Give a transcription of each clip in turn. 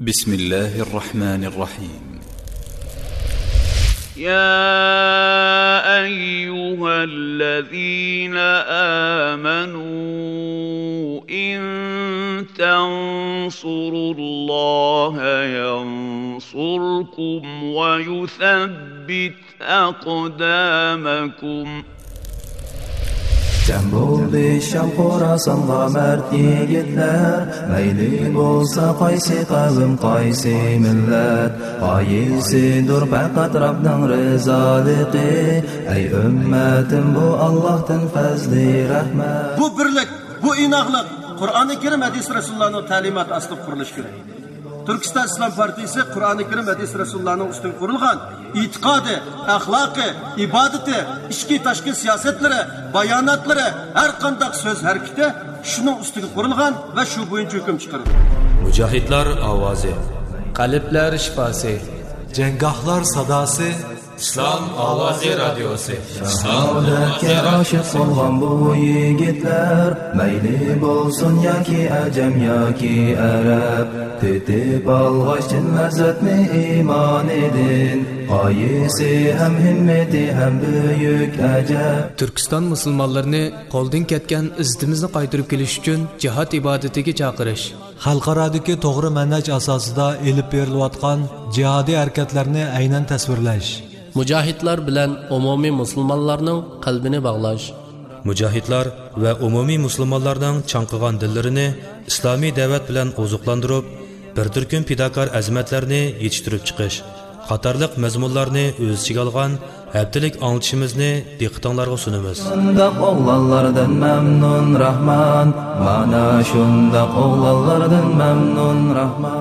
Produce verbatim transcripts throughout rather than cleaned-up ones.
بسم الله الرحمن الرحيم. يا أيها الذين آمنوا إن تنصروا الله ينصركم ويثبت أقدامكم. جەم بولدى شام خوراسانغا مەرد يىگىتلەر، مەيلى بولسا قايسى قەۋم، قايسى مىللەت، غايىسىدۇر پەقەت رەبنىڭ رىزالىقى. ئەي ئۈممەتىم، بۇ ئاللاھتىن پەزلى رەھمەت. بۇ بىرلىك، بۇ ئىناقلىق قۇرئانى كەرىم، ھەدىس رەسۇلۇللانىڭ تەلىماتى ئاستىدا قۇرۇلۇشى كېرەك. تۈركىستان ئىسلام پارتىيىسى قۇرئانى كەرىم، ھەدىس رەسۇلۇللانىڭ ئۈستىگە قۇرۇلغان ئېتىقادى، ئەخلاقى، ئىبادىتى، ئىچكى تاشقى سىياسەتلىرى، باياناتلىرى، ھەر قانداق سۆز ھەرىكىتى شۇنىڭ ئۈستىگە قۇرۇلغان ۋە شۇ بويىچە ھۆكۈم چىقىرىدۇ. مۇجاھىدلار ئاۋازى. قەلبلەر شىپاسى. جەڭگاھلار ساداسى. ئىسلام ئاۋازى رادىيوسى. شاھادەتكە ئاشىق بولغان بۇ يىگىتلەر، مەيلى بولسۇن ياكى ئەجەم ياكى ئەرەب، تېتىپ ئالغاچ چىن لەززەتنى ئىمانىدىن، غايىسى ھەم ھىممىتى ھەم بۈيۈك ئەجەب. تۈركىستان مۇسۇلمانلىرىنى قولدىن كەتكەن ئىززىتىمىزنى قايتۇرۇپ كېلىش ئۈچۈن جىھاد ئىبادىتىگە چاقىرىش. خەلقئارادىكى توغرا مەنھەج ئاساسىدا ئېلىپ بېرىلىۋاتقان جىھادىي ھەرىكەتلەرنى ئەينەن تەسۋىرلەش. مۇجاھىدلار بىلەن ئومۇمىي مۇسۇلمانلارنىڭ قەلبىنى باغلاش. مۇجاھىدلار ۋە ئومۇمىي مۇسۇلمانلارنىڭ چاڭقىغان دىللىرىنى ئىسلامىي دەۋەت بىلەن ئوزۇقلاندۇرۇپ، بىر تۈركۈم پىداكار ئەزىمەتلەرنى يېتىشتۈرۈپ چىقىش قاتارلىق مەزمۇنلارنى ئۆز ئىچىگە ئالغان ھەپتىلىك ئاڭلىتىشىمىزنى دىققىتىڭلارغا سۇنىمىز. شۇنداق ئوغلانلاردىن مەمنۇن راھمان، مانا شۇنداق ئوغلانلاردىن مەمنۇن راھمان.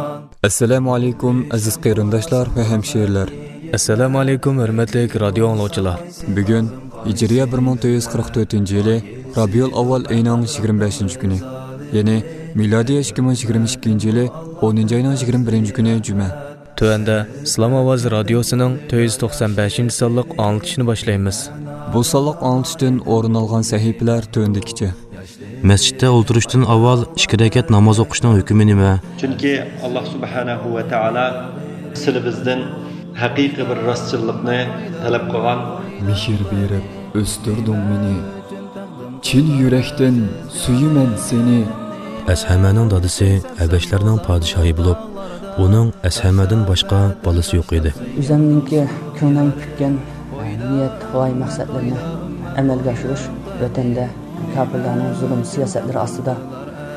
ئەسسالامۇ ئەلەيكۇم، ئەزىز قېرىنداشلار ۋە ھەمشىرىلەر. ئەسسالامۇ ئەلەيكۇم، ھۆرمەتلىك رادىيو ئاڭلىغۇچىلار. بۈگۈن ھىجرىيە بىر مىڭ تۆت يۈز قىرىق تۆتىنچى يىلى رابىئۇل ئاۋۋال ئېيىنىڭ يىگىرمە بەشىنچى كۈنى، يەنى مىلادىيە ئىككى مىڭ يىگىرمە ئىككىنچى يىلى ئونىنچى ئاينىڭ يىگىرمە بىرىنچى كۈنى جۈمە. تۆۋەندە ئىسلام ئاۋازى رادىيوسىنىڭ تۆت يۈز توقسان بەشىنچى سانلىق ئاڭلىتىشنى باشلايمىز. بۇ سانلىق ئاڭلىتىشتىن ئورۇن ئالغان سەھىپىلەر تۆۋەندىكىچە. مەسچىتتە ئولتۇرۇشتىن ئاۋۋال ئىككى رەكەت ناماز ئوقۇشنىڭ ھۆكمى نېمە؟ چۈنكى ئاللاھ سۇبھانەھۇ ۋە تائالا سىلىبىزدىن ھەقىقىي بىر راستچىللىقنى تەلەپ قىلغان. مېھىر بېرىپ ئۆستۈردۈڭ مېنى، چىن يۈرەكتىن سۆيىمەن سېنى. ئەسھەمەنىڭ دادىسى ھەبەشلەرنىڭ پادىشاھى بولۇپ، ئۇنىڭ ئەسھەمەدىن باشقا بالىسى يوق ئىدى. ئۆزۈمنىڭكى كۆڭلۈم پۈتكەن نىيەت، غايە، مەقسەتلىرىنى ئەمەلگە ئاشۇرۇش، ۋەتەندە كاپىرلارنىڭ زۇلۇم سىياسەتلىرى ئاستىدا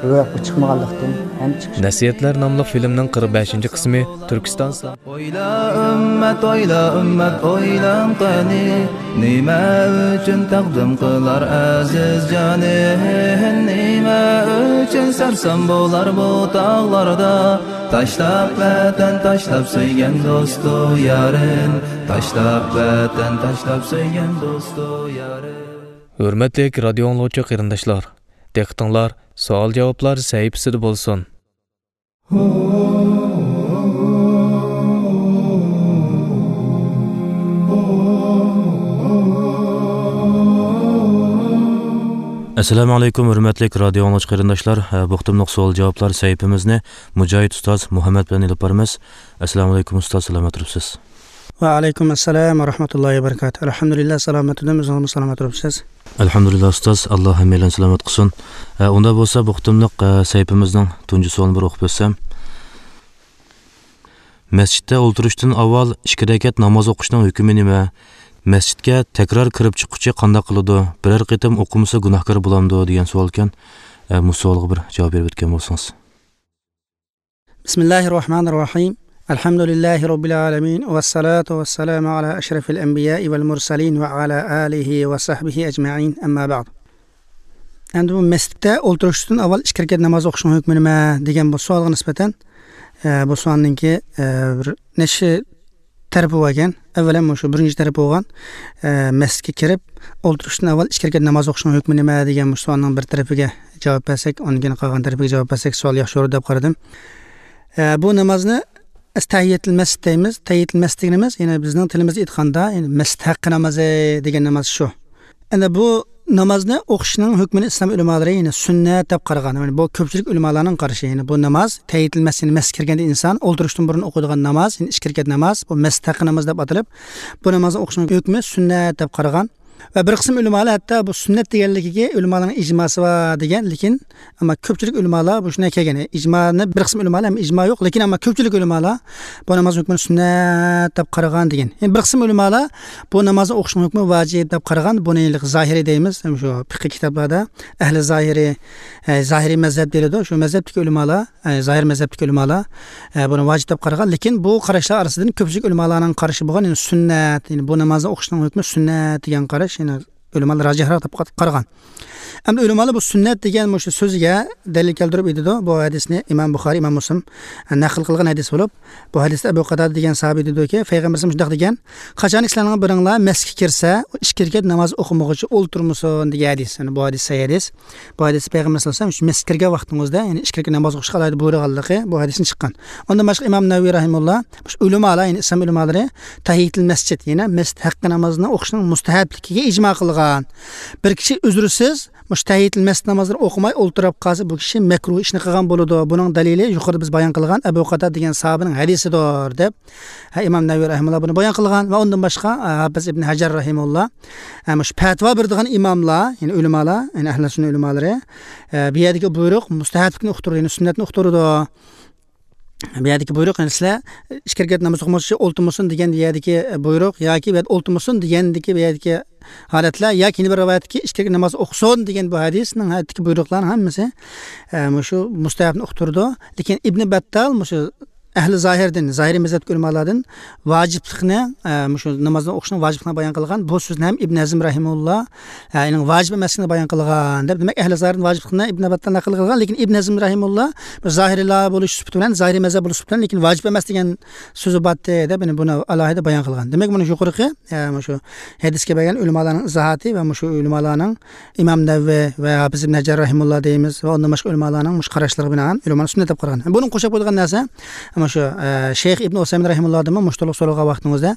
روياپقا چىقمىغانلىقتىن ھەم چىقىش. نەسىھەتلەر ناملىق فىلىمنىڭ قىرىق بەشىنچى قىسمى تۈركىستان ئويلا ئۈممەت، ئويلا ئۈممەت، ئويلاڭ قېنى، نېمە ئۈچۈن تەقدىم قىلار ئەزىز جانىن؟ نېمە ئۈچۈن سەرسان بولار بۇ تاغلاردا؟ تاشلاپ ۋەتەن، تاشلاپ سۆيگەن دوستۇ يارىن، تاشلاپ ۋەتەن، تاشلاپ سۆيگەن دوستۇ يارىن. ھۆرمەتلىك رادىيو ئاڭلىغۇچى قېرىنداشلار، دىققىتىڭلار سوئال-جاۋابلار سەھىپىسىدە بولسۇن. ئەسسالامۇ ئەلەيكۇم، ھۆرمەتلىك رادىيو ئاڭلىغۇچى قېرىنداشلار. بۇ قېتىملىق سوئال-جاۋابلار سەھىپىمىزنى مۇجاھىد ئۇستاز مۇھەممەد بىلەن ئېلىپ بارىمىز. ئەسسالامۇ ئەلەيكۇم ئۇستاز، سالامەت تۇرۇپسىز؟ ۋەئەلەيكۇم ئەسسالام ۋە رەھمەتۇللاھى ۋە بەرىكاتۇھ. ئەلھەمدۇلىللا، سالامەت تۇردۇم، ئۆزىڭىزمۇ سالامەت تۇرۇپسىز. ئەلھەمدۇلىللا ئۇستاز، ئاللا ھەممەيلەننى سالامەت قىلسۇن. ئە، ئۇنداق بولسا بۇ قېتىملىق، ئە، سەھىپىمىزنىڭ تۇنجى سوئالىنى بىر ئوقۇپ ئۆتسەم. مەسچىتتە ئولتۇرۇشتىن ئاۋۋال ئىككى رەكەت ناماز ئوقۇشنىڭ ھۆكمى نېمە؟ مەسچىتكە تەكرار كىرىپ چىققۇچى قانداق قىلىدۇ؟ بىرەر قېتىم ئوقۇمىسا گۇناھكار بولامدۇ؟ دېگەن سوئالكەن. ئە، مۇشۇ سوئالغا بىر جاۋاب بېرىپ ئۆتكەن بولسىڭىز. بسم الله الرحمن الرحيم. الحمد لله رب العالمين، والصلاة والسلام على أشرف الأنبياء والمرسلين وعلى آله وصحبه أجمعين، أما بعد. ئەمدى بۇ مەسچىتتە ئولتۇرۇشتىن ئاۋۋال ئىككى رەكەت ناماز ئوقۇشنىڭ ھۆكمى نېمە دېگەن بۇ سوئالغا نىسبەتەن، ئە، بۇ سوئالنىڭكى، ئە، بىر نەچچە تەرىپى بار ئىكەن. ئەۋۋەلەن مۇشۇ بىرىنچى تەرىپى بولغان، ئە، مەسچىتكە كىرىپ ئولتۇرۇشتىن ئاۋۋال ئىككى رەكەت ناماز ئوقۇشنىڭ ھۆكمى نېمە دېگەن مۇشۇ سوئالنىڭ بىر تەرىپىگە جاۋاب بەرسەك، ئاندىن كېيىن قالغان تەرىپىگە جاۋاب بەرسەك سوئال ياخشى بولۇر دەپ قارىدىم. ئە، بۇ نامازنى بىز تەھىيەتۇل مەسچىت دەيمىز. تەھىيەتۇل مەسچىت دېگىنىمىز، يەنى بىزنىڭ تىلىمىزدا ئېيتقاندا، يەنى مەسچىت ھەققى نامىزى دېگەن ناماز شۇ. ئەنە بۇ نامازنى ئوقۇشنىڭ ھۆكمىنى ئىسلام ئۆلىمالىرى، يەنى سۈننەت دەپ قارىغان. يەنى بۇ كۆپچىلىك ئۆلىمالارنىڭ قارىشى. يەنى بۇ ناماز، تەھىيەتۇل مەسجىد، يەنى مەسچىتكە كىرگەندە ئىنسان ئولتۇرۇشتىن بۇرۇن ئوقۇيدىغان ناماز، يەنى ئىككى رەكەت ناماز، بۇ مەسچىت ھەققى ناماز دەپ ئاتىلىپ، بۇ نامازنى ئوقۇشنىڭ ھۆكمى سۈننەت دەپ قارىغان. ۋە بىر قىسىم ئۆلىمالار ھەتتا بۇ سۈننەت دېگەنلىكىگە ئۆلىمالارنىڭ ئىجماسى بار دېگەن، لېكىن ئەمما كۆپچىلىك ئۆلىمالار بۇ شۇنداق كەلگەن. ئىجمانى بىر قىسىم ئۆلىمالار، ئەمما ئىجما يوق، لېكىن ئەمما كۆپچىلىك ئۆلىمالار بۇ نامازنىڭ ھۆكمىنى سۈننەت دەپ قارىغان دېگەن. يەنى بىر قىسىم ئۆلىمالار بۇ نامازنى ئوقۇشنىڭ ھۆكمى ۋاجىپ دەپ قارىغان. بۇنى زاھىرىي دەيمىز، شۇ پىقىھ كىتابلاردا ئەھلى زاھىرىي، ئە، زاھىرىي مەزھەپ دېيىلىدۇ. شۇ مەزھەپتىكى ئۆلىمالار، ئە، زاھىر مەزھەپتىكى ئۆلىمالار، ئە، بۇنى ۋاجىپ دەپ قارىغان. لېكىن بۇ قاراشلار ئارىسىدىن كۆپچىلىك ئۆلىمالارنىڭ قارىشى بولغان، يەنى سۈننەت، يەنى بۇ نامازنى ئوقۇشنىڭ ھۆكمى سۈننەت دېگەن قاراش، يەنى ئۆلىمالار راجىھراق دەپ قارىغان. ئەمدى ئۆلىمالار بى سۈننەت دېگەن مۇشۇ سۆزىگە دەلىل كەلتۈرۈپ ئېيتىدۇ. بۇ ھەدىسنى ئىمام بۇخارىي، ئىمام مۇسلىم نەقىل قىلغان ھەدىس بولۇپ، بۇ ھەدىستە ئەبۇ قاتادە دېگەن ساھابى دېدىكى، پەيغەمبىرىمىز مۇشۇنداق دېگەن، قاچانكى سىلەرنىڭ بىرىڭلار مەسچىتكە كىرسە، ئىككى رەكەت ناماز ئوقۇمىغۇچە ئولتۇرمىسۇن دېگەن ھەدىس. يەنى بۇ ھەدىس سەھىھ ھەدىس. بۇ ھەدىس پەيغەمبەر سەللەللاھۇ ئەلەيھى ۋەسەللەم مەسچىتكە كىرگەن ۋاقتىڭىزدا، يەنى ئىككى رەكەت ناماز ئوقۇشقا ئالاھىدە بۇيرۇغانلىقى بۇ ھەدىستىن چىققان. ئۇندىن باشقا ئىمام نەۋەۋى رەھىمۇللا، مۇشۇ ئۆلىمالار، يەنى ئىسلام ئۆلىمالىرى تەھىيەتۇل مەسچىد، يەنى مەسچىت ھەققى نامازىنى ئوقۇشنىڭ مۇستەھەبلىكىگە ئىجما قىلغان. بىر كىشى ئۈزرىسىز مۇشۇ تەھىيەتۇل مەسچىت نامازلىرىنى ئوقۇماي ئولتۇرۇپ قالسا، بۇ كىشى مەكرۇھ ئىشنى قىلغان بولىدۇ. بۇنىڭ دەلىلى يۇقىرىدا بىز بايان قىلغان ئەبۇ قاتادە دېگەن ساھابىنىڭ ھەدىسىدۇر، دەپ، ھە، ئىمام نەۋەۋى رەھىمۇللا بۇنى بايان قىلغان. ۋە ئۇندىن باشقا، ھە، ھاپىز ئىبن ھەجەر رەھىمۇللا، ھە، مۇشۇ پەتىۋا بېرىدىغان ئىماملار، يەنى ئۆلىمالار، يەنى ئەھلى سۈننە ئۆلىمالىرى، ھە، بۇ يەردىكى بۇيرۇق مۇستەھەبلىكنى ئۇقتۇرىدۇ، يەنى سۈننەتنى ئۇقتۇرىدۇ. بۇ يەردىكى بۇيرۇق، يەنى سىلەر ئىككى رەكەت ناماز ئوقۇمىغۇچە ئولتۇرمىسۇن دېگەن بۇ يەردىكى بۇيرۇق ياكى بۇ يەردە ئولتۇرمىسۇن دېگەندىكى بۇ يەردىكى ھالەتلەر ياكى يەنە بىر رىۋايەتتىكى ئىككى رەكەت ناماز ئوقۇسۇن دېگەن بۇ ھەدىسنىڭ ھەدىسىدىكى بۇيرۇقلارنىڭ ھەممىسى، ئە، مۇشۇ مۇستەھەبنى ئۇقتۇرىدۇ. لېكىن ئىبنى بەتتال مۇشۇ ئەھلى زاھىردىن، زاھىرىي مەزھەپتىكى ئۆلىمالاردىن ۋاجىپلىقنى، ئە، مۇشۇ نامازنى ئوقۇشنىڭ ۋاجىپلىقىنى بايان قىلغان. بۇ سۆزنى ھەم ئىبن ھەزم رەھىمۇللا، ئە، ئۇنىڭ ۋاجىپ ئەمەسلىكىنى بايان قىلغان دەپ، دېمەك، ئەھلى زاھىردىن ۋاجىپلىقنى ئىبن بەتتال نەقىل قىلغان، لېكىن ئىبن ھەزم رەھىمۇللا بىر زاھىرىيلار بولۇش سۈپىتى بىلەن، زاھىرىي مەزھەپ بولۇش سۈپىتى بىلەن، لېكىن ۋاجىپ ئەمەس دېگەن سۆزى بارتى دەپ، يەنى بۇنى ئالاھىدە بايان قىلغان. دېمەك، مانا يۇقىرىقى، ئە، مۇشۇ ھەدىسكە بەرگەن ئۆلىمالارنىڭ ئىزاھاتى ۋە مۇشۇ ئۆلىمالارنىڭ ئىمام نەۋەۋى ۋە ھاپىز ئىبن ھەجەر رەھىمۇللا دەيمىز ۋە ئۇندىن باشقا ئۆلىمالارنىڭ مۇشۇ قاراشلىرىغا بىنائەن ئۆلىمالار سۈننەت دەپ قارىغان. بۇنىڭغا قوشۇپ قويىدىغان نەرسە، مۇشۇ، ئە، شەيخ ئىبن ئۇسەيمىن رەھىمۇللادىنمۇ مۇشۇ توغرىلىق سورىغان ۋاقتىڭىزدا،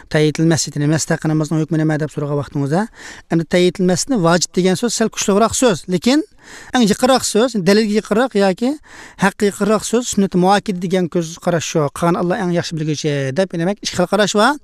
تەھىيەتۇل مەسجىد، يەنى مەسجىد ھەققى نامازنىڭ ھۆكمى نېمە دەپ سورىغان ۋاقتىڭىزدا، ئەمدى تەھىيەتۇل مەسجىدنى ۋاجىپ دېگەن سۆز سەل كۈچلۈكراق سۆز، لېكىن ئەڭ يېقىنراق سۆز، دەلىلگە يېقىنراق ياكى ھەققە يېقىنراق سۆز سۈننەت مۇئەككىدە دېگەن كۆز قاراش شۇ. قالغان ئاللا ئەڭ ياخشى بىلگۈچى دەپ، دېمەك، ئىككى خىل قاراش بار.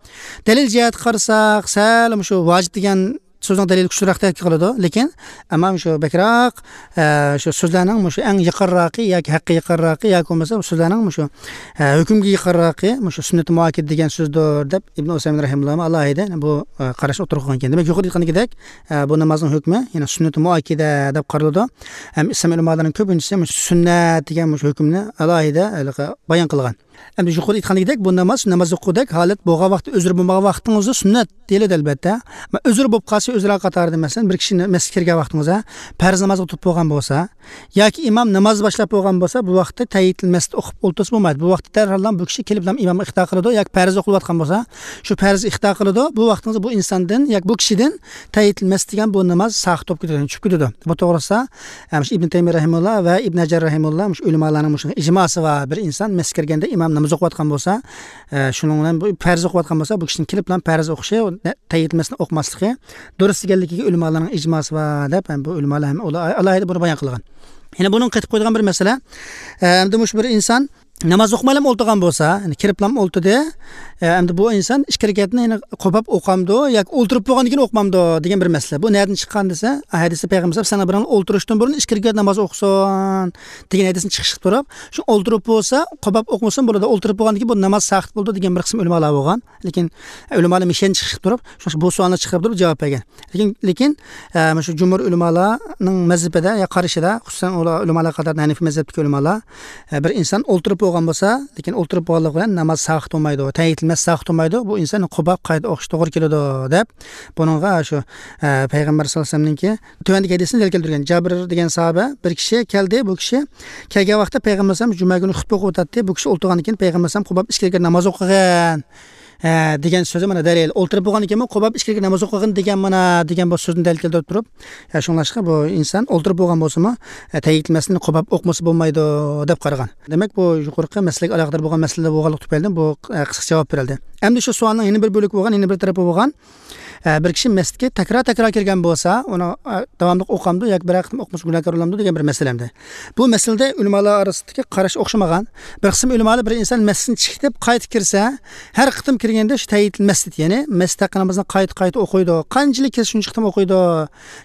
دەلىل جەھەتتە قارىساق، سەل مۇشۇ ۋاجىپ دېگەن سۆزنىڭ دەلىلى كۈچلۈكرەك تەسىر قىلىدۇ. لېكىن، ئەمما مۇشۇ بەكرەك، ئە، شۇ سۆزلەرنىڭ مۇشۇ ئەڭ يېقىنراقى ياكى ھەققە يېقىنراقى ياكى بولمىسا سۆزلەرنىڭ مۇشۇ، ئە، ھۆكۈمگە يېقىنراقى مۇشۇ سۈننەت مۇئەككىدە دېگەن سۆزدۇر دەپ ئىبن ئۇسەيمىن رەھىمۇللا ئالاھىدە بۇ، ئە، قاراشنى ئوتتۇرىغا قويغان ئىكەن. دېمەك، يۇقىرىدا ئېيتقاندىكىدەك، ئە، بۇ نامازنىڭ ھۆكمى يەنى سۈننەت مۇئەككىدە دەپ قارىلىدۇ. ھەم ئىسلام ئۆلىمالىرىنىڭ كۆپىنچىسى مۇشۇ سۈننەت دېگەن مۇشۇ ھۆكۈمنى ئالاھىدە ھېلىقى بايان قىلغان. ئەمدى يۇقىرىدا ئېيتقاندىكىدەك، بۇ ناماز ناماز ئوقۇغۇدەك ھالەت بولغان ۋاقىتتا، ئۆزرە بولمىغان ۋاقتىڭىزدا سۈننەت دېيىلىدۇ، ئەلبەتتە. ئەمما ئۆزرە بولۇپ قالسا، ئۆزرە قاتارىدا، مەسىلەن، بىر كىشى مەسچىتكە كىرگەن ۋاقتىڭىزدا پەرز نامازغا تۇرۇپ بولغان بولسا ياكى ئىمام ناماز باشلاپ بولغان بولسا، بۇ ۋاقىتتا تەھىيەتۇل مەسجىد ئوقۇپ ئولتۇرسا بولمايدۇ. بۇ ۋاقىتتا دەرھاللا بۇ كىشى كېلىپلا ئىمامغا ئىقتىدا قىلىدۇ ياكى پەرز ئوقۇلۇۋاتقان بولسا، شۇ پەرز ئىقتىدا قىلىدۇ. بۇ ۋاقتىڭىزدا بۇ ئىنساندىن ياكى بۇ كىشىدىن تەھىيەتۇل مەسجىد دېگەن بۇ ناماز ساقىت بولۇپ كېتىدۇ، چۈشۈپ كېتىدۇ. بۇ توغرىسىدا، ئە، مۇشۇ ئىبن تەيمىيە رەھىمۇللا ۋە ئىبن ھەجەر رەھىمۇللا مۇشۇ ئۆلىمالارنىڭ مۇشۇ ئىجماسى بار. بىر ئىنسان مەسچىتكە كىرگەندە ئىمام ناماز ئوقۇۋاتقان بولسا، ئە، شۇنىڭ بىلەن بۇ پەرز ئوقۇۋاتقان بولسا، بۇ كىشىنىڭ كېلىپلا پەرز ئوقۇشى، تەھىيەتۇل مەسجىدنى ئوقۇماسلىقى دۇرۇس دېگەنلىكىگە ئۆلىمالارنىڭ ئىجماسى بار دەپ، ھەم بۇ ئۆلىمالار ھەم ئۇلار ئالاھىدە بۇنى بايان قىلغان. يەنە بۇنىڭغا قېتىپ قويىدىغان بىر مەسىلە، ئە، ئەمدى مۇشۇ بىر ئىنسان ناماز ئوقۇمايلا ئولتۇرغان بولسا، يەنى كىرىپلا ئولتۇردى، ئە، ئەمدى بۇ ئىنسان ئىككى رەكەتنى يەنە قوپاپ ئوقامدۇ ياكى ئولتۇرۇپ بولغاندىن كېيىن ئوقۇمامدۇ دېگەن بىر مەسىلە. بۇ نەدىن چىققان دېسە، ھەدىستە پەيغەمبەر سەللەللاھۇ ئەلەيھى ۋەسەللەم سەن بىرىڭلار ئولتۇرۇشتىن بۇرۇن ئىككى رەكەت ناماز ئوقۇسۇن دېگەن ھەدىستىن چىقىش قىلىپ تۇرۇپ، شۇ ئولتۇرۇپ بولسا، قوپاپ ئوقۇمىسىمۇ بولىدۇ، ئولتۇرۇپ بولغاندىن كېيىن بۇ ناماز ساقىت بولىدۇ دېگەن بىر قىسىم ئۆلىمالار بولغان. لېكىن ئۆلىمالار مۇشۇ يەردىن چىقىش قىلىپ تۇرۇپ، شۇ، بۇ سوئالنى چىقىرىپ تۇرۇپ جاۋاب بەرگەن. لېكىن، لېكىن، ئە، مۇشۇ جۇمھۇر ئۆلىمالارنىڭ مەزھىپىدە يا قارىشىدا، خۇسۇسەن ئۇلار ئۆلىمالار قاتارىدا ھەنىفىي مەزھەپتىكى ئۆلىمالار، ئە، بىر ئىنسان ئولتۇرۇپ بولغان بولسا، لېكىن ئولتۇرۇپ بولغانلىقى بىلەن ناماز ساقىت بولمايدۇ، تەھىيەتۇل مەسجىد ساقىت بولمايدۇ، بۇ ئىنسان قوپاپ قايتا ئوقۇش توغرا كېلىدۇ دەپ، بۇنىڭغا شۇ، ئە، پەيغەمبەر سەللەللاھۇ ئەلەيھى ۋەسەللەمنىڭكى تۆۋەندىكى ھەدىسىنى دەلىل كەلتۈرگەن. جابىر دېگەن ساھابە بىر كىشى كەلدى، بۇ كىشى كەلگەن ۋاقىتتا پەيغەمبەر ئەلەيھىسسالام جۈمە كۈنى خۇتبە ئوقۇۋاتاتتى، بۇ كىشى ئولتۇرغاندىن كېيىن پەيغەمبەر ئەلەيھىسسالام قوپاپ ئىككى رەكەت ناماز ئوقۇغان. ئە، دېگەن سۆزى مانا دەلىل. ئولتۇرۇپ بولغاندىن كېيىنمۇ قوپاپ ئىككى رەكەت ناماز ئوقۇغىن دېگەن مانا دېگەن بۇ سۆزنى دەلىل كەلتۈرۈپ تۇرۇپ، ئە، شۇڭلاشقا بۇ ئىنسان ئولتۇرۇپ بولغان بولسىمۇ، ئە، تەھىيەتۇل مەسجىدنى قوپاپ ئوقۇمىسا بولمايدۇ دەپ قارىغان. دېمەك، بۇ يۇقىرىقى مەسىلىگە ئالاقىدار بولغان مەسىلىلەر بولغانلىقى تۈپەيلىدىن بۇ، ئە، قىسقىچە جاۋاب بېرىلدى. ئەمدى شۇ سوئالنىڭ يەنە بىر بۆلىكى بولغان، يەنە بىر تەرىپى بولغان. ئە، بىر كىشى مەسچىتكە تەكرار-تەكرار كىرگەن بولسا، ئۇنى، ئە، داۋاملىق ئوقامدۇ ياكى بىرەر قېتىم ئوقۇمىسا گۇناھكار بولامدۇ دېگەن بىر مەسىلە ئەمدى. بۇ مەسىلىدە ئۆلىمالار ئارىسىدىكى قاراش ئوخشىمىغان. بىر قىسىم ئۆلىمالار بىر ئىنسان مەسچىتتىن چىقىپ قايتىپ كىرسە، ھەر قېتىم كىرگەندە شۇ تەھىيەتۇل مەسچىت، يەنى مەسچىت ھەققى نامىزىنى قايتا-قايتا ئوقۇيدۇ. قانچىلىك كىرسە شۇنچە قېتىم ئوقۇيدۇ.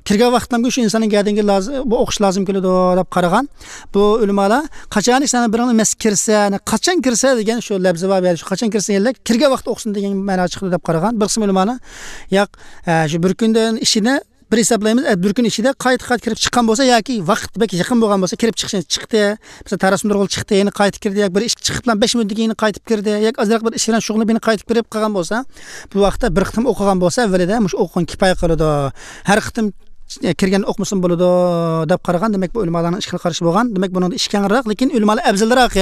كىرگەن ۋاقىتلامغۇ شۇ ئىنساننىڭ گەدىنىگە لازىم، بۇ ئوقۇش لازىم كېلىدۇ دەپ قارىغان. بۇ ئۆلىمالار قاچان ئىنسان بىرىڭ مەسچىتكە كىرسە، يەنى قاچان كىرسە دېگەن شۇ لەپزى بار، يەنى شۇ قاچان كىرسە دېگەنلىك كىرگەن ۋاقىت ئوقۇسۇن دېگەن مەنا چىقىدۇ دەپ قارىغان. بىر قىسىم ئۆلىمالار ياق، ئە، شۇ بىر كۈندىن ئىچىدە بىر ھېسابلايمىز، ئە، بىر كۈن ئىچىدە قايتا-قايتا كىرىپ چىققان بولسا ياكى ۋاقىت بەك يېقىن بولغان بولسا، كىرىپ چىقىشى چىقتى، مەسىلەن، تاراسىنى تۇرغىلى چىقتى، يەنە قايتا كىردى، ياكى بىر ئىشقا چىقىپلا بەش مىنۇتتىن كېيىن قايتىپ كىردى، ياكى ئازراق بىر ئىش بىلەن شۇغۇللىنىپ يەنە قايتىپ كىرىپ قالغان بولسا، بۇ ۋاقىتتا بىر قېتىم ئوقۇغان بولسا، ئەۋۋەلىدە مۇشۇ ئوقۇغان كىپايە قىلىدۇ. ھەر قېتىم كىرگەن ئوقۇمىسىمۇ بولىدۇ دەپ قارىغان. دېمەك، بۇ ئۆلىمالارنىڭ ئىككى خىل قارىشى بولغان. دېمەك، بۇنىڭدا ئىش كەڭرەك، لېكىن ئۆلىمالار ئەۋزەلرەك.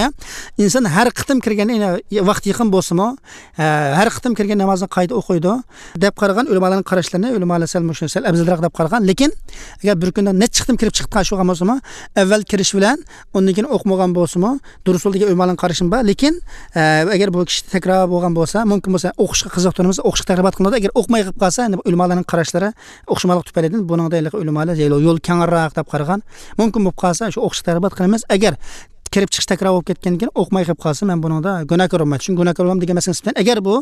ئىنسان ھەر قېتىم كىرگەندە، يەنە ۋاقىت يېقىن بولسىمۇ، ھە، ھەر قېتىم كىرگەن نامازنى قايتا ئوقۇيدۇ دەپ قارىغان ئۆلىمالارنىڭ قاراشلىرىنى ئۆلىمالار سەل مۇشۇ سەل ئەۋزەلرەك دەپ قارىغان. لېكىن ئەگەر بىر كۈندە نەچچە قېتىم كىرىپ چىقىپ قالغان بولسىمۇ، ئەۋۋەل كىرىش بىلەن ئۇندىن كېيىن ئوقۇمىغان بولسىمۇ، دۇرۇس يول دېگەن ئۆلىمالارنىڭ قارىشىمۇ بار. لېكىن، ئە، ئەگەر بۇ كىشى تەكرار بولغان بولسا، مۇمكىن بولسا ئوقۇشقا قىزىقتۇرىمىز، ئوقۇشقا تەرغىبات قىلىنىدۇ. ئەگەر ئوقۇماي قېلىپ قالسا، ئەمدى بۇ ئۆلىمالارنىڭ قاراشلىرى ئوخشىماسلىق تۈپەيلىدىن بۇنىڭدا ھېلىقى ئۆلىمالار يول، يول كەڭرەك دەپ قارىغان. مۇمكىن بولۇپ قالسا، شۇ ئوقۇشقا تەرغىبات قىلىمىز. ئەگەر كىرىپ چىقىش تەكرار بولۇپ كەتكەندىن كېيىن ئوقۇماي قېلىپ قالسا، مەن بۇنىڭدا گۇناھكار بولمايمەن. چۈنكى گۇناھكار بولمايمەن دېگەن مەسىلە نىسبەتەن، ئەگەر بۇ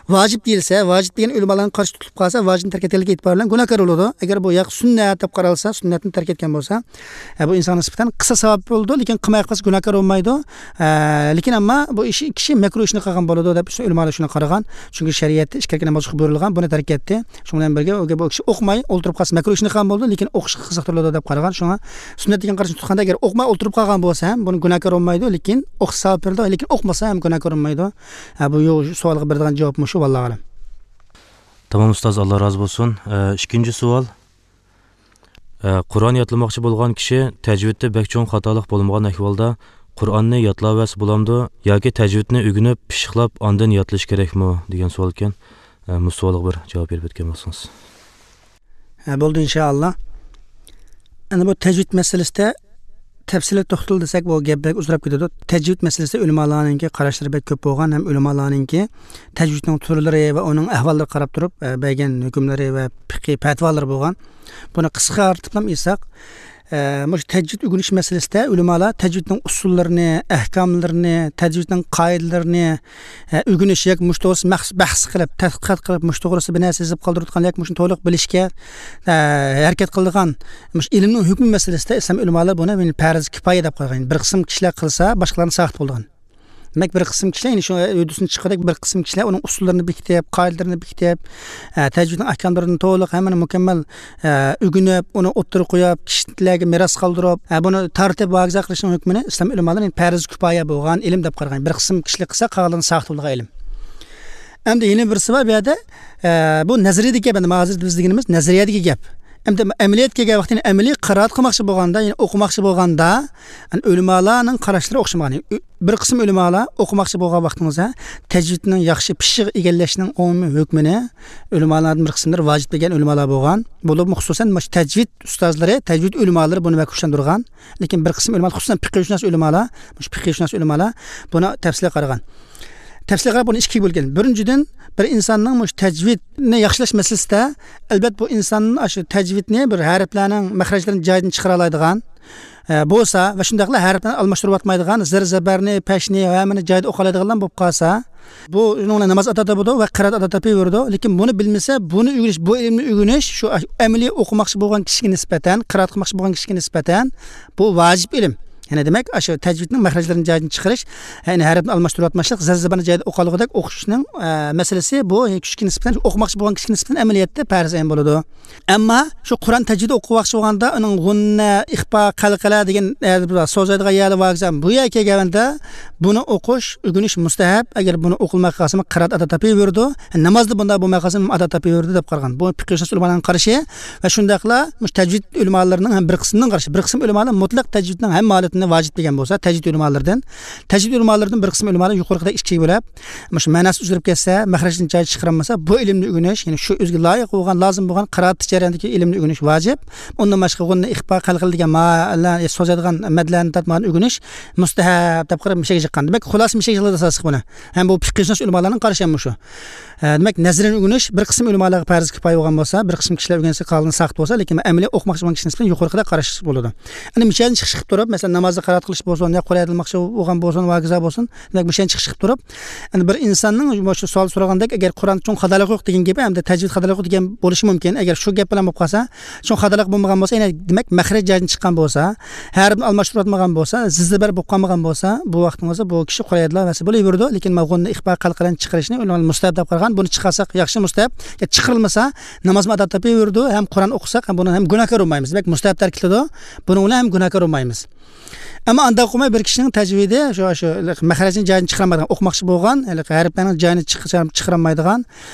ۋاجىپ دېيىلسە، ۋاجىپ دېگەن ئۆلىمالارنىڭ قارشى تۇتۇلۇپ قالسا، ۋاجىپنى تەرك ئەتكەنلىكى ئېتىبارى بىلەن گۇناھكار بولىدۇ. ئەگەر بۇ ياق سۈننەت دەپ قارالسا، سۈننەتنى تەرك ئەتكەن بولسا، ئە، بۇ ئىنسانغا نىسبەتەن قىساس ساۋاب بولىدۇ، لېكىن قىلماي قالسا گۇناھكار بولمايدۇ. ئە، لېكىن ئەمما بۇ ئىش، كىشى مەكرۇ ئىشنى قىلغان بولىدۇ دەپ ئۆلىمالار شۇنى قارىغان. چۈنكى شەرىئەتتە ئىككى رەكەت ناماز ئوقۇشقا بۇيرۇلغان، بۇنى تەرك ئەتتى. شۇنىڭ بىلەن بىرگە ئۇ، بۇ كىشى ئوقۇماي ئولتۇرۇپ قالسا مەكرۇ ئىشنى قىلغان بولىدۇ، لېكىن ئوقۇشقا قىزىقتۇرۇلىدۇ دەپ قارىغان. شۇڭا سۈننەت دېگەن قاراشنى تۇتقاندا، ئەگەر ئوقۇماي ئولتۇرۇپ قالغان بولسا ھەم بۇنى گۇناھكار بولمايدۇ، لېكىن ئوقۇش ساۋاب بېرىدۇ، لېكىن ئوقۇمىسا ھەم گۇناھكار بولمايدۇ. ھە، بۇ يو-، سوئالغا بېرىدىغان جاۋاب مۇشۇ، ۋاللاھۇ ئەلەم. تامام ئۇستاز، ئاللا رازى بولسۇن. ئە، ئىككىنچى سوئال. ئە، قۇرئان ياتلىماقچى بولغان كىشى تەجۋىدتە بەك چوڭ خاتالىق بولمىغان ئەھۋالدا قۇرئاننى ياتلاۋەرسە بولامدۇ ياكى تەجۋىدنى ئۆگىنىپ، پىششىقلاپ، ئاندىن ياتلىشى كېرەكمۇ دېگەن سوئالكەن. ئە، مۇشۇ سوئالغا بىر جاۋاب بېرىپ ئۆتكەن بولسىڭىز. ھە، بولدى، ئىنشائاللا. ئەنە بۇ تەجۋىد مەسىلىسىدە تەپسىلىي توختىلىدۇ دېسەك، بۇ گەپ بەك ئۇزىراپ كېتىدۇ. تەجۋىد مەسىلىسىدە ئۆلىمالارنىڭكى قاراشلىرى بەك كۆپ بولغان ھەم ئۆلىمالارنىڭكى تەجۋىدنىڭ تۈرلىرى ۋە ئۇنىڭ ئەھۋاللىرىغا قاراپ تۇرۇپ، ئە، بەرگەن ھۆكۈملىرى ۋە پىقھىي پەتىۋالىرى بولغان. بۇنى قىسقارتىپلا ئېيتساق، ئە، مۇشۇ تەجۋىد ئۆگىنىش مەسىلىسىدە ئۆلىمالار تەجۋىدنىڭ ئۇسۇللىرىنى، ئەھكاملىرىنى، تەجۋىدنىڭ قائىدىلىرىنى، ئە، ئۆگىنىش ياكى مۇشۇ توغرىسىدا مەخسۇس بەھس قىلىپ، تەتقىقات قىلىپ، مۇشۇ توغرىسىدا بىر نەرسە يېزىپ قالدۇرۇۋاتقان ياكى مۇشۇنى تولۇق بىلىشكە، ئە، ھەرىكەت قىلىدىغان مۇشۇ ئىلىمنىڭ ھۆكمى مەسىلىسىدە ئىسلام ئۆلىمالىرى بۇنى پەرز كىپايە دەپ قويغان. بىر قىسىم كىشىلەر قىلسا، باشقىلارنى ساقىت بولىدىغان. دېمەك، بىر قىسىم كىشىلەر، يەنى شۇ ھۆددىسىدىن چىققۇدەك بىر قىسىم كىشىلەر ئۇنىڭ ئۇسۇللىرىنى بېكىتىپ، قائىدىلىرىنى بېكىتىپ، ئە، تەجۋىدنىڭ ئەھكاملىرىنى تولۇق ھەممىنى مۇكەممەل، ئە، ئۆگىنىپ، ئۇنى ئوتتۇرىغا قويۇپ، كىشىلەرگە مىراس قالدۇرۇپ، ئە، بۇنى تارتىپ ۋاگىزە قىلىشنىڭ ھۆكمىنى ئىسلام ئۆلىمالىرى پەرز كۇپايە بولغان ئىلىم دەپ قارىغان. بىر قىسىم كىشىلەر قىلسا، قالغانلىرى ساقىت بولىدىغان ئىلىم. ئەمدى يەنە بىرسى بار بۇ يەردە، ئە، بۇ نەزەرىيىدىكى گەپ، ئەمدى ھازىر بىز دېگىنىمىز نەزەرىيەدىكى گەپ. ئەمدى ئەمەلىيەتكە كەلگەن ۋاقتىدا ئەمەلىي قىرائەت قىلماقچى بولغاندا، يەنى ئوقۇماقچى بولغاندا، يەنى ئۆلىمالارنىڭ قاراشلىرى ئوخشىمىغان. ئۆ-، بىر قىسىم ئۆلىمالار ئوقۇماقچى بولغان ۋاقتىڭىزدا تەجۋىدنىڭ ياخشى پىششىق ئىگىلەشنىڭ ئومۇمىي ھۆكمىنى ئۆلىمالارنىڭ بىر قىسىملىرى ۋاجىپ بىلگەن ئۆلىمالار بولغان. بولۇپمۇ خۇسۇسەن مۇشۇ تەجۋىد ئۇستازلىرى، تەجۋىد ئۆلىمالىرى بۇنى بەك كۈچلەندۈرگەن. لېكىن بىر قىسىم ئۆلىمالار، خۇسۇسەن پىقىھشۇناس ئۆلىمالار، مۇشۇ پىقىھشۇناس ئۆلىمالار بۇنى تەپسىلىي قارىغان. تەپسىلىي قاراپ، بۇنى ئىككىگە بۆلگەن. بىرىنچىدىن، بىر ئىنساننىڭ مۇشۇ تەجۋىدنى ياخشىلاش مەسىلىسىدە، ئەلۋەتتە، بۇ ئىنسان ئاشۇ تەجۋىدنى بىر ھەرپلەرنىڭ مەخرەجلىرىنى جايىدىن چىقىرالايدىغان، ئە، بولسا ۋە شۇنداقلا ھەرپلەرنى ئالماشتۇرۇۋاتمايدىغان، زىر زەبەرنى، پەشنى، ھەممىنى جايىدا ئوقۇيالايدىغانلار بولۇپ قالسا، بۇ ئۇنىڭ بىلەن ناماز ئادا تاپىدۇ ۋە قىرائەت ئادا تاپىۋېرىدۇ. لېكىن بۇنى بىلمىسە، بۇنى ئۆگىنىش، بۇ ئىلىمنى ئۆگىنىش شۇ ئەمەلىي ئوقۇماقچى بولغان كىشىگە نىسبەتەن، قىرائەت قىلماقچى بولغان كىشىگە نىسبەتەن بۇ ۋاجىپ ئىلىم. يەنى دېمەك، ئاشۇ تەجۋىدنىڭ مەخرەجلىرىنى جايىدىن چىقىرىش، يەنى ھەرپنى ئالماشتۇرۇۋاتماسلىق، زىر زەبەرنى جايىدا ئوقۇيالىغۇدەك ئوقۇشنىڭ، ئە، مەسىلىسى بۇ كىشىگە نىسبەتەن، ئوقۇماقچى بولغان كىشىگە نىسبەتەن ئەمەلىيەتتە پەرز ئەين بولىدۇ. ئەمما شۇ قۇرئان تەجۋىدى ئوقۇماقچى بولغاندا ئۇنىڭ غۇننە، ئىخپا، قەلقەلە دېگەن، ئە، سوزايدىغان يەرلەر بار ئىكەن، بۇ يەرگە كەلگەندە بۇنى ئوقۇش، ئۆگىنىش مۇستەھەپ. ئەگەر بۇنى ئوقۇلماي قالسىمۇ قىرائەت ئادا تاپىۋېرىدۇ. نامازدا بۇنداق بولماي قالسىمۇ ئادا تاپىۋېرىدۇ دەپ قارىغان. بۇ پىقىھشۇناس ئۆلىمالارنىڭ قارىشى ۋە شۇنداقلا مۇشۇ تەجۋىد ئۆلىمالىرىنىڭ ھەم بىر قىسمىنىڭ قارىشى. بىر قىسىم ئۆلىمالار مۇتلەق تەجۋىدنىڭ ھەممە ھالىتىنى ۋاجىپ دېگەن بولسا، تەجۋىد ئۆلىمالىرىدىن، تەجۋىد ئۆلىمالىرىدىن بىر قىسىم ئۆلىمالار يۇقىرىقىدەك ئىككىگە بۆلۈپ، مۇشۇ مەناسى ئۈزۈلۈپ كەتسە، مەخرەجدىن جايىنى چىقىرالمىسا، بۇ ئىلىمنى ئۆگىنىش، يەنى شۇ ئۆزىگە لايىق بولغان، لازىم بولغان قىرائەت جەريانىدىكى ئىلىمنى ئۆگىنىش ۋاجىپ. ئۇندىن باشقا غۇننە، ئىخپا، قەلقىلە دېگەن مائەللەر، سوزىدىغان مەدلەرنى تارتمىغان ئۆگىنىش مۇستەھەب دەپ قاراپ مىشەگە چىققان. دېمەك، خۇلاسە مىشەگە چىقىدۇ ئاساسلىق بۇنى. ھەم بۇ پىقىھشۇناس ئۆلىمالارنىڭ قارىشى ھەم مۇشۇ. ئە، دېمەك، نەزەرىيە ئۆگىنىش بىر قىسىم ئۆلىمالارغا پەرز كىپايە بولغان بولسا، بىر قىسىم كىشىلەر ئۆگەنسە قالغىنى ساقىت بولسا، لېكىن ئەمەلىي ئوقۇماقچى بولغان كىشىنىڭ نىسبەتەن يۇقىرىقىدا قاراش بولىدۇ. ئەنە مىشەدىن چىقىش قىلىپ تۇرۇپ، مەسىلەن، نامازدا قىرائەت قىلىش بولسۇن، يا قۇرئان ئوقۇماقچى بولغان بولسۇن، ۋاكىزا بولسۇن، دېمەك، مىشەدىن چىقىش قىلىپ تۇرۇپ، ئەنە بىر ئىنساننىڭ مۇشۇ سوئال سورىغاندەك، ئەگەر قۇرئاندا چوڭ خاتالىق يوق دېگەن گېپى، ھەمدە تەجۋىد خاتالىقى يوق دېگەن بولۇشى مۇمكىن. ئەگەر شۇ گەپ بىلەن بولۇپ قالسا، چوڭ خاتالىق بولمىغان بولسا، يەنە دېمەك، مەخرەج جايىدىن چىققان بولسا، ھەرپنى ئالماشتۇرۇۋاتمىغان بولسا، زىززىبەر بولۇپ قالمىغان بولسا، بۇ ۋاقىتنىڭ ئۆزى بۇ كىشى قۇرئان يادلاۋەرسە بولۇۋېرىدۇ. لېكىن مانا غۇننە، ئىخپا، قەلقىلەنى چىقىرىشنى ئۆلىمالار مۇستەھەب دەپ قارىغان، بۇنى چىقارساق ياخشى، مۇستەھەب. يا چىقىرىلمىسا، نامازمۇ ئادا تېپىۋېرىدۇ، ھەم قۇرئان ئوقۇساق، ھەم بۇنىڭ ھەم گۇناھكار بولمايمىز. دېمەك، مۇستەھەب تەرك ئېتىلىدۇ، بۇنىڭ بىلەن ھەم گۇناھكار بولمايمىز. ئەمما ئانداق قىلماي بىر كىشىنىڭ تەجۋىدى شۇ، شۇ مەخرەجنى جايىدىن چىقىرالمايدىغان، ئوقۇماقچى بولغان، ھېلىقى ھەرپلەرنىڭ جايىنى چىقىرالمايدىغان،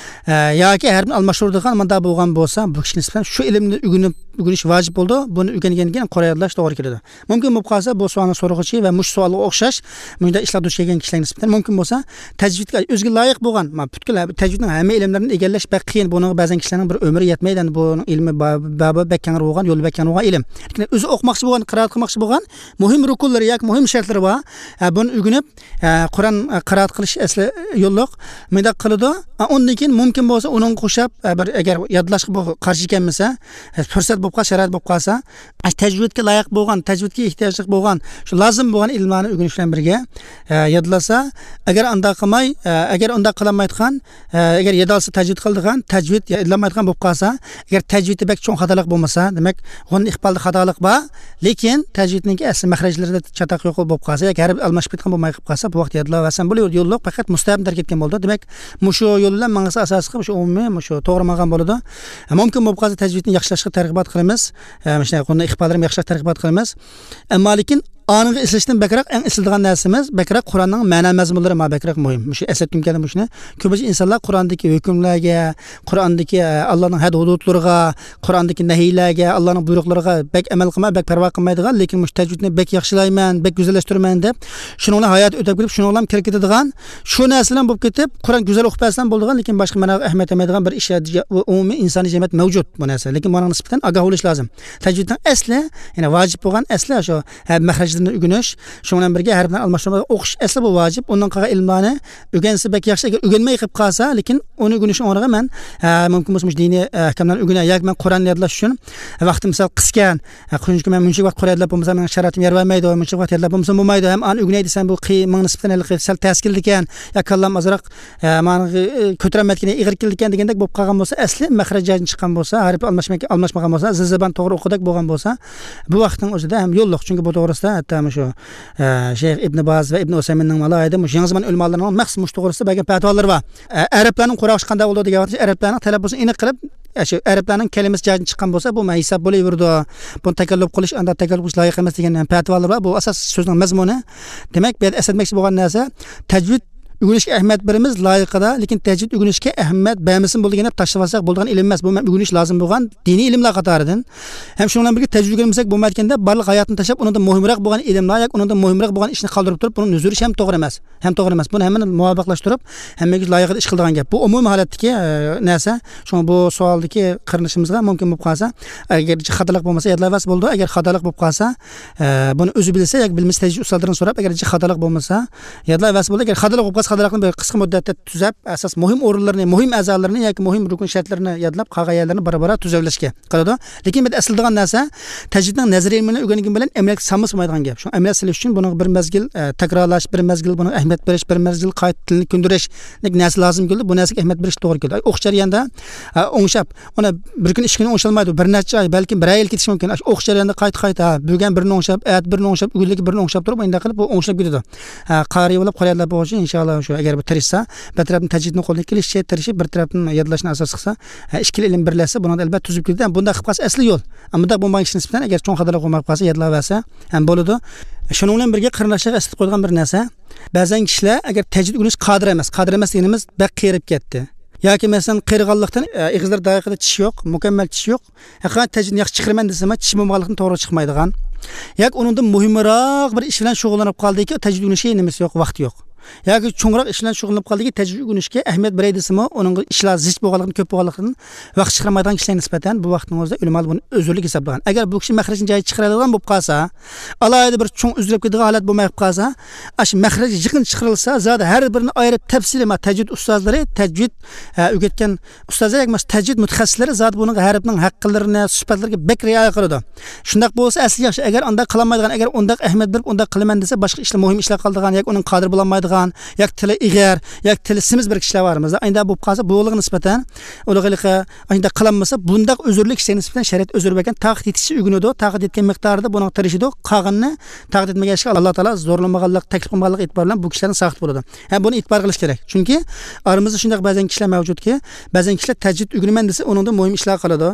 ئە، ياكى ھەرپنى ئالماشتۇرىدىغان مۇنداق بولغان بولسا، بۇ كىشىنىڭ نىسبەتەن شۇ ئىلىمنى ئۆگىنىپ، ئۆگىنىش ۋاجىپ بولىدۇ. بۇنى ئۆگەنگەندىن كېيىن قۇرئان يادلاش توغرا كېلىدۇ. مۇمكىن بولۇپ قالسا، بۇ سوئالنى سورىغۇچى ۋە مۇشۇ سوئالغا ئوخشاش مۇشۇنداق ئىشلار دۇچ كەلگەن كىشىلەرنىڭ نىسبەتەن مۇمكىن بولسا، تەجۋىدكە ئۆزىگە لايىق بولغان، ما، پۈتكۈل ھە-، تەجۋىدنىڭ ھەممە ئىلىملىرىنى ئىگىلەش بەك قىيىن. بۇنىڭغا بەزەن كىشىلەرنىڭ بىر ئۆمرى يەتمەيدۇ. ئەمدى بۇنىڭ ئىلمى با-، بابى بەك كەڭرى بولغان، يولى بەك كەڭرى بولغان ئىلىم. لېكىن ئۆزى ئوقۇماقچى بولغان، قىرائەت قىلماقچى بولغان، مۇھىم رۇكۇنلىرى ياكى مۇھىم شەرتلىرى بار. ھە، بۇنى ئۆگىنىپ، ھە، قۇرئان، ھە، قىرائەت قىلىش ئەسلى يوللۇق. مۇنداق قىلىدۇ. ھە، ئۇندىن كېيىن مۇمكىن بولسا ئۇنىڭغا ئوخشاپ، ھە، بىر ئەگەر يادلاشقا بۇ قارشى كەلمىسە، ھە، پۇرسەت بولۇپ قالسا، شارائىت بولۇپ قالسا، ھە، تەجۋىدكە لايىق بولغان، تەجۋىدكە ئېھتىياجلىق بولغان، شۇ لازىم بولغان ئىلىملارنى ئۆگىنىش بىلەن بىرگە، ھە، يادلىسا، ئەگەر ئۇنداق قىلماي، ھە، ئەگەر ئۇنداق قىلالمايدىغان، ئە، ئەگەر يادالسا تەجۋىد قىلىدىغان، تەجۋىد يادلانمايدىغان بولۇپ قالسا، ئەگەر تەجۋىدتە بەك چوڭ خاتالىق بولمىسا، دېمەك، غۇننە، ئىخپالدا خاتالىق بار، لېكىن تەجۋىدنىڭكى ئەسلى مەخرەجلىرىدە چاتاق يوق بولۇپ قالسا، ياكى ھەرپ ئالماشىپ كەتكەن بولماي قېلىپ قالسا، بۇ ۋاقىتتا يادلاۋەرسەم بولۇۋېرىدۇ، يوللۇق، پەقەت مۇستەھەبنى تەرك ئەتكەن بولىدۇ. دېمەك، مۇشۇ يول بىلەن ماڭسا ئاساسلىقى مۇشۇ ئومۇمىي، مۇشۇ توغرا ماڭغان بولىدۇ. مۇمكىن بولۇپ قالسا تەجۋىدنى ياخشىلاشقا تەرغىبات قىلىمىز. ئە، مۇشۇنداق غۇننە، ئىخپاللىرىمۇ ياخشىلاش تەرغىبات قىلىمىز. ئەمما لېكىن ئانىڭغا ئېسىلىشتىن بەكرەك، ئەڭ ئېسىلىدىغان نەرسىمىز، بەكرەك قۇرئاننىڭ مەنا مەزمۇنلىرى ما بەكرەك مۇھىم. مۇشۇ ئەسلەتكۈم كەلدى مۇشۇنى. كۆپىنچە ئىنسانلار قۇرئاندىكى ھۆكۈملەرگە، قۇرئاندىكى، ئە، ئاللانىڭ ھەد ھۇدۇدلىرىغا، قۇرئاندىكى نەھىيلەرگە، ئاللانىڭ بۇيرۇقلىرىغا بەك ئەمەل قىلماي، بەك پەرۋا قىلمايدىغان، لېكىن مۇشۇ تەجۋىدنى بەك ياخشىلايمەن، بەك گۈزەللەشتۈرىمەن دەپ، شۇنىڭ بىلەن ھاياتى ئۆتۈپ كېتىپ، شۇنىڭ بىلەن كىرىپ كېتىدىغان، شۇ نەرسە بىلەن بولۇپ كېتىپ، قۇرئان گۈزەل ئوقۇپ بەرسەم بولىدىغان، لېكىن باشقا مەنىگە ئەھمىيەت بەرمەيدىغان بىر ئىش، ئومۇمىي ئىنسانىي جەمئىيەت مەۋجۇت بۇ نەرسە. لېكىن بۇنىڭغا نىسبەتەن ئاگاھ بولۇش لازىم. تەجۋىدنىڭ ئەسلى، يەنى ۋاجىپ بولغان ئەسلى شۇ، ھە، مەخرەجلىرىنى ئۆگىنىش، شۇنىڭ بىلەن بىرگە ھەرپلەرنى ئالماشتۇرما ئوقۇش ئەسلى بۇ ۋاجىپ. ئۇندىن قالغان ئىلىملارنى ئۆگەنسە بەك ياخشى، ئەگەر ئۆگەنمەي قېلىپ قالسا، لېكىن ئۇنى ئۆگىنىشنىڭ ئورنىغا مەن، ھە، مۇمكىن بولسا مۇشۇ دىنىي، ھە، ئەھكاملارنى ئۆگىنەي ياكى مەن قۇرئاننى يادلاش ئۈچۈن ۋاقتىم سەل قىسكەن، ھە، چۈنكى مەن مۇنچە ۋاقىت قۇرئان يادلاپ بولمىسام، مېنىڭ شارائىتىم يار بەرمەيدۇ، مۇنچە ۋاقىت يادلاپ بولمىسام بولمايدۇ، ھەم ئانى ئۆگىنەي دېسەم، بۇ قىي-، ماڭا نىسبەتەن ھېلىقى سەل تەس كېلىدىكەن، يا كاللام ئازراق، ھە، مانا، ئى، كۆتۈرەلمەيدىكەن، ئېغىر كېلىدىكەن دېگەندەك بولۇپ قالغان بولسا، ئەسلى مەخرەج جايىدىن چىققان بولسا، ھەرپ ئالماشماي-، ئالماشمىغان بولسا، زىززىبان توغرا ئوقۇدەك بولغان بولسا، بۇ ۋاقىتنىڭ ئۆزىدە ھەم يوللۇق. چۈنكى بۇ توغرىسىدا ھەتتا مۇشۇ، ئە، شەيخ ئىبن باز ۋە ئىبن ئۇسەيمىننىڭ ئالاھىدە مۇشۇ يېڭى زامان ئۆلىمالىرىنىڭ مەخسۇس مۇشۇ توغرىسىدا بەرگەن پەتىۋالىرى بار. ئە، ئەرەبلەرنىڭ قۇرئان ئوقۇشى قانداق بولىدۇ دېگەن ۋاقىتتا، ئەرەبلەرنىڭ تەلەپپۇزىنى ئېنىق قىلىپ، ئە، شۇ ئەرەبلەرنىڭ كەلىمىسى جايىدىن چىققان بولسا، بۇ ھېساب بولۇۋېرىدۇ. بۇنى تەكەللۇپ قىلىش، ئاندا تەكەللۇپ قىلىش لايىق ئەمەس دېگەن پەتىۋالىرى بار. بۇ ئاساس سۆزنىڭ مەزمۇنى. دېمەك، بۇ يەردە ئەسلەتمەكچى بولغان نەرسە، تەجۋىد ئۆگىنىشكە ئەھمىيەت بېرىمىز، لايىقىدا، لېكىن تەجۋىد ئۆگىنىشكە ئەھمىيەت بەرمىسىمۇ بولىدىكەن دەپ تاشلىۋالساق بولىدىغان ئىلىم ئەمەس. بۇ مەن ئۆگىنىش لازىم بولغان دىنىي ئىلىملەر قاتارىدىن. ھەم شۇنىڭ بىلەن بىرگە تەجۋىد ئۆگەنمىسەك بولمايدىكەن دەپ، بارلىق ھاياتىنى تاشلاپ، ئۇنىڭدىن مۇھىمراق بولغان ئىلىملار ياكى ئۇنىڭدىن مۇھىمراق بولغان ئىشنى قالدۇرۇپ تۇرۇپ، بۇنى نۆزۈرۈش ھەم توغرا ئەمەس. ھەم توغرا ئەمەس. بۇنى ھەممىنى مۇۋاپىقلاشتۇرۇپ، ھەممىگە لايىقىدا ئىش قىلىدىغان گەپ. بۇ ئومۇمىي ھالەتتىكى، ئە، نەرسە. شۇڭا بۇ سوئالدىكى قېرىندىشىمىزغا مۇمكىن بولۇپ قالسا، ئەگەر خاتالىق بولمىسا، يادلاۋەرسە بولىدۇ. ئەگەر خاتالىق بولۇپ قالسا، ئە، بۇنى ئۆزى بىلسە ياكى بىلمىسە، تەجرىبە ئۇستازلىرىدىن سوراپ، ئەگەر خاتالىق بولمىسا، يادلاۋەرسە بولىدۇ. ئەگەر خاتالىق بولۇپ قالسا، خاتالىقنى بىر قىسقا مۇددەتتە تۈزەپ، ئاساس مۇھىم ئورۇنلىرىنى، مۇھىم ئەزالىرىنى ياكى مۇھىم رۇكۇن شەرتلىرىنى يادلاپ، قالغان يەرلىرىنى بارا-بارا تۈزەۋېلىشكە قىلىدۇ. لېكىن بۇ يەردە ئەسلىدىغان نەرسە، تەجۋىدنىڭ نەزەرىي ئىلمىنى ئۆگەنگەن بىلەن ئەمەلىيەتكە سالمىسا بولمايدىغان گەپ. شۇڭا ئەمەلىيەتكە سېلىش ئۈچۈن بۇنىڭغا بىر مەزگىل، ئە، تەكرارلاش، بىر مەزگىل بۇنىڭغا ئەھمىيەت بېرىش، بىر مەزگىل قايتا تىلنى كۆندۈرۈش، نەرسە لازىم كېلىدۇ. بۇ نەرسىگە ئەھمىيەت بېرىش توغرا كېلىدۇ. ئوقۇش جەريانىدا، ئە، ئوڭشاپ، ئۇنى بىر كۈن، ئىككى كۈن ئوڭشالمايدۇ، بىر نەچچە ئاي، بەلكىم بىر يىل كېتىشى مۇمكىن. ئاشۇ ئوقۇش جەريانىدا قايتا-قايتا، بۈگۈن بىرنى ئوڭشاپ، ئەتە بىرنى ئوڭشاپ، ئۆگۈنلۈككە بىرنى ئوڭشاپ تۇرۇپ، مۇنداق قىلىپ بۇ ئوڭشىلىپ كېتىدۇ. ھە، قارىي بولۇپ، قارىي يادلاپ بولغۇچە، ئىنشاللا شۇ، ئەگەر بۇ تىرىشسا، بىر تەرەپتىن تەجۋىدنى قولدىن كېلىشىچە تىرىشىپ، بىر تەرەپتىن يادلاشنى ئاساس قىلسا، ھە، ئىككىلا ئىلىم بىرلەشسە، بۇنىڭدا ئەلۋەتتە تۈزۈپ كېتىدۇ. ھەم بۇنداق قىلىپ قالسا ئەسلى يول. ئەمما بۇنداق بولمىغان كىشىنى نىسبەتەن، ئەگەر چوڭ خاتالىق بولماي قالسا، يادلاۋەرسە ھەم بولىدۇ. شۇنىڭ بىلەن بىرگە قېرىنداشلارغا ئەسلىتىپ قويىدىغان بىر نەرسە. بەزەن كىشىلەر ئەگەر تەجۋىد ئۆگىنىش قادىر ئەمەس، قادىر ئەمەس دېگىنىمىز بەك قېرىپ كەتتى. ياكى مەسىلەن، قېرىغانلىقتىن، ئە، ئېغىزلىرى دايىقىدا چىش يوق، مۇكەممەل چىش يوق. ھەقىقەتەن تەجۋىدنى ياخشى چىقىرىمەن دېسىمۇ، چىشى بولمىغانلىقتىن توغرا چىقمايدىغان. ياكى ئۇنىڭدىن مۇھىمراق بىر ئىش بىلەن شۇغۇللىنىپ قالدىكى، تەجۋىد ئۆگىنىشكە نېمىسى يوق، ۋاقتى يوق. ياكى چوڭراق ئىش بىلەن شۇغۇللىنىپ قالدىكى، تەجۋىد ئۆگىنىشكە ئەھمىيەت بېرەي دېسىمۇ، ئۇنىڭغا ئىشلار زىچ بولغانلىقتىن، كۆپ بولغانلىقتىن ۋاقىت چىقارمايدىغان كىشىلەرگە نىسبەتەن بۇ ۋاقىتنىڭ ئۆزىدە ئۆلىمالار بۇنى ئۆزۈرلۈك ھېسابلىغان. ئەگەر بۇ كىشى مەخرەجنى جايىدا چىقىرالايدىغان بولۇپ قالسا، ئالاھىدە بىر چوڭ ئۈزۈلۈپ كېتىدىغان ھالەت بولماي قالسا، ئاشۇ مەخرەج يېقىن چىقىرىلسا، زادى ھەر بىرىنى ئايرىپ تەپسىلىي، ما، تەجۋىد ئۇستازلىرى، تەجۋىد، ھە، ئۆگەتكەن ئۇستازلار ياكى بولمىسا تەجۋىد مۇتەخەسسىسلىرى زادى بۇنىڭغا ھەرپنىڭ ھەقلىرىنى، سۈپەتلىرىگە بەك رىئايە قىلىدۇ. شۇنداق بولسا ئەسلى ياخشى. ئەگەر ئانداق قىلالمايدىغان، ئەگەر ئۇنداق ئەھمىيەت بېرىپ ئۇنداق قىلىمەن دېسە، باشقا ئىشلار، مۇھىم ئىشلار قالىدىغان ياكى ئۇنىڭ قادىر بولالمايدىغان، ياكى تىلى ئېغىر، ياكى تىلى سېمىز بىر كىشىلەر بار. مەسىلەن، ئايدا بولۇپ قالسا، بۇلارغا نىسبەتەن، ئۇلارغا ھېلىقى ئانداق قىلالمىسا، بۇنداق ئۆزۈرلۈك كىشىگە نىسبەتەن شەرىئەت ئۆزۈر بەرگەن، تاقەت يېتىشىچە ئۆگىنىدۇ، تاقەت يەتكەن مىقدارىدا بۇنىڭغا تىرىشىدۇ، قالغىنىنى تاقەت يەتمىگەن ئىشقا ئاللا تائالا زورلىمىغانلىق، تەكلىپ قىلمىغانلىق ئېتىبار بىلەن بۇ كىشىلەردىن ساقىت بولىدۇ. ھە، بۇنى ئېتىبار قىلىش كېرەك. چۈنكى ئارىمىزدا شۇنداق بەزەن كىشىلەر مەۋجۇتكى، بەزەن كىشىلەر تەجۋىد ئۆگىنىمەن دېسە، ئۇنىڭدىن مۇھىم ئىشلار قالىدۇ.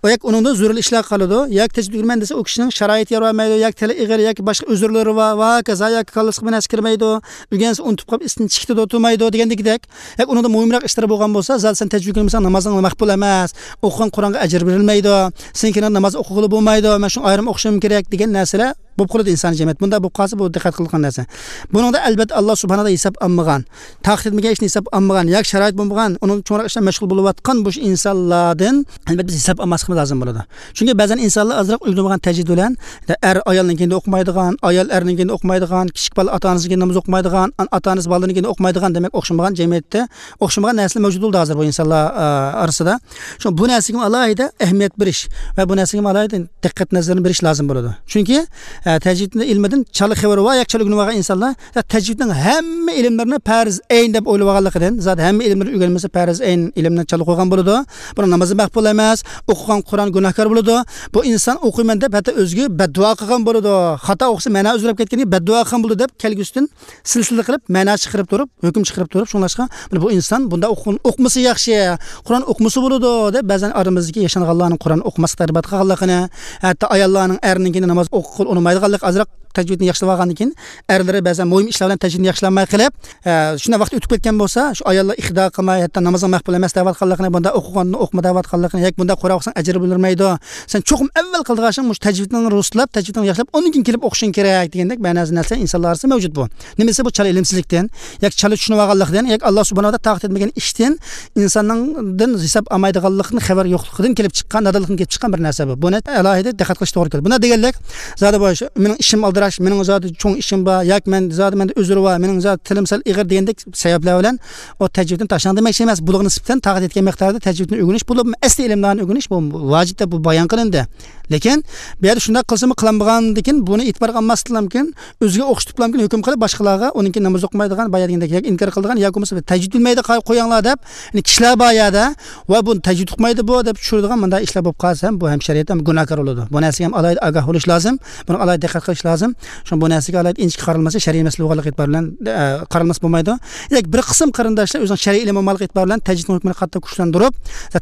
ئۇ ياكى ئۇنىڭدىن زۆرۈرلۈك ئىشلار قالىدۇ، ياكى تەجۋىد ئۆگىنىمەن دېسە، ئۇ كىشىنىڭ شارائىتى يار بەرمەيدۇ، ياكى تىلى ئېغىر، ياكى باشقا ئۆزۈرلىرى بار، ۋە ھاكازا، ياكى كاللىسىغا بىر نەرسە كىرمەيدۇ، ئۆگەنسە ئۇنتۇپ قېلىپ، ئېسىدىن چىقىدۇ، تۇرمايدۇ دېگەندىكىدەك. ياكى ئۇنىڭدا مۇھىمراق ئىشلىرى بولغان بولسا، زادى سەن تەجۋىد ئۆگەنمىسەڭ، نامازىڭ مەقبۇل ئەمەس، ئوقۇغان قۇرئانغا ئەجىر بېرىلمەيدۇ، سېنىڭكىنىڭ ناماز ئوقۇغىلى بولمايدۇ، مەن شۇڭا ئايرىم ئوقۇشۇم كېرەك دېگەن نەرسىلەر بولۇپ قالىدۇ ئىنسان جەمئىيەت. بۇنداق بولۇپ قالسا، بۇ دىققەت قىلىدىغان نەرسە. بۇنىڭدا، ئەلۋەتتە، ئاللا سۇبھانەھۇ ھېساب ئالمىغان، تاقىت يەتمىگەن ئىشنى ھېساب ئالمىغان، ياكى شارائىت بولمىغان، ئۇنىڭ چوڭراق ئىشلار مەشغۇل بولۇۋاتقان بۇ ئىنسانلاردىن، ئەلۋەتتە، بىز ھېساب ئالماسلىقىمىز لازىم بولىدۇ. چۈنكى بەزەن ئىنسانلار ئازراق ئۆگىنىپ بولغان تەجۋىد بىلەن، ئەر ئايالنىڭكىنى ئوقۇمايدىغان، ئايال ئەرنىڭكىنى ئوقۇمايدىغان، كىچىك بالا ئاتا ئانىسىنىڭكىنى ناماز ئوقۇمايدىغان، ئاتا ئانىسى بالىلىرىنىڭكىنى ئوقۇمايدىغان، دېمەك، ئوخشىمىغان جەمئىيەتتە ئوخشىمىغان نەرسىلەر مەۋجۇت بولدى ھازىر بۇ ئىنسانلار، ئا، ئارىسىدا. شۇڭا بۇ نەرسىگە ئالاھىدە ئەھمىيەت بېرىش ۋە بۇ نەرسىگە ئالاھىدە دىققەت نەزىرىنى بېرىش لازىم بولىدۇ. چۈنكى، ئە، تەجۋىد ئىلمىدىن چالا خەۋىرى بار ياكى چالا ئۆگىنىۋالغان ئىنسانلار، يا تەجۋىدنىڭ ھەممە ئىلىملىرىنى پەرز ئەين دەپ ئويلىۋالغانلىقىدىن، زادى ھەممە ئىلىملىرىنى ئۆگەنمىسە، پەرز ئەين ئىلىمنى چالا قويغان بولىدۇ. بۇنىڭ نامىزى مەقبۇل ئەمەس، ئوقۇغان قۇرئان گۇناھكار بولىدۇ. بۇ ئىنسان ئوقۇيمەن دەپ ھەتتا ئۆزىگە بەددۇئا قىلغان بولىدۇ. خاتا ئوقۇسا مەنا ئۆزگىرىپ كەتكەندىن كېيىن بەددۇئا قىلغان بولىدۇ دەپ كەلگۈسىدىن سىلسىلە قىلىپ، مەنا چىقىرىپ تۇرۇپ، ھۆكۈم چىقىرىپ تۇرۇپ، شۇڭلاشقا، مانا بۇ ئىنسان بۇنداق ئوقۇ-، ئوقۇمىسا ياخشى، قۇرئان ئوقۇمىسا بولىدۇ، دەپ بەزەن ئارىمىزدىكى ياشانغانلارنىڭ قۇرئان ئوقۇماسلىق تەربىيات قىلغانلىقىنى، ھەتتا ئاياللارنىڭ ئەرنىڭكىنى ناماز ئوقۇغىلى ئۇنىمايدىغانلىقى، ئازراق تەجۋىدنى ياخشىلاپ ئالغاندىن كېيىن، ئەرلىرى بەزەن مۇھىم ئىشلار بىلەن تەجۋىدنى ياخشىلانماي قېلىپ، ئە، شۇنداق ۋاقىت ئۆتۈپ كەتكەن بولسا، شۇ ئاياللار ئىقتىدا قىلماي، ھەتتا نامازنىڭ مەقبۇل ئەمەس دەۋاتقانلىقىنى، بۇنداق ئوقۇغاندىن ئوقۇما دەۋاتقانلىقىنى، ياكى بۇنداق قۇرئان ئوقۇساڭ ئەجىر بېرىلمەيدۇ، سەن چوقۇم ئەۋۋەل قىلىدىغان ئىشىڭ مۇشۇ تەجۋىدنى رۇسلاپ، تەجۋىدنى ياخشىلاپ، ئۇنىڭدىن كېيىن كېلىپ ئوقۇشۇڭ كېرەك دېگەندەك مەنىسى نەرسە ئىنسانلار ئارىسىدا مەۋجۇت بۇ. نېمىسى بۇ؟ چالا ئىلىمسىزلىكتىن، ياكى چالا چۈشىنىۋالغانلىقتىن، ياكى ئاللا سۇبھانەھۇ ۋە تائالا تاقەت يەتمىگەن ئىشتىن، ئىنساننىڭدىن ھېساب ئالمايدىغانلىقتىن، خەۋەر يوقلۇقىدىن كېلىپ چىققان، نادانلىقتىن كېلىپ چىققان بىر نەرسە بۇ. بۇنى ئالاھىدە دىققەت قىلىش توغرا كېلىدۇ. بۇنداق دېگەنلىك، زادى بۇ، مېنىڭ ئىشىم ئالدىراش، مېنىڭ زادى چوڭ ئىشىم بار، ياكى مەن زادى، مەندە ئۆزرى بار، مېنىڭ زادى تىلىم سەل ئېغىر دېگەندەك سەۋەبلەر بىلەن ئۇ تەجۋىدنى تاشلاڭ دېمەكچى ئەمەس. بۇلارغا نىسبەتەن تاقەت يەتكەن مىقداردا تەجۋىدنى ئۆگىنىش، بولۇپمۇ ئەسلى ئىلىملارنى ئۆگىنىش، بۇ ۋاجىپ دەپ بۇ بايان قىلىندى. لېكىن بۇ يەردە شۇنداق قىلسىمۇ قىلالمىغاندىكىن، بۇنى ئېتىبارغا ئالماسلىقلامكىن، ئۆزىگە ئوخشىتىپلامكىن، ھۆكۈم قىلىپ باشقىلارغا، ئۇنىڭكى ناماز ئوقۇمايدىغان، بايا دېگەندەك، ياكى ئىنكار قىلىدىغان، ياكى بولمىسا تەجۋىد بىلمەيدۇ، قويۇڭلار دەپ، يەنى كىشىلەر بار يەردە، ۋە بۇ تەجۋىد ئۇقمايدۇ بۇ دەپ چۈشۈرىدىغان مۇنداق ئىشلار بولۇپ قالسا ھەم، بۇ ھەم شەرىئەتتە ھەم گۇناھكار بولىدۇ. بۇ نەرسىگە ھەم ئالاھىدە ئاگاھ بولۇش لازىم، بۇنىڭغا ئالاھىدە دىققەت قىلىش لازىم. شۇڭا بۇ نەرسىگە ئالاھىدە ئىنچىكە قارالمىسا، شەرئىي مەسىلە بولغانلىقى ئېتىبارى بىلەن، ئە، قارالمىسا بولمايدۇ. لېكىن بىر قىسىم قېرىنداشلار ئۆزىنىڭ شەرئىي ئىلمى بولمىغانلىقى ئېتىبارى بىلەن تەجۋىدنىڭ ھۆكمىنى قاتتىق كۈچلەندۈرۈپ،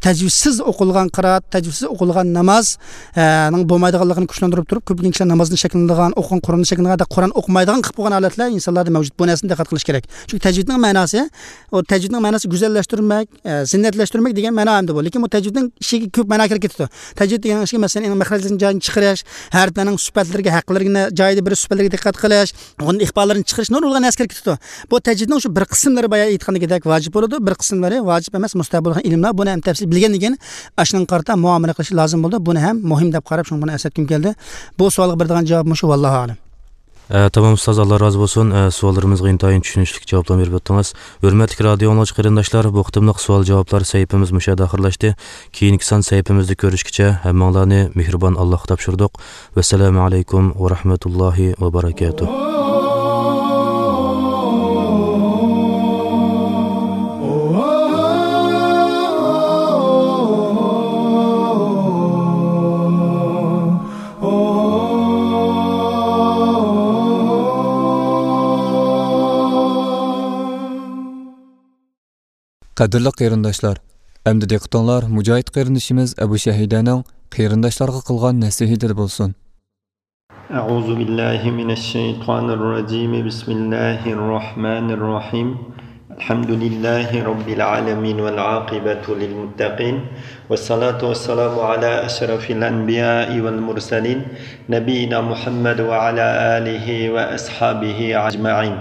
تەجۋىدسىز ئوقۇلغان قىرائەت، تەجۋىدسىز ئوقۇلغان ناماز، ئە، نىڭ بولمايدىغانلىقىنى كۈچلەندۈرۈپ تۇرۇپ، كۆپلىگەن كىشىلەر نامازدىن شەكلىنىدىغان، ئوقۇغان قۇرئاندىن شەكلىنىدىغان، ھەتتا قۇرئان ئوقۇمايدىغان قىلىپ قويغان ھالەتلەر ئىنسانلاردا مەۋجۇت. بۇ نەرسىنى دىققەت قىلىش كېرەك. چۈنكى تەجۋىدنىڭ مەناسى، ئۇ تەجۋىدنىڭ مەناسى گۈزەللەشتۈرمەك، ئە، زىننەتلەشتۈرمەك دېگەن مەنا ئەمدى بۇ. لېكىن بۇ تەجۋىدنىڭ ئىچىگە كۆپ مەنا كىرىپ كېتىدۇ. تەجۋىد دېگەن ئىشىكى، مەسىلەن، ئېنىڭ مەخرەجلىرىنى جايىدىن چىقىرىش، ھەرپلەرنىڭ سۈپەتلىرىگە، ھەقلىرىنى جايىدا بېرىش، سۈپەتلىرىگە دىققەت قىلىش، ئۇنىڭ ئىقپاللىرىنى چىقىرىش، نۇرغۇنلىغان نەرسە كىرىپ كېتىدۇ. بۇ تەجۋىدنىڭ شۇ بىر قىسىملىرى، بايا ئېيتقاندىكىدەك، ۋاجىپ بولىدۇ، بىر قىسىملىرى ۋاجىپ ئەمەس، مۇستەھەب بولغان ئىلىملار. بۇنى ھەم تەپسىلىي بىلگەندىن كېيىن، ئاشۇنىڭغا قارىتا مۇئامىلە قىلىش لازىم بولىدۇ. بۇنى ھەم مۇھىم دەپ قاراپ، شۇڭا بۇنى ئەسلەتكۈم كەلدى. بۇ سوئالغا بېرىدىغان جاۋاب مۇشۇ، ۋاللاھۇ ئەلەم. ئە، تامام ئۇستاز، ئاللا رازى بولسۇن. ئە، سوئاللىرىمىزغا ئىنتايىن چۈشىنىشلىك جاۋابلارنى بېرىپ ئۆتتىڭىز. ھۆرمەتلىك رادىيو ئاڭلىغۇچى قېرىنداشلار، بۇ قېتىملىق سوئال جاۋابلار سەھىپىمىز مۇشۇ يەردە ئاخىرلاشتى. كېيىنكى سان سەھىپىمىزدە كۆرۈشكىچە ھەممىڭلارنى مېھرىبان ئاللاھقا تاپشۇردۇق. ۋەسسالامۇ ئەلەيكۇم ۋە رەھمەتۇللاھى ۋە بەرەكاتۇھ. قەدىرلىك قېرىنداشلار، ئەمدى دىققىتىڭلار مۇجاھىد قېرىندىشىمىز ئەبۇ شەھىدەنىڭ قېرىنداشلارغا قىلغان نەسىھىتىدە بولسۇن. أعوذ بالله من الشيطان الرجيم. بسم الله الرحمن الرحيم. الحمد لله رب العالمين والعاقبة للمتقين والصلاة والسلام على أشرف الأنبياء والمرسلين نبينا محمد وعلى آله وأصحابه أجمعين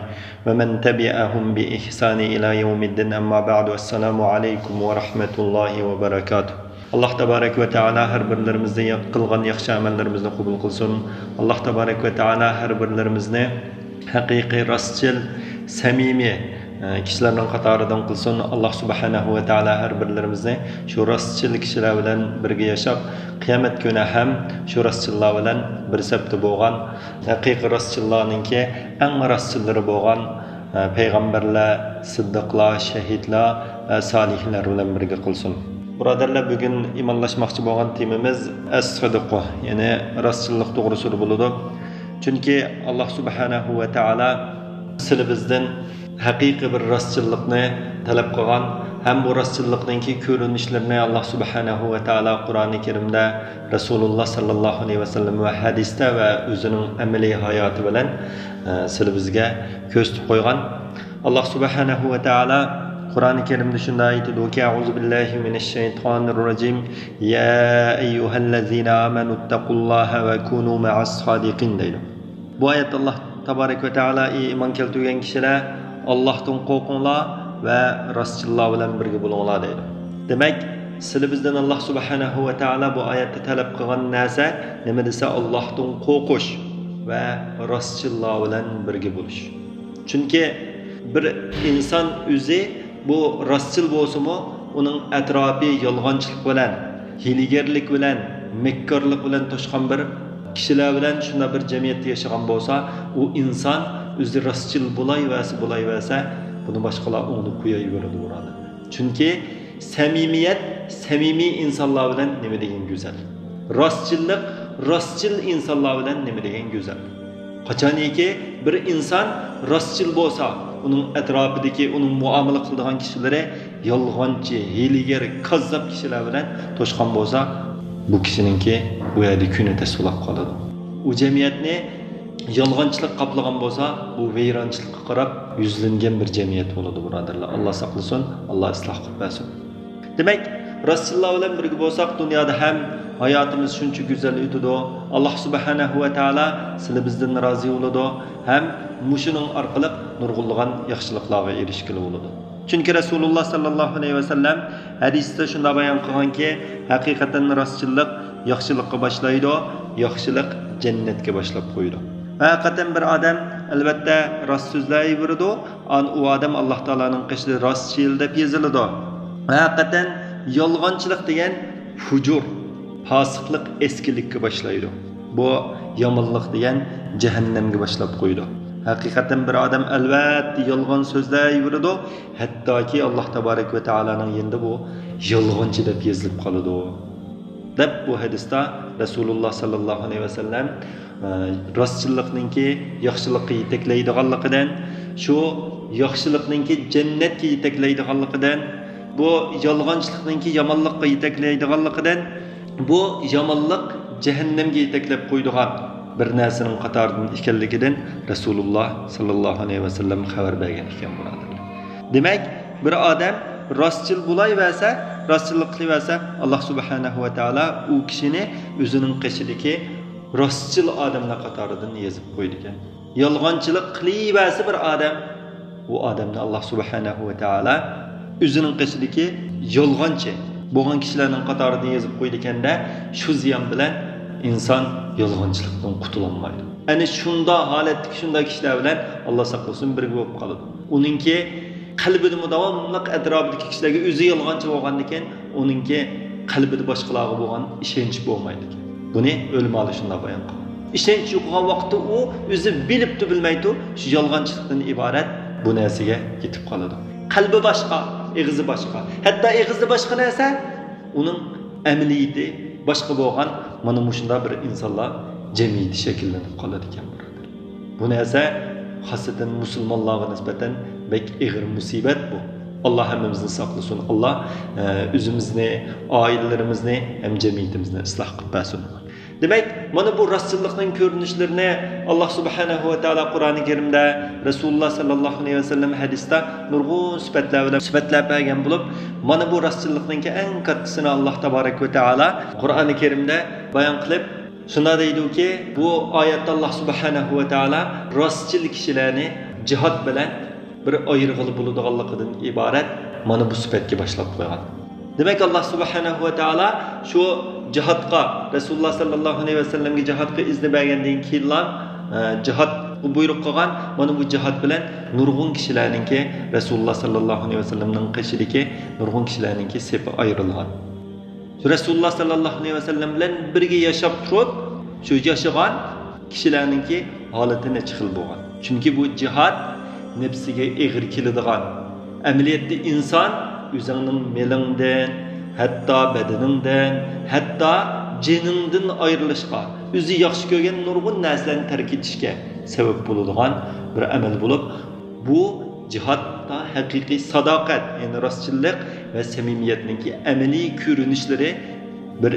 ومن تبعهم بإحسان إلى يوم الدين أما بعد السلام عليكم ورحمة الله وبركاته. ئاللاھ تابارەك ۋە تائالا ھەر بىرلىرىمىزنى قىلغان ياخشى ئەمەللىرىمىزنى قوبۇل قىلسۇن. ئاللاھ تابارەك ۋە تائالا ھەر بىرلىرىمىزنى ھەقىقىي، راستچىل، سەمىمىي، ئە، كىشىلەرنىڭ قاتارىدىن قىلسۇن. ئاللاھ سۇبھانەھۇ ۋە تائالا ھەر بىرلىرىمىزنى شۇ راستچىل كىشىلەر بىلەن بىرگە ياشاپ، قىيامەت كۈنى ھەم شۇ راستچىللار بىلەن بىر سەپتە بولغان، ھەقىقىي راستچىللارنىڭكى ئەڭ راستچىللىرى بولغان، ئە، پەيغەمبەرلەر، سىددىقلار، شەھىدلەر ۋە سالىھلار بىلەن بىرگە قىلسۇن. بۇرادەرلەر، بۈگۈن ئىمانلاشماقچى بولغان تېمىمىز ئەس-سىدىقۇ، يەنى راستچىللىق توغرىسىدا بولىدۇ. چۈنكى ئاللاھ سۇبھانەھۇ ۋە تائالا سىلى بىزدىن ھەقىقىي بىر راستچىللىقنى تەلەپ قىلغان ھەم بۇ راستچىللىقنىڭكى كۆرۈنۈشلىرىنى ئاللاھ سۇبھانەھۇ ۋە تائالا قۇرئانى كەرىمدە، رەسۇلۇللاھ ساللاللاھۇ ئەلەيھى ۋەسەللەم ۋە ھەدىستە ۋە ئۆزىنىڭ ئەمەلىي ھاياتى بىلەن، ئە، سىلى بىزگە كۆرسىتىپ قويغان. ئاللاھ سۇبھانەھۇ ۋە تائالا قۇرئانى كەرىمدە شۇنداق ئېيتىدۇكى، أعوذ بالله من الشيطان الرجيم، يا أيها الذين آمنوا اتقوا الله وكونوا مع الصادقين دەيدۇ. بۇ ئايەتتە ئاللاھ تابارەك ۋە تائالا، ئى ئىمان كەلتۈرگەن كىشىلەر، ئاللاھتىن قورقۇڭلار ۋە راستچىللار بىلەن بىرگە بولۇڭلار دەيدۇ. دېمەك، سىلى بىزدىن ئاللاھ سۇبھانەھۇ ۋە تائالا بۇ ئايەتتە تەلەپ قىلغان نەرسە نېمە دېسە، ئاللاھتىن قورقۇش ۋە راستچىللار بىلەن بىرگە بولۇش. چۈنكى بىر ئىنسان ئۆزى بۇ راستچىل بولسىمۇ، ئۇنىڭ ئەتراپى يالغانچىلىق بىلەن، ھىيلىگەرلىك بىلەن، مەككارلىق بىلەن توشقان بىر كىشىلەر بىلەن شۇنداق بىر جەمئىيەتتە ياشىغان بولسا، ئۇ ئىنسان ئۆزى راستچىل بولايۋەرسە، بولايۋەرسە، بۇنى باشقىلار ئوڭدىن قويايۋېرىدۇ، بۇرادەر. چۈنكى سەمىمىيەت، سەمىمىي ئىنسانلار بىلەن نېمە دېگەن گۈزەل. راستچىللىق، راستچىل ئىنسانلار بىلەن نېمە دېگەن گۈزەل. قاچانكى بىر ئىنسان راستچىل بولسا، ئۇنىڭ ئەتراپىدىكى، ئۇنىڭ مۇئامىلە قىلىدىغان كىشىلىرى يالغانچى، ھىيلىگەر، كاززاپ كىشىلەر بىلەن توشقان بولسا، بۇ كىشىنىڭكى ئۇ يەردە كۈنى تەس بولاپ قالىدۇ. ئۇ جەمئىيەتنى يالغانچىلىق قاپلىغان بولسا، بۇ ۋەيرانچىلىققا قاراپ يۈزلەنگەن بىر جەمئىيەت بولىدۇ، بۇرادەرلەر. ئاللا ساقلىسۇن، ئاللا ئىسلاھ قىلىپ بەرسۇن. دېمەك، راستچىللار بىلەن بىرگە بولساق، دۇنيادا ھەم ھاياتىمىز شۇنچە گۈزەل ئۆتىدۇ. ئاللا سۇبھانەھۇ ۋە تائالا سىلى بىزدىن رازى بولىدۇ ھەم مۇشۇنىڭ ئارقىلىق نۇرغۇنلىغان ياخشىلىقلارغا ئېرىشكىلى بولىدۇ. چۈنكى رەسۇلۇللا ساللاللاھۇ ئەلەيھى ۋەسەللەم ھەدىستە شۇنداق بايان قىلغانكى، ھەقىقەتەن راستچىللىق ياخشىلىققا باشلايدۇ، ياخشىلىق جەننەتكە باشلاپ قويىدۇ. ھەقىقەتەن بىر ئادەم، ئەلۋەتتە، راست سۆزلەيۋېرىدۇ، ئان ئۇ ئادەم ئاللا تائالانىڭ قېشىدا راستچىل دەپ يېزىلىدۇ. ھەقىقەتەن يالغانچىلىق دېگەن فۇجۇر، پاسىقلىق، ئەسكىلىككە باشلايدۇ. بۇ يامانلىق دېگەن جەھەننەمگە باشلاپ قويىدۇ. ھەقىقەتەن بىر ئادەم ئەلۋەتتە يالغان سۆزلەيۋېرىدۇ، ھەتتاكى ئاللا تابارەك ۋە تائالانىڭ يېنىدا بۇ يالغانچى دەپ يېزىلىپ قالىدۇ، دەپ بۇ ھەدىستە رەسۇلۇللا ساللاللاھۇ ئەلەيھى ۋەسەللەم، ئە، راستچىللىقنىڭكى ياخشىلىققا يېتەكلەيدىغانلىقىدىن، شۇ ياخشىلىقنىڭكى جەننەتكە يېتەكلەيدىغانلىقىدىن، بۇ يالغانچىلىقنىڭكى يامانلىققا يېتەكلەيدىغانلىقىدىن، بۇ يامانلىق جەھەننەمگە يېتەكلەپ قويىدىغان بىر نەرسىنىڭ قاتارىدىن ئىكەنلىكىدىن رەسۇلۇللا ساللاللاھۇ ئەلەيھى ۋەسەللەم خەۋەر بەرگەن ئىكەن، بۇرادەرلەر. دېمەك، بىر ئادەم راستچىل بولايۋەرسە، راستچىللىق قىلىۋەرسە، ئاللا سۇبھانەھۇ ۋە تائالا ئۇ كىشىنى ئۆزىنىڭ قېشىدىكى راستچىل ئادەملەر قاتارىدىن يېزىپ قويىدىكەن. يالغانچىلىق قىلىۋەرسە بىر ئادەم، ئۇ ئادەمنى ئاللا سۇبھانەھۇ ۋە تائالا ئۆزىنىڭ قېشىدىكى يالغانچى بولغان كىشىلەرنىڭ قاتارىدىن يېزىپ قويىدىكەن-دە، شۇ زىيان بىلەن ئىنسان يالغانچىلىقتىن قۇتۇلالمايدۇ. ئەنە شۇنداق ھالەتتىكى شۇنداق كىشىلەر بىلەن ئاللا ساقلىسۇن بىرگە بولۇپ قالىدۇ. ئۇنىڭكى قەلبىدىمۇ داۋاملىق ئەتراپىدىكى كىشىلەرگە ئۆزى يالغانچى بولغاندىكىن، ئۇنىڭكى قەلبىدە باشقىلارغا بولغان ئىشەنچ بولمايدىكەن. بۇنى ئۆلىمالار شۇنداق بايان قىلغان. ئىشەنچ يوقىغان ۋاقىتتا ئۇ ئۆزى بىلىپتۇ بىلمەيتۇ شۇ يالغانچىلىقتىن ئىبارەت بۇ نەرسىگە يېتىپ قالىدۇ. قەلبى باشقا، ئېغىزى باشقا. ھەتتا ئېغىزى باشقا نەرسە، ئۇنىڭ ئەمەلىيىتى باشقا بولغان، مانا مۇشۇنداق بىر ئىنسانلار جەمئىيىتى شەكىللىنىپ قالىدىكەن، بۇرادەر. بۇ نەرسە خاسسەتەن مۇسۇلمانلارغا نىسبەتەن بەك ئېغىر مۇسىبەت بۇ. ئاللا ھەممىمىزنى ساقلىسۇن. ئاللا، ئە، ئۆزىمىزنى، ئائىلىلىرىمىزنى ھەم جەمئىيىتىمىزنى ئىسلاھ قىلىپ بەرسۇن. دېمەك، مانا بۇ راستچىللىقنىڭ كۆرۈنۈشلىرىنى ئاللا سۇبھانەھۇ ۋە تائالا قۇرئانى كەرىمدە، رەسۇلۇللا ساللاللاھۇ ئەلەيھى ۋەسەللەم ھەدىستە نۇرغۇن سۈپەتلەر بىلەن سۈپەتلەپ بەرگەن بولۇپ، مانا بۇ راستچىللىقنىڭكى ئەڭ كاتتىسىنى ئاللا تابارەك ۋە تائالا قۇرئانى كەرىمدە بايان قىلىپ، شۇنداق دەيدۇكى، بۇ ئايەتتە ئاللا سۇبھانەھۇ ۋە تائالا راستچىل كىشىلەرنى جىھاد بىلەن بىر ئايرىغىلى بولىدىغانلىقىدىن ئىبارەت مانا بۇ سۈپەتكە باشلاپ قويغان. دېمەك، ئاللا سۇبھانەھۇ ۋە تائالا شۇ جىھادقا، رەسۇلۇللا ساللاللاھۇ ئەلەيھى ۋەسەللەمگە جىھادقا ئىزنى بەرگەندىن كېيىنلا، ئە، جىھادقا بۇيرۇق قىلغان. مانا بۇ جىھاد بىلەن نۇرغۇن كىشىلەرنىڭكى، رەسۇلۇللا ساللاللاھۇ ئەلەيھى ۋەسەللەمنىڭ قېشىدىكى نۇرغۇن كىشىلەرنىڭكى سېپى ئايرىلغان. رەسۇلۇللا ساللاللاھۇ ئەلەيھى ۋەسەللەم بىلەن بىرگە ياشاپ تۇرۇپ، شۇ ياشىغان كىشىلەرنىڭكى ھالىتى نەچچە خىل بولغان. چۈنكى بۇ جىھاد نەپسىگە ئېغىر كېلىدىغان، ئەمەلىيەتتە ئىنسان ئۆزۈڭنىڭ مېلىڭدىن، ھەتتا بەدىنىڭدىن، ھەتتا جېنىڭدىن ئايرىلىشقا، ئۆزى ياخشى كۆرگەن نۇرغۇن نەرسىلەرنى تەرك ئېتىشكە سەۋەب بولىدىغان بىر ئەمەل بولۇپ، بۇ جىھادتا ھەقىقىي ساداقەت، يەنى راستچىللىق ۋە سەمىمىيەتنىڭكى ئەمەلىي كۆرۈنۈشلىرى بىر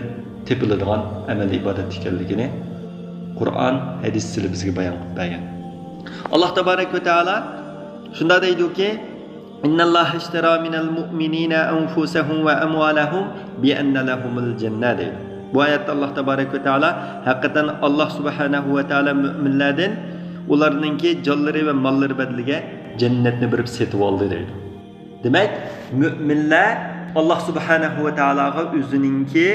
تېپىلىدىغان ئەمەل ئىبادەت ئىكەنلىكىنى قۇرئان، ھەدىس سىلى بىزگە بايان قىلىپ بەرگەن. ئاللا تابارەك ۋە تائالا شۇنداق دەيدۇكى، إن الله اشترى من المؤمنين أنفسهم وأموالهم بأن لهم الجنة دەيدۇ. بۇ ئايەتتە ئاللا تابارەك ۋە تائالا ھەقىقەتەن ئاللا سۇبھانەھۇ ۋە تائالا مۆمىنلەردىن ئۇلارنىڭكى جانلىرى ۋە ماللىرى بەدىلىگە جەننەتنى بېرىپ سېتىۋالدى دەيدۇ. دېمەك، مۆمىنلەر ئاللا سۇبھانەھۇ ۋە تائالاغا ئۆزىنىڭكى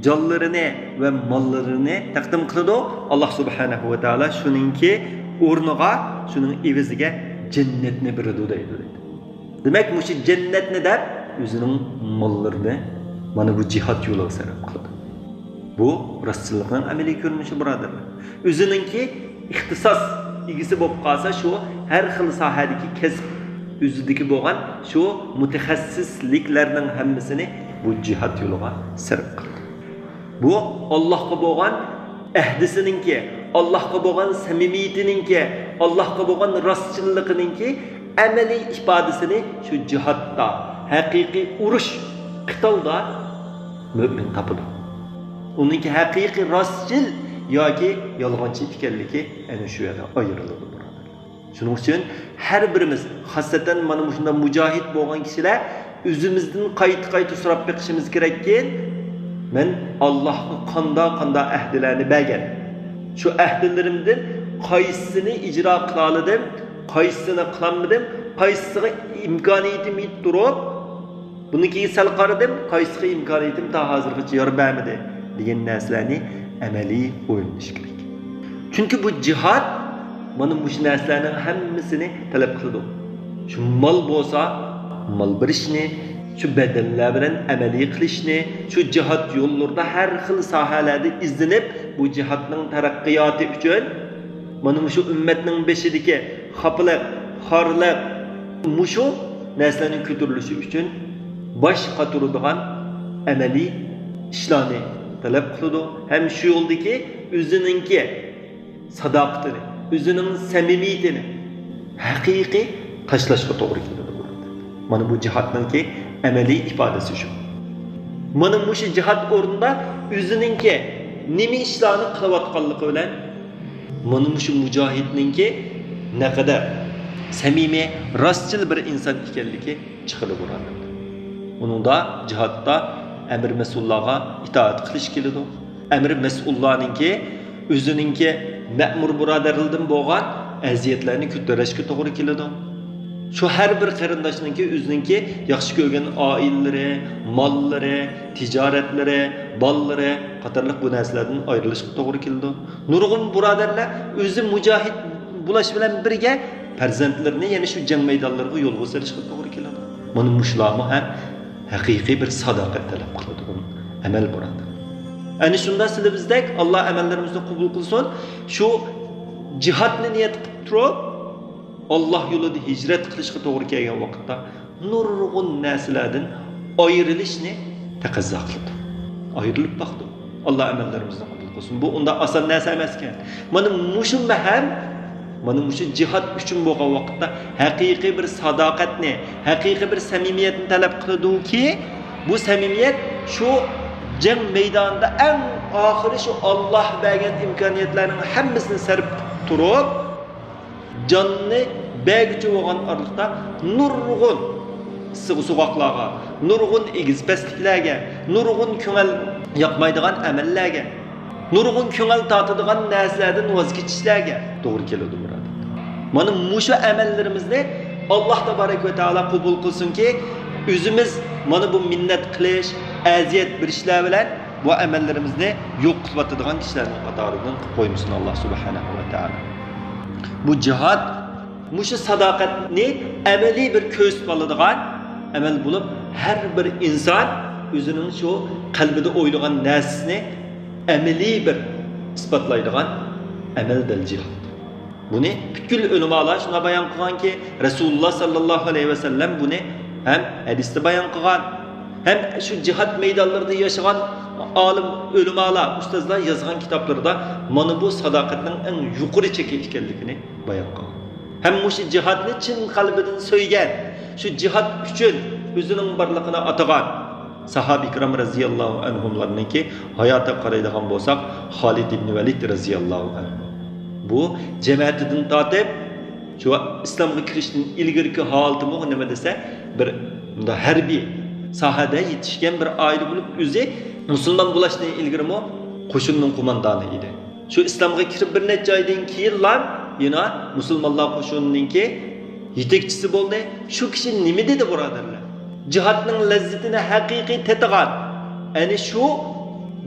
جانلىرىنى ۋە ماللىرىنى تەقدىم قىلىدۇ. ئاللا سۇبھانەھۇ ۋە تائالا شۇنىڭكى ئورنىغا، شۇنىڭ ئېۋىزىگە جەننەتنى بېرىدۇ دەيدۇ. دېمەك، مۇشۇ جەننەتنى دەپ ئۆزىنىڭ ماللىرىنى مانا بۇ جىھاد يولىغا سەرپ قىلىدۇ. بۇ راستچىللىقنىڭ ئەمەلىي كۆرۈنۈشى، بۇرادەرلەر. ئۆزىنىڭكى ئىختىساس ئىگىسى بولۇپ قالسا، شۇ ھەر خىل ساھەدىكى كەسىپ ئۆزىدىكى بولغان شۇ مۇتەخەسسىسلىكلەرنىڭ ھەممىسىنى بۇ جىھاد يولىغا سەرپ قىلىدۇ. بۇ ئاللاھقا بولغان ئەھدىسىنىڭكى، ئاللاھقا بولغان سەمىمىيىتىنىڭكى، ئاللاھقا بولغان راستچىللىقىنىڭكى ئەمەلىي ئىپادىسىنى شۇ جىھادتا، ھەقىقىي ئۇرۇش، قىتالدا مۆمىن تاپىدۇ. ئۇنىڭكى ھەقىقىي راستچىل ياكى يالغانچى ئىكەنلىكى ئەنە شۇ يەردە ئايرىلىدۇ، بۇرادەرلەر. شۇنىڭ ئۈچۈن ھەر بىرىمىز، خاسسەتەن مانا مۇشۇنداق مۇجاھىد بولغان كىشىلەر ئۆزىمىزدىن قايتا-قايتا سوراپ بېقىشىمىز كېرەككى، مەن ئاللاھقا قانداق-قانداق ئەھدىلەرنى بەرگەن؟ شۇ ئەھدىلىرىمدىن قايسىسىنى ئىجرا قىلالىدىم، قايسىسىنى قىلالمىدىم، قايسىسىغا ئىمكانىيىتىم يېتىپ تۇرۇپ، بۇنىڭ كېيىن سەل قارىدىم، قايسىغا ئىمكانىيىتىم تا ھازىرغىچە يار بەرمىدى دېگەن نەرسىلەرنى ئەمەلىي ئويلىنىش كېرەك. چۈنكى بۇ جىھاد مانا مۇشۇ نەرسىلەرنىڭ ھەممىسىنى تەلەپ قىلىدۇ. شۇ مال بولسا، مال بېرىشنى، شۇ بەدەللەر بىلەن ئەمەلىي قىلىشنى، شۇ جىھاد يوللىرىدا ھەر خىل ساھەلەردە ئىزدىنىپ، بۇ جىھادنىڭ تەرەققىياتى ئۈچۈن، مانا مۇشۇ ئۈممەتنىڭ بېشىدىكى خاپىلىق، خارلىق، مۇشۇ نەرسىلەرنىڭ كۆتۈرۈلۈشى ئۈچۈن باش قاتۇرىدىغان ئەمەلىي ئىشلارنى تەلەپ قىلىدۇ ھەم شۇ يولدىكى ئۆزىنىڭكى ساداقىتىنى، ئۆزىنىڭ سەمىمىيىتىنى ھەقىقىي تاشلاشقا توغرا كېلىدۇ. مانا بۇ جىھادنىڭكى ئەمەلىي ئىپادىسى شۇ. مانا مۇشۇ جىھاد ئورنىدا ئۆزىنىڭكى نېمە ئىشلارنى قىلىۋاتقانلىقى بىلەن مانا مۇشۇ مۇجاھىدنىڭكى نەقەدەر سەمىمىي، راستچىل بىر ئىنسان ئىكەنلىكى چىقىدۇ، بۇرادەرلەر. ئۇنىڭدا جىھادتا ئەمىر مەسئۇللارغا ئىتائەت قىلىش كېلىدۇ. ئەمىر مەسئۇللارنىڭكى ئۆزىنىڭكى مەمۇر بۇرادەرلىرىدىن بولغان ئەزىيەتلەرنى كۆتۈرۈشكە توغرا كېلىدۇ. شۇ ھەر بىر قېرىنداشنىڭكى ئۆزىنىڭكى ياخشى كۆرگەن ئائىلىلىرى، ماللىرى، تىجارەتلىرى، بالىلىرى قاتارلىق بۇ نەرسىلەردىن ئايرىلىشقا توغرا كېلىدۇ. نۇرغۇن بۇرادەرلەر ئۆزى مۇجاھىد بولۇش بىلەن بىرگە پەرزەنتلىرىنى يەنە شۇ جەڭ مەيدانلىرىغا يولغا سېلىشقا توغرا كېلىدۇ. مانا مۇشۇلارمۇ ھەم ھەقىقىي بىر ساداقەت تەلەپ قىلىدىغان ئەمەل، بۇرادەر. ئەنە شۇنداق سىلى بىزدەك ئاللا ئەمەللىرىمىزنى قوبۇل قىلسۇن. شۇ جىھادنى نىيەت قىلىپ تۇرۇپ، ئاللا يولىدا ھىجرەت قىلىشقا توغرا كەلگەن ۋاقىتتا نۇرغۇن نەرسىلەردىن ئايرىلىشنى تەقەززا قىلىدۇ. ئايرىلىپ باقىدۇ. ئاللا ئەمەللىرىمىزنى قوبۇل قىلسۇن. بۇ ئۇنداق ئاسان نەرسە ئەمەسكەن. مانا مۇشۇ مەھەم، مانا مۇشۇ جىھاد ئۈچۈن بولغان ۋاقىتتا ھەقىقىي بىر ساداقەتنى، ھەقىقىي بىر سەمىمىيەتنى تەلەپ قىلىدۇكى، بۇ سەمىمىيەت شۇ جەڭ مەيدانىدا ئەڭ ئاخىرى شۇ ئاللاھ بەرگەن ئىمكانىيەتلەرنىڭ ھەممىسىنى سەرپ قىلىپ تۇرۇپ، جاننى بەرگۈچى بولغان ئارىلىقتا نۇرغۇن ئىسسىق سوغۇقلارغا، نۇرغۇن ئېگىز پەسلىكلەرگە، نۇرغۇن كۆڭۈل ياقمايدىغان ئەمەللەرگە، نۇرغۇن كۆڭۈل تارتىدىغان نەرسىلەردىن ۋاز كېچىشلەرگە توغرا كېلىدۇ، بۇرادەر. مانا مۇشۇ ئەمەللىرىمىزنى ئاللاھ تابارەك ۋە تائالا قوبۇل قىلسۇنكى، ئۆزىمىز مانا بۇ مىننەت قىلىش، ئەزىيەت بېرىشلەر بىلەن بۇ ئەمەللىرىمىزنى يوق قىلىۋاتىدىغان كىشىلەرنىڭ قاتارىدىن قىلىپ قويمىسۇن ئاللاھ سۇبھانەھۇ ۋە تائالا. بۇ جىھاد، مۇشۇ ساداقەتنى ئەمەلىي بىر كۆرسىتىپ ئالىدىغان ئەمەل بولۇپ، ھەر بىر ئىنسان ئۆزىنىڭ شۇ قەلبىدە ئويلىغان نەرسىسىنى ئەمەلىي بىر ئىسپاتلايدىغان ئەمەل دەل جىھاد. بۇنى پۈتكۈل ئۆلىمالار شۇنداق بايان قىلغانكى، رەسۇلۇللاھ ساللاللاھۇ ئەلەيھى ۋەسەللەم بۇنى ھەم ھەدىستە بايان قىلغان، ھەم شۇ جىھاد مەيدانلىرىدا ياشىغان ئالىم ئۆلىمالار، ئۇستازلار يازغان كىتابلىرىدا مانا بۇ ساداقەتنىڭ ئەڭ يۇقىرى چېكى ئىكەنلىكىنى بايان قىلغان. ھەم مۇشۇ جىھادنى چىن قەلبىدىن سۆيگەن، شۇ جىھاد ئۈچۈن ئۆزىنىڭ بارلىقىنى ئاتىغان ساھابە ئىكرام رەزىياللاھۇ ئەنھۇملارنىڭكى ھاياتىغا قارايدىغان بولساق، خالىد ئىبنى ۋەلىد رەزىياللاھۇ ئەنھۇ. بۇ جەمەتىدىن تارتىپ، شۇ ئىسلامغا كىرىشتىن ئىلگىرىكى ھالىتىمۇ نېمە دېسە، بىر مۇنداق ھەربىي ساھەدە يېتىشكەن بىر ئائىلە بولۇپ، ئۆزى مۇسۇلمان بولۇشتىن ئىلگىرىمۇ قوشۇننىڭ قوماندانى ئىدى. شۇ ئىسلامغا كىرىپ بىر نەچچە ئايدىن كېيىنلا يەنە مۇسۇلمانلار قوشۇنىنىڭكى يېتەكچىسى بولدى. شۇ كىشى نېمە دېدى، بۇرادەرلەر؟ جىھادنىڭ لەززىتىنى ھەقىقىي تېتىغان، ئەنە شۇ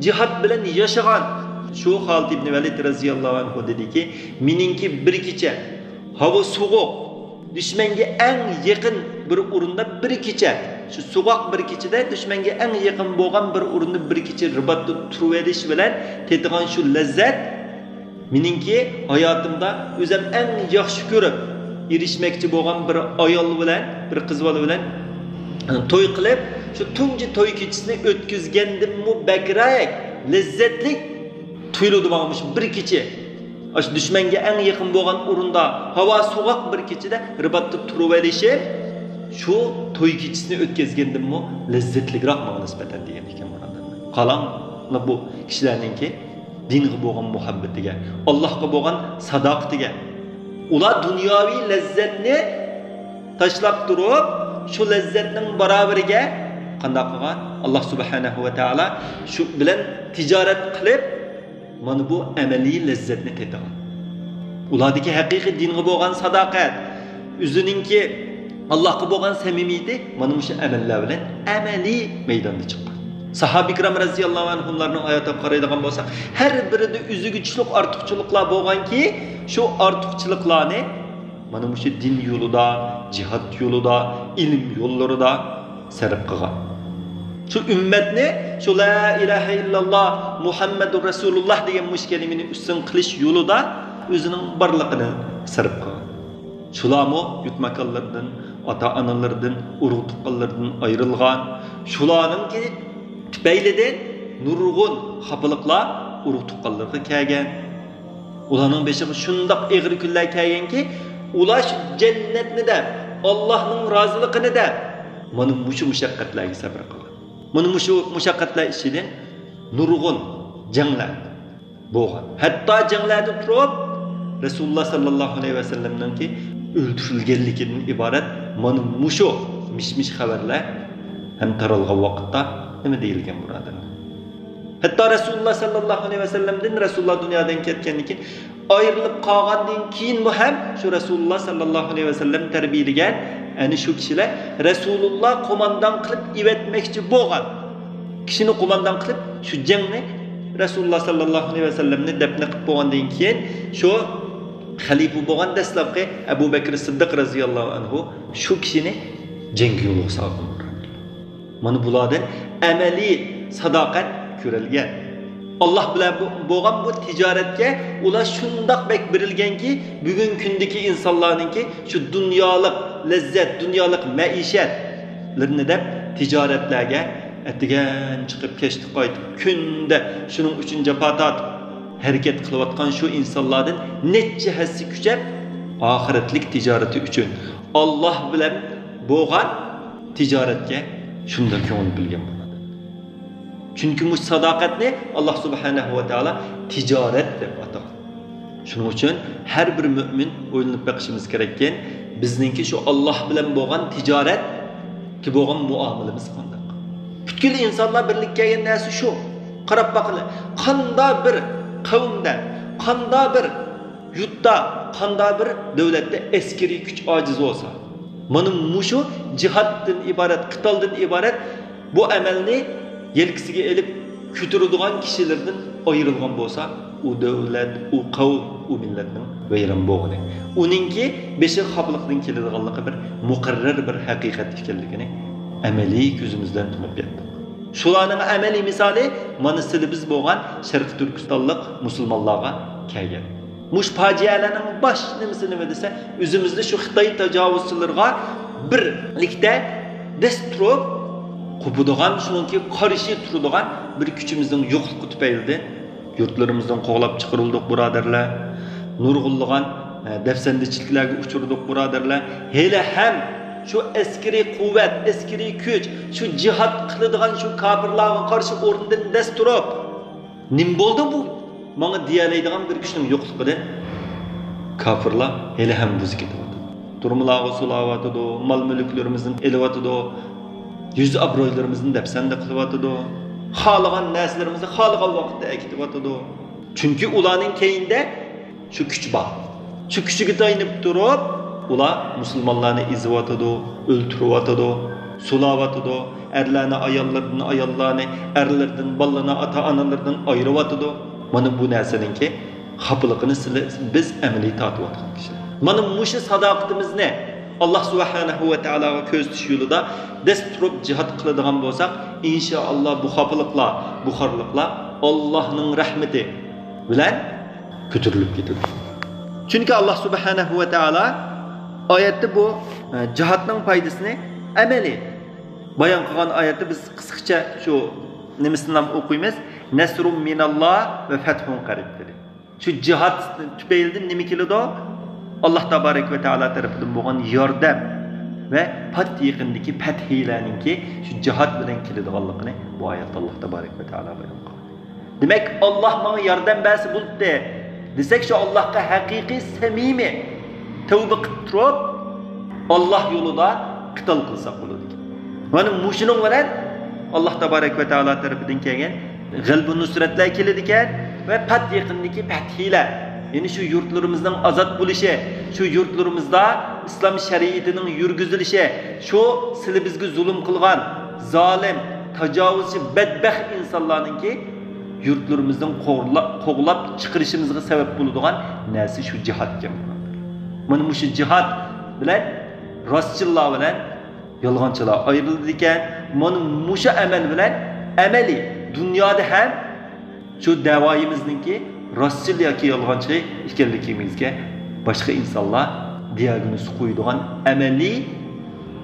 جىھاد بىلەن ياشىغان شۇ خالىد ئىبنى ۋەلىد رەزىياللاھۇ ئەنھۇ دېدىكى، مېنىڭكى بىر كېچە ھاۋا سوغۇق، دۈشمەنگە ئەڭ يېقىن بىر ئورۇندا بىر كېچە، شۇ سوغۇق بىر كېچىدە دۈشمەنگە ئەڭ يېقىن بولغان بىر ئورۇندا بىر كېچە رىباتتا تۇرۇۋېلىش بىلەن تېتىغان شۇ لەززەت، مېنىڭكى ھاياتىمدا ئۆزۈم ئەڭ ياخشى كۆرۈپ ئېرىشمەكچى بولغان بىر ئايال بىلەن، بىر قىز بالا بىلەن توي قىلىپ، شۇ تۇنجى توي كېچىسىنى ئۆتكۈزگەندىنمۇ بەكرەك لەززەتلىك تۇيۇلىدۇ ماڭا مۇشۇ بىر كېچە. ئاشۇ دۈشمەنگە ئەڭ يېقىن بولغان ئورۇندا، ھاۋا سوغۇق بىر كېچىدە رىباتتا تۇرۇۋېلىشىم شۇ توي كېچىسىنى ئۆتكۈزگەندىنمۇ لەززەتلىكراق ماڭا نىسبەتەن، دېگەن ئىكەن، بۇرادەرلەر. قاراڭلار بۇ كىشىلەرنىڭكى دىنغا بولغان مۇھەببىتىگە، ئاللاھقا بولغان ساداقىتىگە. ئۇلار دۇنياۋى لەززەتنى تاشلاپ تۇرۇپ، شۇ لەززەتنىڭ باراۋىرىگە قانداق قىلغان؟ ئاللاھ سۇبھانەھۇ ۋە تائالا شۇ بىلەن تىجارەت قىلىپ، مانا بۇ ئەمەلىي لەززەتنى تېتىغان. ئۇلاردىكى ھەقىقىي دىنغا بولغان ساداقەت، ئۆزىنىڭكى ئاللاھقا بولغان سەمىمىيىتى مانا مۇشۇ ئەمەللەر بىلەن ئەمەلىي مەيداندا چىققان. ساھابە ئىكرام رەزىياللاھۇ ئەنھۇملارنىڭ ھاياتىغا قارايدىغان بولساق، ھەر بىرىدە ئۆزىگە چۈشلۈك ئارتۇقچىلىقلار بولغانكى، شۇ ئارتۇقچىلىقلارنى مانا مۇشۇ دىن يولىدا، جىھاد يولىدا، ئىلىم يوللىرىدا سەرپ قىلغان. شۇ ئۈممەتنى شۇ لا ئىلاھە ئىللاللا مۇھەممەدۇر رەسۇلۇللا دېگەن مۇشۇ كەلىمىنى ئۈستۈن قىلىش يولىدا ئۆزىنىڭ بارلىقىنى سەرپ قىلغان. شۇلارمۇ يۇرت ماكانلىرىدىن، ئاتا-ئانىلىرىدىن، ئۇرۇق-تۇغقانلىرىدىن ئايرىلغان. شۇلارنىڭكى تۈپەيلىدىن نۇرغۇن خاپىلىقلار ئۇرۇق-تۇغقانلىرىغا كەلگەن. ئۇلارنىڭ بېشىغا شۇنداق ئېغىر كۈنلەر كەلگەنكى، ئۇلار شۇ جەننەتنى دەپ، ئاللاھنىڭ رازىلىقىنى دەپ، مانا مۇشۇ مۇشەققەتلەرگە سەبرى قىلغان. مانا مۇشۇ مۇشەققەتلەر ئىچىدىن نۇرغۇن جەڭلەر بولغان. ھەتتا جەڭلەردە تۇرۇپ، رەسۇلۇللا ساللاللاھۇ ئەلەيھى ۋەسەللەمنىڭكى ئۆلتۈرۈلگەنلىكىدىن ئىبارەت مانا مۇشۇ مىش-مىش خەۋەرلەر ھەم تارالغان ۋاقىتتا نېمە دېيىلگەن، بۇرادەرلەر؟ ھەتتا رەسۇلۇللا ساللاللاھۇ ئەلەيھى ۋەسەللەمدىن، رەسۇلۇللا دۇنيادىن كەتكەندىن كېيىن، ئايرىلىپ قالغاندىن كېيىنمۇ ھەم شۇ رەسۇلۇللا ساللاللاھۇ ئەلەيھى ۋەسەللەم تەربىيىلىگەن، ئەنە شۇ كىشىلەر رەسۇلۇللا قوماندان قىلىپ ئېۋەتمەكچى بولغان كىشىنى قوماندان قىلىپ، شۇ جەڭنى، رەسۇلۇللا ساللاللاھۇ ئەلەيھى ۋەسەللەمنى دەپنە قىلىپ بولغاندىن كېيىن، شۇ خەلىپە بولغان دەسلەپكى ئەبۇ بەكرى سىددىق رەزىياللاھۇ ئەنھۇ شۇ كىشىنى جەڭگە يولغا سالغان. مانا بۇلاردىن ئەمەلىي ساداقەت كۆرۈلگەن. ئاللاھ بىلەن بۇ، بولغان بۇ تىجارەتكە ئۇلار شۇنداق بەك بېرىلگەنكى، بۈگۈنكى كۈندىكى ئىنسانلارنىڭكى شۇ دۇنيالىق لەززەت، دۇنيالىق مەئىشەتلىرىنى دەپ تىجارەتلەرگە ئەتىگەن چىقىپ، كەچتە قايتىپ، كۈندە شۇنىڭ ئۈچۈن جاپا تارتىپ ھەرىكەت قىلىۋاتقان شۇ ئىنسانلاردىن نەچچە ھەسسە كۈچەپ، ئاخىرەتلىك تىجارىتى ئۈچۈن ئاللاھ بىلەن بولغان تىجارەتكە شۇنداق كۆڭۈل بۆلگەن بۇلار. چۈنكى مۇشۇ ساداقەتنى ئاللا سۇبھانەھۇ ۋە تائالا تىجارەت دەپ ئاتىغان. شۇنىڭ ئۈچۈن ھەر بىر مۆمىن ئويلىنىپ بېقىشىمىز كېرەككەن، بىزنىڭكى شۇ ئاللا بىلەن بولغان تىجارەتكە بولغان مۇئامىلىمىز قانداق؟ پۈتكۈل ئىنسانلار بىرلىككە كەلگەن نەرسە شۇ. قاراپ باقىلى، قاندا بىر قەۋمدە، قاندا بىر يۇرتتا، قاندا بىر دۆلەتتە ئەسكىرىي كۈچ ئاجىز بولسا، مانا مۇشۇ جىھادتىن ئىبارەت، قىتالدىن ئىبارەت بۇ ئەمەلنى يەلكىسىگە ئېلىپ كۆتۈرىدىغان كىشىلىرىدىن ئايرىلغان بولسا، ئۇ دۆلەت، ئۇ قەۋم، ئۇ مىللەتنىڭ ۋەيران بولغىنى، ئۇنىڭكى بېشىغا خاپىلىقنىڭ كېلىدىغانلىقى بىر مۇقەررەر بىر ھەقىقەت ئىكەنلىكىنى ئەمەلىي كۆزىمىز بىلەن تونۇپ يەتتۇق. شۇلارنىڭ ئەمەلىي مىسالى مانا سىلى بىز بولغان شەرقىي تۈركىستانلىق مۇسۇلمانلارغا كەلگەن. مۇشۇ پاجىئەلەرنىڭ باش نېمىسى نېمە دېسە، ئۆزىمىزدە شۇ خىتاي تاجاۋۇزچىلىرىغا بىرلىكتە دەس تۇرۇپ، قوپىدىغان، شۇنىڭكى قارشى تۇرىدىغان بىر كۈچىمىزنىڭ يوقلۇقى تۈپەيلىدىن يۇرتلىرىمىزدىن قوغلاپ چىقىرىلدۇق، بۇرادەرلەر. نۇرغۇنلىغان، ئە، دەپسەندىچىلىكلەرگە ئۇچرىدۇق، بۇرادەرلەر. ھېلىھەم شۇ ئەسكىرىي قۇۋۋەت، ئەسكىرىي كۈچ، شۇ جىھاد قىلىدىغان شۇ كاپىرلارغا قارشى ئورنىدىن دەس تۇرۇپ، نېمە بولدى بۇ ماڭا دېيەلەيدىغان بىر كىشىنىڭ يوقلۇقىدىن كاپىرلار ھېلىھەم بۇزۇپ كېتىۋاتىدۇ. تۈرمىلەرگە سولاۋاتىدۇ، مال-مۈلۈكلىرىمىزنى ئېلىۋاتىدۇ، يۈز-ئابرۇيلىرىمىزنى دەپسەندە قىلىۋاتىدۇ، خالىغان نەرسىلىرىمىزنى خالىغان ۋاقىتتا ئەكېتىۋاتىدۇ. چۈنكى ئۇلارنىڭ كەينىدە شۇ كۈچ بار. شۇ كۈچىگە تايىنىپ تۇرۇپ، ئۇلار مۇسۇلمانلارنى ئېزىۋاتىدۇ، ئۆلتۈرۈۋاتىدۇ، سولاۋاتىدۇ، ئەرلەرنى ئاياللىرىدىن، ئاياللارنى ئەرلىرىدىن، بالىلارنى ئاتا-ئانىلىرىدىن ئايرىۋاتىدۇ. مانا بۇ نەرسىنىڭكى خاپىلىقىنى سىلى، بىز ئەمەلىي تارتىۋاتقان كىشىلەر. مانا مۇشۇ ساداقىتىمىزنى ئاللا سۇبھانەھۇ ۋە تائالاغا كۆرسىتىش يولىدا دەس تۇرۇپ جىھاد قىلىدىغان بولساق، ئىنشائاللا بۇ خاپىلىقلار، بۇ خارلىقلار ئاللانىڭ رەھمىتى بىلەن كۆتۈرۈلۈپ كېتىدۇ. چۈنكى ئاللا سۇبھانەھۇ ۋە تائالا ئايەتتە بۇ، ئە، جىھادنىڭ پايدىسىنى ئەمەلىي بايان قىلغان ئايەتتە بىز قىسقىچە شۇ نېمىسىنى ھەم ئوقۇيمىز. نەسرۇم مىناللا ۋە فەتھۇن قەرىب دېدى. شۇ جىھاد تۈپەيلىدىن نېمە كېلىدۇ؟ ئاللا تابارەك ۋە تائالا تەرىپىدىن بولغان ياردەم ۋە پات يېقىندىكى پەتھىيلەرنىڭكى شۇ جىھاد بىلەن كېلىدىغانلىقىنى بۇ ئايەتتە ئاللا تابارەك ۋە تائالا بايان قىلغان. دېمەك، ئاللا ماڭا ياردەم بەرسە بولدى دېسەك، شۇ ئاللاغا ھەقىقىي، سەمىمىي تەۋبە قىلىپ تۇرۇپ، ئاللا يولىدا قىتال قىلساق بولىدىكەن. مانا مۇشۇنىڭ بىلەن ئاللا تابارەك ۋە تائالا تەرىپىدىن كەلگەن غەلىبە نۇسرەتلەر كېلىدىكەن ۋە پات يېقىندىكى پەتھىيلەر، يەنى شۇ يۇرتلىرىمىزنىڭ ئازاد بولۇشى، شۇ يۇرتلىرىمىزدا ئىسلام شەرىئىتىنىڭ يۈرگۈزۈلۈشى، شۇ سىلى بىزگە زۇلۇم قىلغان زالىم، تاجاۋۇزچى، بەدبەخت ئىنسانلارنىڭكى يۇرتلىرىمىزدىن قوغلا-، قوغلاپ چىقىرىشىمىزغا سەۋەب بولىدىغان نەرسە شۇ جىھادكەن. مانا مۇشۇ جىھاد بىلەن، راستچىللار بىلەن يالغانچىلار ئايرىلىدىكەن. مانا مۇشۇ ئەمەل بىلەن ئەمەلىي دۇنيادا ھەم شۇ دەۋايىمىزنىڭكى راستچىل ياكى يالغانچى ئىكەنلىكىمىزگە باشقا ئىنسانلار دىياگنوز قويىدىغان ئەمەلىي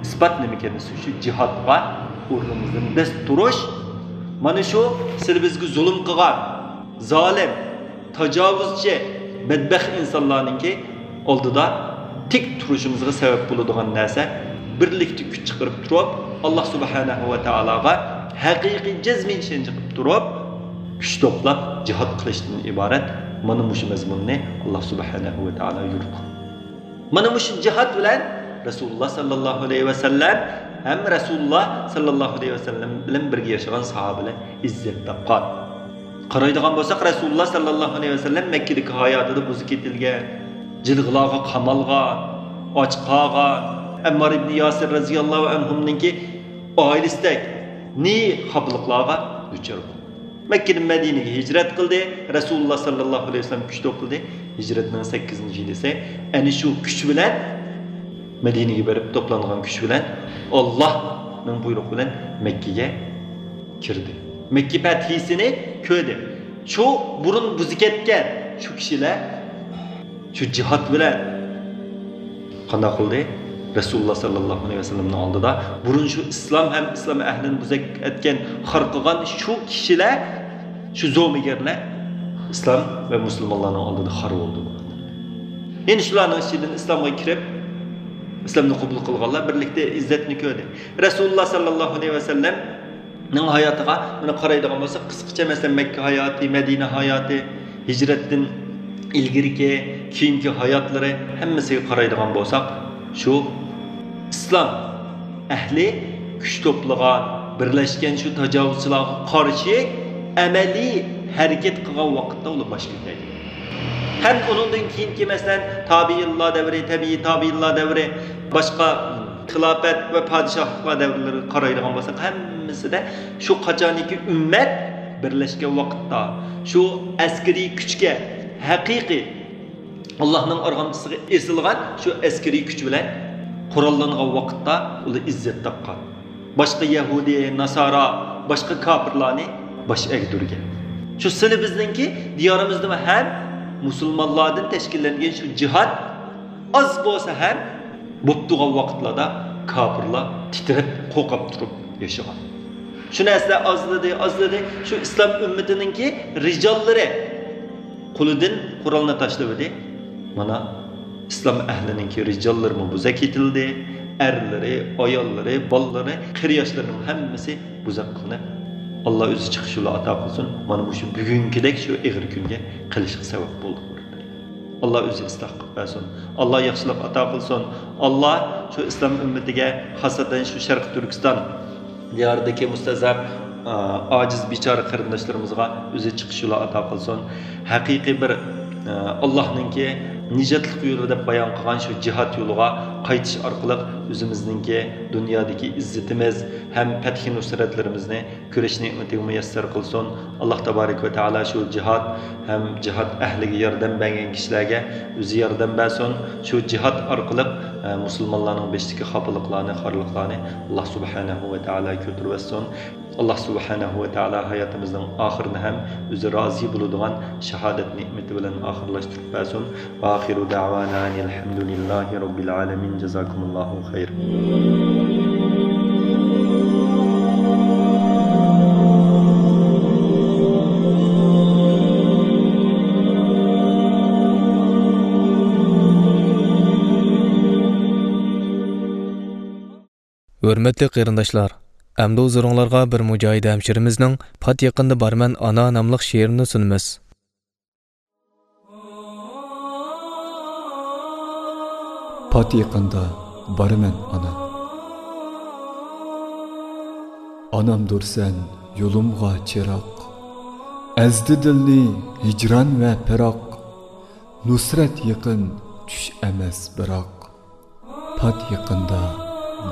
ئىسپات نېمىكەن دېسە، شۇ جىھادقا ئورنىمىزدىن دەس تۇرۇش. مانا شۇ سىلى بىزگە زۇلۇم قىلغان زالىم، تاجاۋۇزچى، بەدبەخت ئىنسانلارنىڭكى ئالدىدا تىك تۇرۇشىمىزغا سەۋەب بولىدىغان نەرسە، بىرلىكتە كۈچ چىقىرىپ تۇرۇپ، ئاللا سۇبھانەھۇ ۋە تائالاغا ھەقىقىي جەزمىي ئىشەنچ قىلىپ تۇرۇپ، كۈچ توپلاپ جىھاد قىلىشتىن ئىبارەت. مانا مۇشۇ مەزمۇننى ئاللا سۇبھانەھۇ ۋە تائالا يورۇتقان. مانا مۇشۇ جىھاد بىلەن رەسۇلۇللا ساللاللاھۇ ئەلەيھى ۋەسەللەم ھەم رەسۇلۇللا ساللاللاھۇ ئەلەيھى ۋەسەللەم بىلەن بىرگە ياشىغان ساھابىلەر ئىززەت تاپقان. قارايدىغان بولساق، رەسۇلۇللا ساللاللاھۇ ئەلەيھى ۋەسەللەم مەككىدىكى ھاياتىدا بۇزۇپ كېتىلگەن، جىلغىلارغا قامالغان، ئاچ قالغان، ئەممار ئىبنى ياسىر رەزىياللاھۇ ئەنھۇمنىڭكى ئائىلىسىدەك نى خاپىلىقلارغا دۇچار بولدى. مەككىدىن مەدىنىگە ھىجرەت قىلدى. رەسۇلۇللا ساللاللاھۇ ئەلەيھى ۋەسەللەم كۈچ توپلىدى. ھىجرەتنىڭ سەككىزىنچى يىلى ئەنە شۇ كۈچ بىلەن مەدىنىگە بېرىپ توپلانغان كۈچ بىلەن ئاللانىڭ بۇيرۇقى بىلەن مەككىگە كىردى. مەككە پەتھىسىنى كۆردى. شۇ بۇرۇن بۇزۇپ كەتكەن شۇ كىشىلەر شۇ جىھاد بىلەن قانداق قىلدى؟ رەسۇلۇللا ساللاللاھۇ ئەلەيھى ۋەسەللەمنىڭ ئالدىدا بۇرۇن شۇ ئىسلام ھەم ئىسلام ئەھلىنى بۇزۇپ ئەتكەن، خار قىلغان شۇ كىشىلەر، شۇ زومىگەرلەر ئىسلام ۋە مۇسۇلمانلارنىڭ ئالدىدا خار بولدى. يەنە شۇلارنىڭ ئىچىدىن ئىسلامغا كىرىپ، ئىسلامنى قوبۇل قىلغانلار بىرلىكتە ئىززەتنى كۆردى. رەسۇلۇللا ساللاللاھۇ ئەلەيھى ۋەسەللەم ئەھلىنىڭ ھاياتىغا مانا قارايدىغان بولساق، قىسقىچە، مەسىلەن، مەككە ھاياتى، مەدىنە ھاياتى، ھىجرەتتىن ئىلگىرىكى، كېيىنكى ھاياتلىرى، ھەممىسىگە قارايدىغان بولساق، شۇ ئىسلام ئەھلى كۈچ توپلىغان، بىرلەشكەن شۇ تاجاۋۇزچىلارغا قارشى ئەمەلىي ھەرىكەت قىلغان ۋاقىتتا ئۇلار باش كۆتۈرەيدىغان. ھەم ئۇنىڭدىن كېيىنكى، مەسىلەن، تابىئىنلار دەۋرى، تەبىئىي تابىئىنلار دەۋرى، باشقا خىلاپەت ۋە پادىشاھلىقلار دەۋرلىرىگە قارايدىغان بولساق، ھەممىسىدە شۇ قاچانكى ئۈممەت بىرلەشكەن ۋاقىتتا، شۇ ئەسكىرىي كۈچكە، ھەقىقىي ئاللاھنىڭ ئارغامچىسىغا ئېسىلغان شۇ ئەسكىرىي كۈچ بىلەن قوراللانغان ۋاقىتتا ئۇلار ئىززەت تاپقان. باشقا يەھۇدىي، ناسارا، باشقا كاپىرلارنى باش ئەگدۈرگەن. شۇ سىلى بىزنىڭكى دىيارىمىزدا ھەم مۇسۇلمانلاردىن تەشكىللەنگەن شۇ جىھاد ئاز بولسا ھەم بوپتۇغان ۋاقىتلاردا كاپىرلار تىترەپ، قورقۇپ تۇرۇپ ياشىغان. شۇ نەرسىلەر ئازلىدى، ئازلىدى. شۇ ئىسلام ئۈممىتىنىڭكى رىجاللىرى قولىدىن قورالنى تاشلىۋىدى. مانا، ئىسلام ئەھلىنىڭكى رىجاللىرىمۇ بوزەك ئېتىلدى. ئەرلىرى، ئاياللىرى، بالىلىرى، قېرى ياشلىرىنىڭ ھەممىسى بوزەك قىلىنىپ، ئاللا ئۆزى چىقىش يولى ئاتا قىلسۇن، مانا مۇشۇ بۈگۈنكىدەك شۇ ئېغىر كۈنگە قېلىشقا سەۋەب بولدۇق. ئاللا ئۆزى ئىسلاھ قىلىپ بەرسۇن. ئاللا ياخشىلىق ئاتا قىلسۇن. ئاللا شۇ ئىسلام ئۈممىتىگە، خاسسەتەن شۇ شەرقىي تۈركىستان دىيارىدىكى مۇستەزەپ، ئا، ئاجىز، بىچارە قېرىنداشلىرىمىزغا ئۆزى چىقىش يولى ئاتا قىلسۇن. ھەقىقىي بىر، ئا، ئاللانىڭكى نىجاتلىق يولى دەپ بايان قىلغان شۇ جىھاد يولىغا قايتىش ئارقىلىق ئۆزىمىزنىڭكى دۇنيادىكى ئىززىتىمىز ھەم پەتھى نۇسرەتلىرىمىزنى كۆرۈش نېمىتىگە مۇيەسسەر قىلسۇن. ئاللا تابارەك ۋە تائالا شۇ جىھاد ھەم جىھاد ئەھلىگە ياردەم بەرگەن كىشىلەرگە ئۆزى ياردەم بەرسۇن. شۇ جىھاد ئارقىلىق، ئە، مۇسۇلمانلارنىڭ بېشىدىكى خاپىلىقلارنى، خارلىقلارنى ئاللا سۇبھانەھۇ ۋە تائالا كۆتۈرۈۋەتسۇن. ئاللا سۇبھانەھۇ ۋە تائالا ھاياتىمىزنىڭ ئاخىرىنى ھەم ئۆزى رازى بولىدىغان شاھادەت نېمىتى بىلەن ئاخىرلاشتۇرۇپ بەرسۇن. ۋە ئاخىرۇ دەۋانا ئەنىل ھەمدۇلىللاھى رەببىل ئالەمىن. جازاكۇمۇللاھۇ خەير. ھۆرمەتلىك قېرىنداشلار، ئەمدى ھۇزۇرۇڭلارغا بىر مۇجاھىد ھەمشىرىمىزنىڭ پات يېقىندا بارىمەن ئانا ناملىق شېئىرىنى سۇنىمىز. پات يېقىندا بارىمەن ئانا. ئانامدۇر سەن يولۇمغا چىراغ، ئەزدى دىلنى ھىجران ۋە پىراق، نۇسرەت يېقىن چۈش ئەمەس بىراق، پات يېقىندا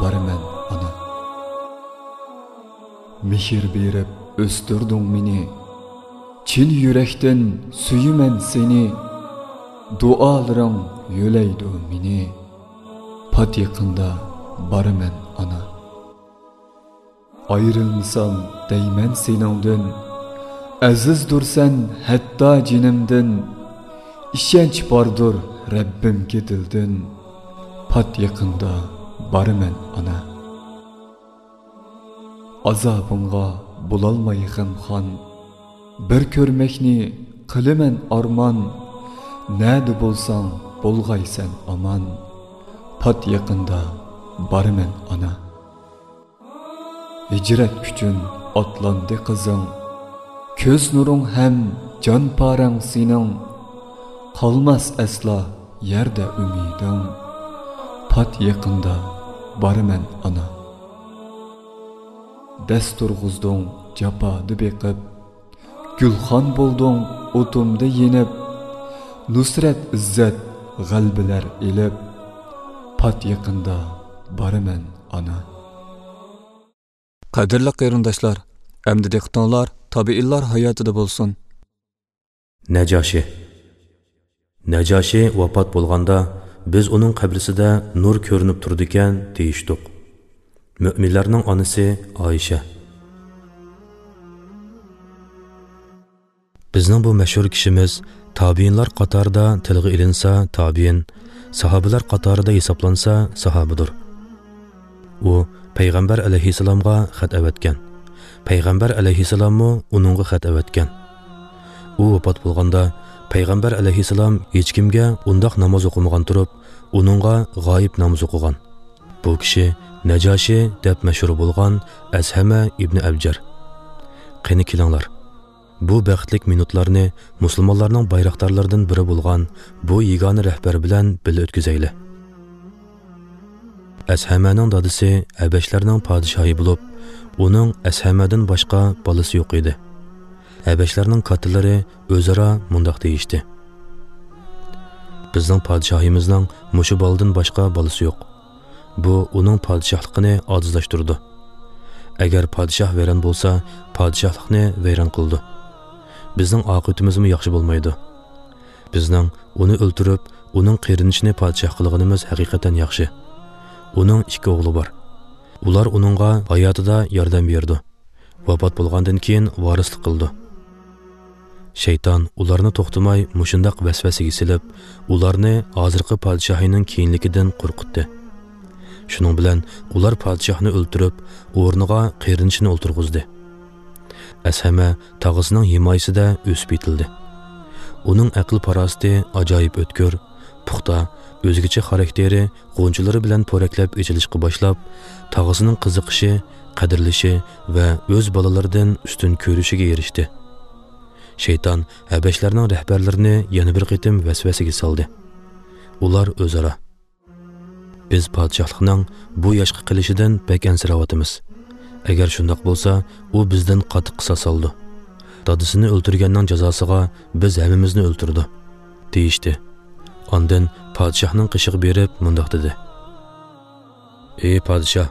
بارىمەن ئانا. مېھىر بېرىپ ئۆستۈردۈڭ مېنى، چىن يۈرەكتىن سۆيىمەن سېنى، دۇئالىرىڭ يۆلەيدۇ مېنى، پات يېقىندا بارىمەن ئانا. ئايرىلمىسام دەيمەن سېنىڭدىن، ئەزىزدۇرسەن ھەتتا جېنىمدىن، ئىشەنچ باردۇر رەببىمگە دىلدىن، پات يېقىندا بارىمەن ئانا. ئازابىڭغا بولالماي غەمخان، بىر كۆرمەكنى قىلىمەن ئارمان، نەدە بولساڭ بولغايسەن ئامان، پات يېقىندا بارىمەن ئانا. ھىجرەت ئۈچۈن ئاتلاندى قىزىڭ، كۆز نۇرۇڭ ھەم جان پارەڭ سېنىڭ، قالماس ئەسلا يەردە ئۈمىدىڭ، پات يېقىندا بارىمەن ئانا. دەس تۇرغۇزدۇڭ جاپادا بېقىپ، گۈلخان بولدۇڭ ئوتۇمدا يېنىپ، نۇسرەت ئىززەت غەلىبىلەر ئېلىپ، پات يېقىندا بارىمەن ئانا. قەدىرلىك قېرىنداشلار، ئەمدى دىققىتىڭلار تابىئىنلار ھاياتىدا بولسۇن. نەجاشى. نەجاشى ۋاپات بولغاندا، بىز ئۇنىڭ قەبرىسىدە نۇر كۆرۈنۈپ تۇرىدىكەن دېيىشتۇق. مۆمىنلەرنىڭ ئانىسى ئائىشە. بىزنىڭ بۇ مەشھۇر كىشىمىز تابىئىنلار قاتارىدا تىلغا ئېلىنسا تابىئىن، ساھابىلەر قاتارىدا ھېسابلانسا ساھابىدۇر. ئۇ پەيغەمبەر ئەلەيھىسسالامغا خەت ئەۋەتكەن. پەيغەمبەر ئەلەيھىسسالاممۇ ئۇنىڭغا خەت ئەۋەتكەن. ئۇ ۋاپات بولغاندا، پەيغەمبەر ئەلەيھىسسالام ھېچكىمگە ئۇنداق ناماز ئوقۇمىغان تۇرۇپ، ئۇنىڭغا غايىب نامىزى ئوقۇغان. بۇ كىشى نەجاشى دەپ مەشھۇر بولغان ئەسھەمە ئىبنى ئەبجەر. قېنى كېلىڭلار، بۇ بەختلىك مىنۇتلارنى مۇسۇلمانلارنىڭ بايراقدارلىرىدىن بىرى بولغان بۇ يېگانە رەھبەر بىلەن بىللە ئۆتكۈزەيلى. ئەسھەمەنىڭ دادىسى ھەبەشلەرنىڭ پادىشاھى بولۇپ، ئۇنىڭ ئەسھەمەدىن باشقا بالىسى يوق ئىدى. ھەبەشلەرنىڭ كاتتىلىرى ئۆزئارا مۇنداق دېيىشتى: «بىزنىڭ پادىشاھىمىزنىڭ مۇشۇ بالىدىن باشقا بالىسى يوق. بۇ ئۇنىڭ پادىشاھلىقىنى ئاجىزلاشتۇرىدۇ. ئەگەر پادىشاھ ۋەيران بولسا، پادىشاھلىقنى ۋەيران قىلىدۇ. بىزنىڭ ئاقىۋىتىمىزمۇ ياخشى بولمايدۇ. بىزنىڭ ئۇنى ئۆلتۈرۈپ، ئۇنىڭ قېرىندىشىنى پادىشاھ قىلغىنىمىز ھەقىقەتەن ياخشى. ئۇنىڭ ئىككى ئوغلى بار. ئۇلار ئۇنىڭغا ھاياتىدا ياردەم بېرىدۇ. ۋاپات بولغاندىن كېيىن ۋارىسلىق قىلىدۇ.» شەيتان ئۇلارنى توختىماي مۇشۇنداق ۋەسۋەسىگە سېلىپ، ئۇلارنى ھازىرقى پادىشاھىنىڭ كېيىنلىكىدىن قورقۇتتى. شۇنىڭ بىلەن ئۇلار پادىشاھنى ئۆلتۈرۈپ، ئورنىغا قېرىندىشىنى ئولتۇرغۇزدى. ئەسھەمە تاغىسىنىڭ ھىمايىسىدە ئۆسۈپ يېتىلدى. ئۇنىڭ ئەقىل-پاراسىتى ئاجايىپ ئۆتكۈر، پۇختا، ئۆزگىچە خاراكتېرى غۇنچىلىرى بىلەن پورەكلەپ ئېچىلىشقا باشلاپ، تاغىسىنىڭ قىزىقىشى، قەدىرلىشى ۋە ئۆز بالىلىرىدىن ئۈستۈن كۆرۈشىگە ئېرىشتى. شەيتان ھەبەشلەرنىڭ رەھبەرلىرىنى يەنە بىر قېتىم ۋەسۋەسىگە سالدى. ئۇلار ئۆزئارا: «بىز پادىشاھلىقنىڭ بۇ ياشقا قېلىشىدىن بەك ئەنسىرەۋاتىمىز. ئەگەر شۇنداق بولسا، ئۇ بىزدىن قاتتىق قىساس ئالىدۇ. دادىسىنى ئۆلتۈرگەننىڭ جازاسىغا بىز ھەممىمىزنى ئۆلتۈرىدۇ» دېيىشتى. ئاندىن پادىشاھنىڭ قېشىغا بېرىپ مۇنداق دېدى: «ئى پادىشاھ،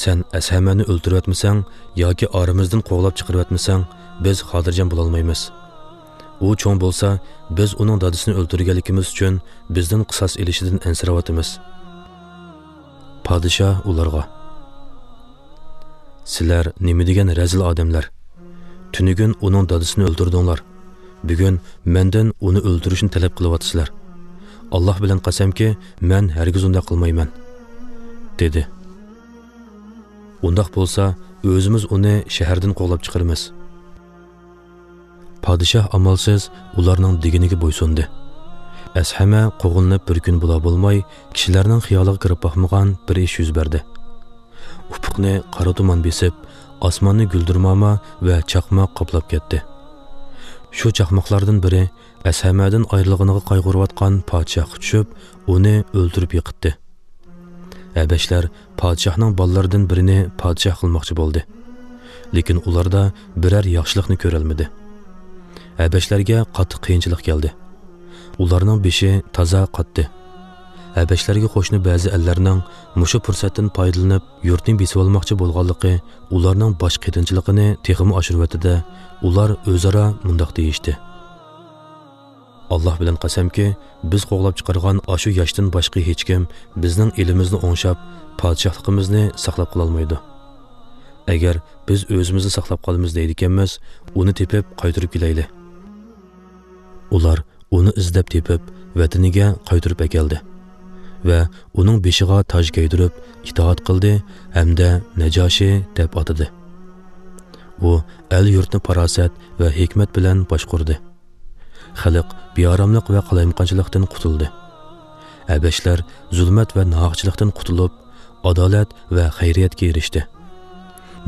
سەن ئەسھەمەنى ئۆلتۈرۈۋەتمىسەڭ ياكى ئارىمىزدىن قوغلاپ چىقىرىۋەتمىسەڭ، بىز خاتىرجەم بولالمايمىز. ئۇ چوڭ بولسا، بىز ئۇنىڭ دادىسىنى ئۆلتۈرگەنلىكىمىز ئۈچۈن بىزدىن قىساس ئېلىشىدىن ئەنسىرەۋاتىمىز.» پادىشاھ ئۇلارغا: «سىلەر نېمە دېگەن رەزىل ئادەملەر! تۈنۈگۈن ئۇنىڭ دادىسىنى ئۆلتۈردۈڭلار. بۈگۈن مەندىن ئۇنى ئۆلتۈرۈشنى تەلەپ قىلىۋاتىسىلەر. ئاللاھ بىلەن قەسەمكى، مەن ھەرگىز ئۇنداق قىلمايمەن» دېدى. «ئۇنداق بولسا، ئۆزىمىز ئۇنى شەھەردىن قوغلاپ چىقىرىمىز.» پادىشاھ ئامالسىز ئۇلارنىڭ دېگىنىگە بويسۇندى. ئەسھەمە قوغلىنىپ بىر كۈن بولا بولماي، كىشىلەرنىڭ خىيالىغا كىرىپ باقمىغان بىر ئىش يۈز بەردى. ئۇپۇقنى قارا تۇمان بېسىپ، ئاسماننى گۈلدۈرماما ۋە چاقماق قاپلاپ كەتتى. شۇ چاقماقلاردىن بىرى ئەسھەمەدىن ئايرىلغىنىغا قايغۇرۇۋاتقان پادىشاھقا چۈشۈپ، ئۇنى ئۆلتۈرۈپ يىقىتتى. ھەبەشلەر پادىشاھنىڭ بالىلىرىدىن بىرىنى پادىشاھ قىلماقچى بولدى. لېكىن ئۇلاردا بىرەر ياخشىلىقنى كۆرەلمىدى. ھەبەشلەرگە قاتتىق قىيىنچىلىق كەلدى. ئۇلارنىڭ بېشى تازا قاتتى. ھەبەشلەرگە قوشنا بەزى ئەللەرنىڭ مۇشۇ پۇرسەتتىن پايدىلىنىپ، يۇرتنى بېسىۋالماقچى بولغانلىقى ئۇلارنىڭ باش قېتىنچىلىقىنى تېخىمۇ ئاشۇرۇۋەتتى-دە، ئۇلار ئۆزئارا مۇنداق دېيىشتى: «ئاللاھ بىلەن قەسەمكى، بىز قوغلاپ چىقارغان ئاشۇ ياشتىن باشقا ھېچكىم بىزنىڭ ئېلىمىزنى ئوڭشاپ، پادىشاھلىقىمىزنى ساقلاپ قالالمايدۇ. ئەگەر بىز ئۆزىمىزنى ساقلاپ قالىمىز دەيدىكەنمىز، ئۇنى تېپىپ قايتۇرۇپ كېلەيلى.» ئۇلار ئۇنى ئىزدەپ تېپىپ، ۋەتىنىگە قايتۇرۇپ ئەكەلدى ۋە ئۇنىڭ بېشىغا تاج كىيدۈرۈپ، ئىتائەت قىلدى ھەمدە نەجاشى دەپ ئاتىدى. ئۇ ئەل-يۇرتنى پاراسەت ۋە ھېكمەت بىلەن باشقۇردى. خەلق بىئاراملىق ۋە قالايمىقانچىلىقتىن قۇتۇلدى. ھەبەشلەر زۇلمەت ۋە ناھەقچىلىقتىن قۇتۇلۇپ، ئادالەت ۋە خەيرىيەتكە ئېرىشتى.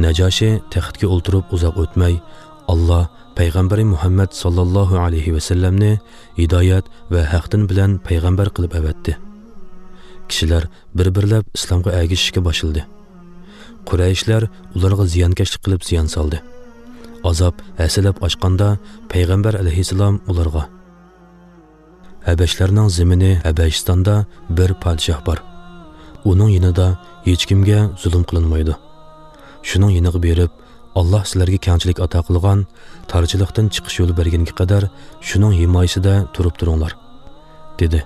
نەجاشى تەختكە ئولتۇرۇپ ئۇزاق ئۆتمەي، ئاللاھ پەيغەمبىرى مۇھەممەد ساللاللاھۇ ئەلەيھى ۋەسەللەمنى ھىدايەت ۋە ھەق دىن بىلەن پەيغەمبەر قىلىپ ئەۋەتتى. كىشىلەر بىر-بىرلەپ ئىسلامغا ئەگىشىشكە باشلىدى. قۇرەيشلەر ئۇلارغا زىيانكەشلىك قىلىپ زىيان سالدى. ئازاب ھەسسىلەپ ئاشقاندا، پەيغەمبەر ئەلەيھىسسالام ئۇلارغا: «ھەبەشلەرنىڭ زېمىنى ھەبەشىستاندا بىر پادىشاھ بار. ئۇنىڭ يېنىدا ھېچكىمگە زۇلۇم قىلىنمايدۇ. شۇنىڭ يېنىغا بېرىپ، ئاللاھ سىلەرگە كەڭچىلىك ئاتا قىلغان، تارچىلىقتىن چىقىش يولى بەرگەنگە قەدەر شۇنىڭ ھىمايىسىدە تۇرۇپ تۇرۇڭلار» دېدى.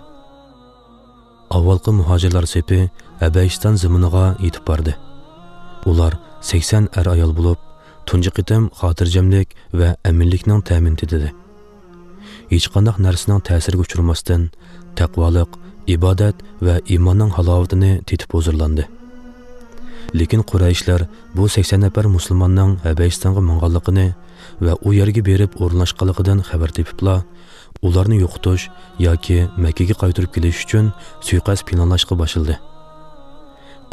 ئاۋۋالقى مۇھاجىرلار سېپى ھەبەشىستان زېمىنىغا يېتىپ باردى. ئۇلار سەكسەن ئەر-ئايال بولۇپ، تۇنجى قېتىم خاتىرجەملىك ۋە ئەمىنلىكنىڭ تەمىنى تېتىدى. ھېچقانداق نەرسىنىڭ تەسىرىگە ئۇچرىماستىن، تەقۋالىق، ئىبادەت ۋە ئىماننىڭ ھالاۋىتىنى تېتىپ ھۇزۇرلاندى. لېكىن قۇرەيشلەر بۇ سەكسەن نەپەر مۇسۇلماننىڭ ھەبەشىستانغا ماڭغانلىقىنى ۋە ئۇ يەرگە بېرىپ ئورۇنلاشقانلىقىدىن خەۋەر تېپىپلا، ئۇلارنى يوقىتىش ياكى مەككىگە قايتۇرۇپ كېلىش ئۈچۈن سۇيىقەست پىلانلاشقا باشلىدى.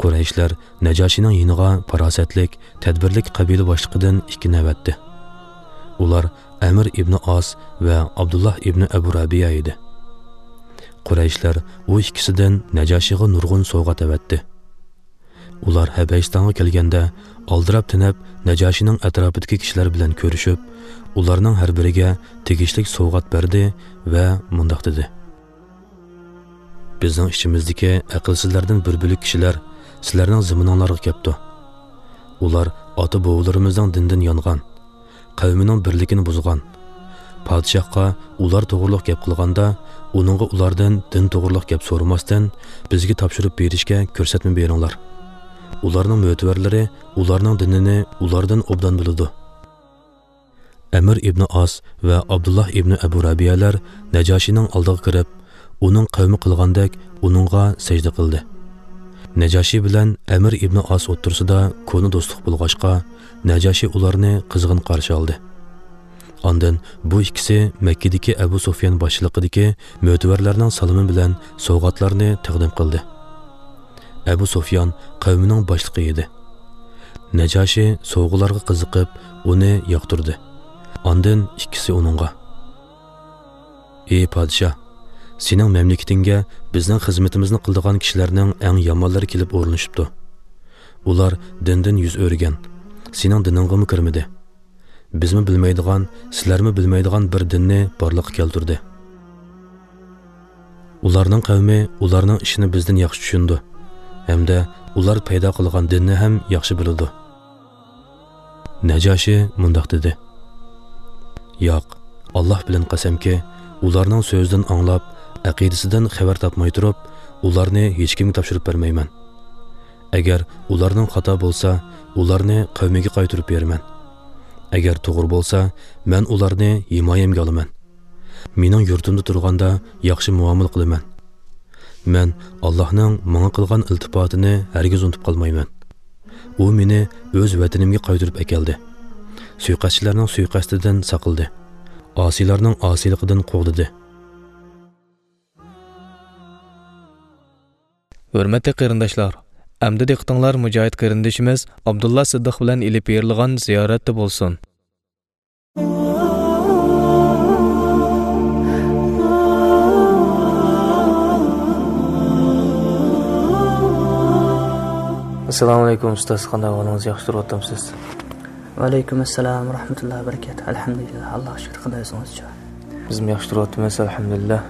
قۇرەيشلەر نەجاشىنىڭ يېنىغا پاراسەتلىك، تەدبىرلىك قەبىلە باشلىقىدىن ئىككىنى ئەۋەتتى. ئۇلار ئەمىر ئىبنى ئاس ۋە ئابدۇللا ئىبنى ئەبۇ رەبىيە ئىدى. قۇرەيشلەر ئۇ ئىككىسىدىن نەجاشىغا نۇرغۇن سوۋغات ئەۋەتتى. ئۇلار ھەبەشىستانغا كەلگەندە، ئالدىراپ تېنەپ، نەجاشىنىڭ ئەتراپىدىكى كىشىلەر بىلەن كۆرۈشۈپ، ئۇلارنىڭ ھەر بىرىگە تېگىشلىك سوۋغات بەردى ۋە مۇنداق دېدى: بىزنىڭ ئىچىمىزدىكى ئەقىلسىزلەردىن بىر بۆلەك كىشىلەر سىلەرنىڭ زېمىنىڭلارغا كەپتۇ. ئۇلار ئاتا-بوۋىلىرىمىزنىڭ دىنىدىن يانغان، قەۋمىنىڭ بىرلىكىنى بۇزغان. پادىشاھقا ئۇلار توغرۇلۇق گەپ قىلغاندا، ئۇنىڭغا ئۇلاردىن دىن توغرۇلۇق گەپ سورىماستىن، بىزگە تاپشۇرۇپ بېرىشكە كۆرسەتمە بېرىڭلار. ئۇلارنىڭ مۆتىۋەرلىرى ئۇلارنىڭ دىنىنى ئۇلاردىن ئوبدان بىلىدۇ. ئەمىر ئىبنى ئاس ۋە ئابدۇللا ئىبنى ئەبۇ رەبىيەلەر نەجاشىنىڭ ئالدىغا كىرىپ، ئۇنىڭ قەۋمى قىلغاندەك ئۇنىڭغا سەجدە قىلدى. نەجاشى بىلەن ئەمىر ئىبنى ئاس ئوتتۇرىسىدا كونا دوستلۇق بولغاچقا، نەجاشى ئۇلارنى قىزغىن قارشى ئالدى. ئاندىن بۇ ئىككىسى مەككىدىكى ئەبۇ سۇفيان باشچىلىقىدىكى مۆتىۋەرلەرنىڭ سالىمى بىلەن سوۋغاتلارنى تەقدىم قىلدى. ئەبۇ سۇفيان قەۋمىنىڭ باشلىقى ئىدى. نەجاشى سوۋغىلارغا قىزىقىپ، ئۇنى ياقتۇردى. ئاندىن ئىككىسى ئۇنىڭغا: ئى پادىشاھ، سېنىڭ مەملىكىتىڭگە بىزنىڭ خىزمىتىمىزنى قىلىدىغان كىشىلەرنىڭ ئەڭ يامانلىرى كېلىپ ئورۇنلىشىپتۇ. ئۇلار دىندىن يۈز ئۆرۈگەن، سېنىڭ دىنىڭغىمۇ كىرمىدى. بىزمۇ بىلمەيدىغان، سىلەرمۇ بىلمەيدىغان بىر دىننى بارلىققا كەلتۈردى. ئۇلارنىڭ قەۋمى ئۇلارنىڭ ئىشىنى بىزدىن ياخشى چۈشىنىدۇ ھەمدە ئۇلار پەيدا قىلغان دىننى ھەم ياخشى بىلىدۇ. نەجاشى مۇنداق دېدى: ياق، ئاللاھ بىلەن قەسەمكى، ئۇلارنىڭ سۆزىدىن ئاڭلاپ، ئەقىدىسىدىن خەۋەر تاپماي تۇرۇپ، ئۇلارنى ھېچكىمگە تاپشۇرۇپ بەرمەيمەن. ئەگەر ئۇلارنىڭ خاتا بولسا، ئۇلارنى قەۋمىگە قايتۇرۇپ بېرىمەن. ئەگەر توغرا بولسا، مەن ئۇلارنى ھىمايەمگە ئالىمەن. مېنىڭ يۇرتۇمدا تۇرغاندا ياخشى مۇئامىلە قىلىمەن. مەن ئاللاھنىڭ ماڭا قىلغان ئىلتىپاتىنى ھەرگىز ئۇنتۇپ قالمايمەن. ئۇ مېنى ئۆز ۋەتىنىمگە قايتۇرۇپ ئەكەلدى. سۇيىقەستچىلەرنىڭ سۇيىقەستىدىن ساقلىدى. ئاسىيلارنىڭ ئاسىيلىقىدىن قوغدىدى. ھۆرمەتلىك قېرىنداشلار، ئەمدى دىققىتىڭلار مۇجاھىد قېرىندىشىمىز ئابدۇللا سىددىق بىلەن ئېلىپ بېرىلغان زىيارەتتە بولسۇن. ئەسسالامۇ ئەلەيكۇم ئۇستاز، قانداق ئەھۋالىڭىز، ياخشى تۇرۇۋاتامسىز؟ ۋەئەلەيكۇم ئەسسالام ۋە رەھمەتۇللاھى ۋە بەرىكاتۇھ. ئەلھەمدۇلىللاھ، ئاللاھقا شۈكۈر، قانداق ئۆزىڭىزچۇ؟ بىزمۇ ياخشى تۇرۇۋاتىمىز، ئەلھەمدۇلىللاھ.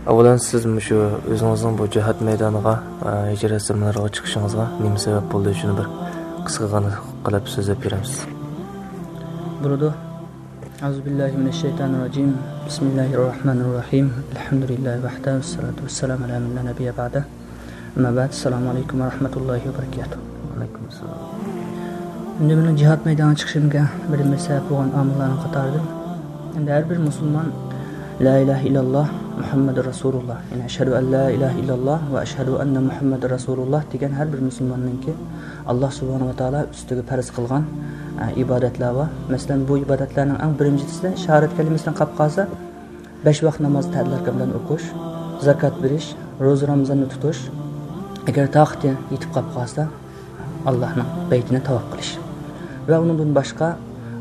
ئاۋۋالەن سىز مۇشۇ ئۆزىڭىزنىڭ بۇ جىھاد مەيدانىغا، ئە، ھىجرەت سېمىنارىغا چىقىشىڭىزغا نېمە سەۋەب بولدى؟ شۇنى بىر قىسقىغىنە قىلىپ سۆزلەپ بېرەمسىز؟ بولىدۇ. أعوذ بالله من الشيطان الرجيم. بسم الله الرحمن الرحيم. الحمد لله وحده والصلاة والسلام على من لا نبي بعده. ئەمما بەئد، ئەسسالامۇ ئەلەيكۇم ۋە رەھمەتۇللاھى ۋە بەرىكاتۇھ. ۋەئەلەيكۇم ئەسسالام. ئەمدى مېنىڭ جىھاد مەيدانىغا چىقىشىمغا بىرىنچى سەۋەب بولغان ئامىللارنىڭ قاتارىدىن، ئەمدى ھەر بىر مۇسۇلمان لا ئىلاھە ئىللاللاھ مۇھەممەدۇر رەسۇلۇللاھ، يەنى ئەشھەدۇ ئەن لا ئىلاھە ئىللاللاھ ۋە ئەشھەدۇ ئەننە مۇھەممەدەر رەسۇلۇللاھ دېگەن ھەر بىر مۇسۇلماننىڭكى ئاللاھ سۇبھانەھۇ ۋە تائالا ئۈستىگە پەرز قىلغان، ئە، ئىبادەتلەر بار. مەسىلەن، بۇ ئىبادەتلەرنىڭ ئەڭ بىرىنچىسى شاھادەت كەلىمىسىدىن قاپ قالسا، بەش ۋاق ناماز تەدىل ئەركان بىلەن ئوقۇش، زاكات بېرىش، روزا رامىزاننى تۇتۇش، ئەگەر تاقىتى يېتىپ قاپ قالسا، ئاللاھنىڭ بەيتىنى تاۋاپ قىلىش ۋە ئۇنىڭدىن باشقا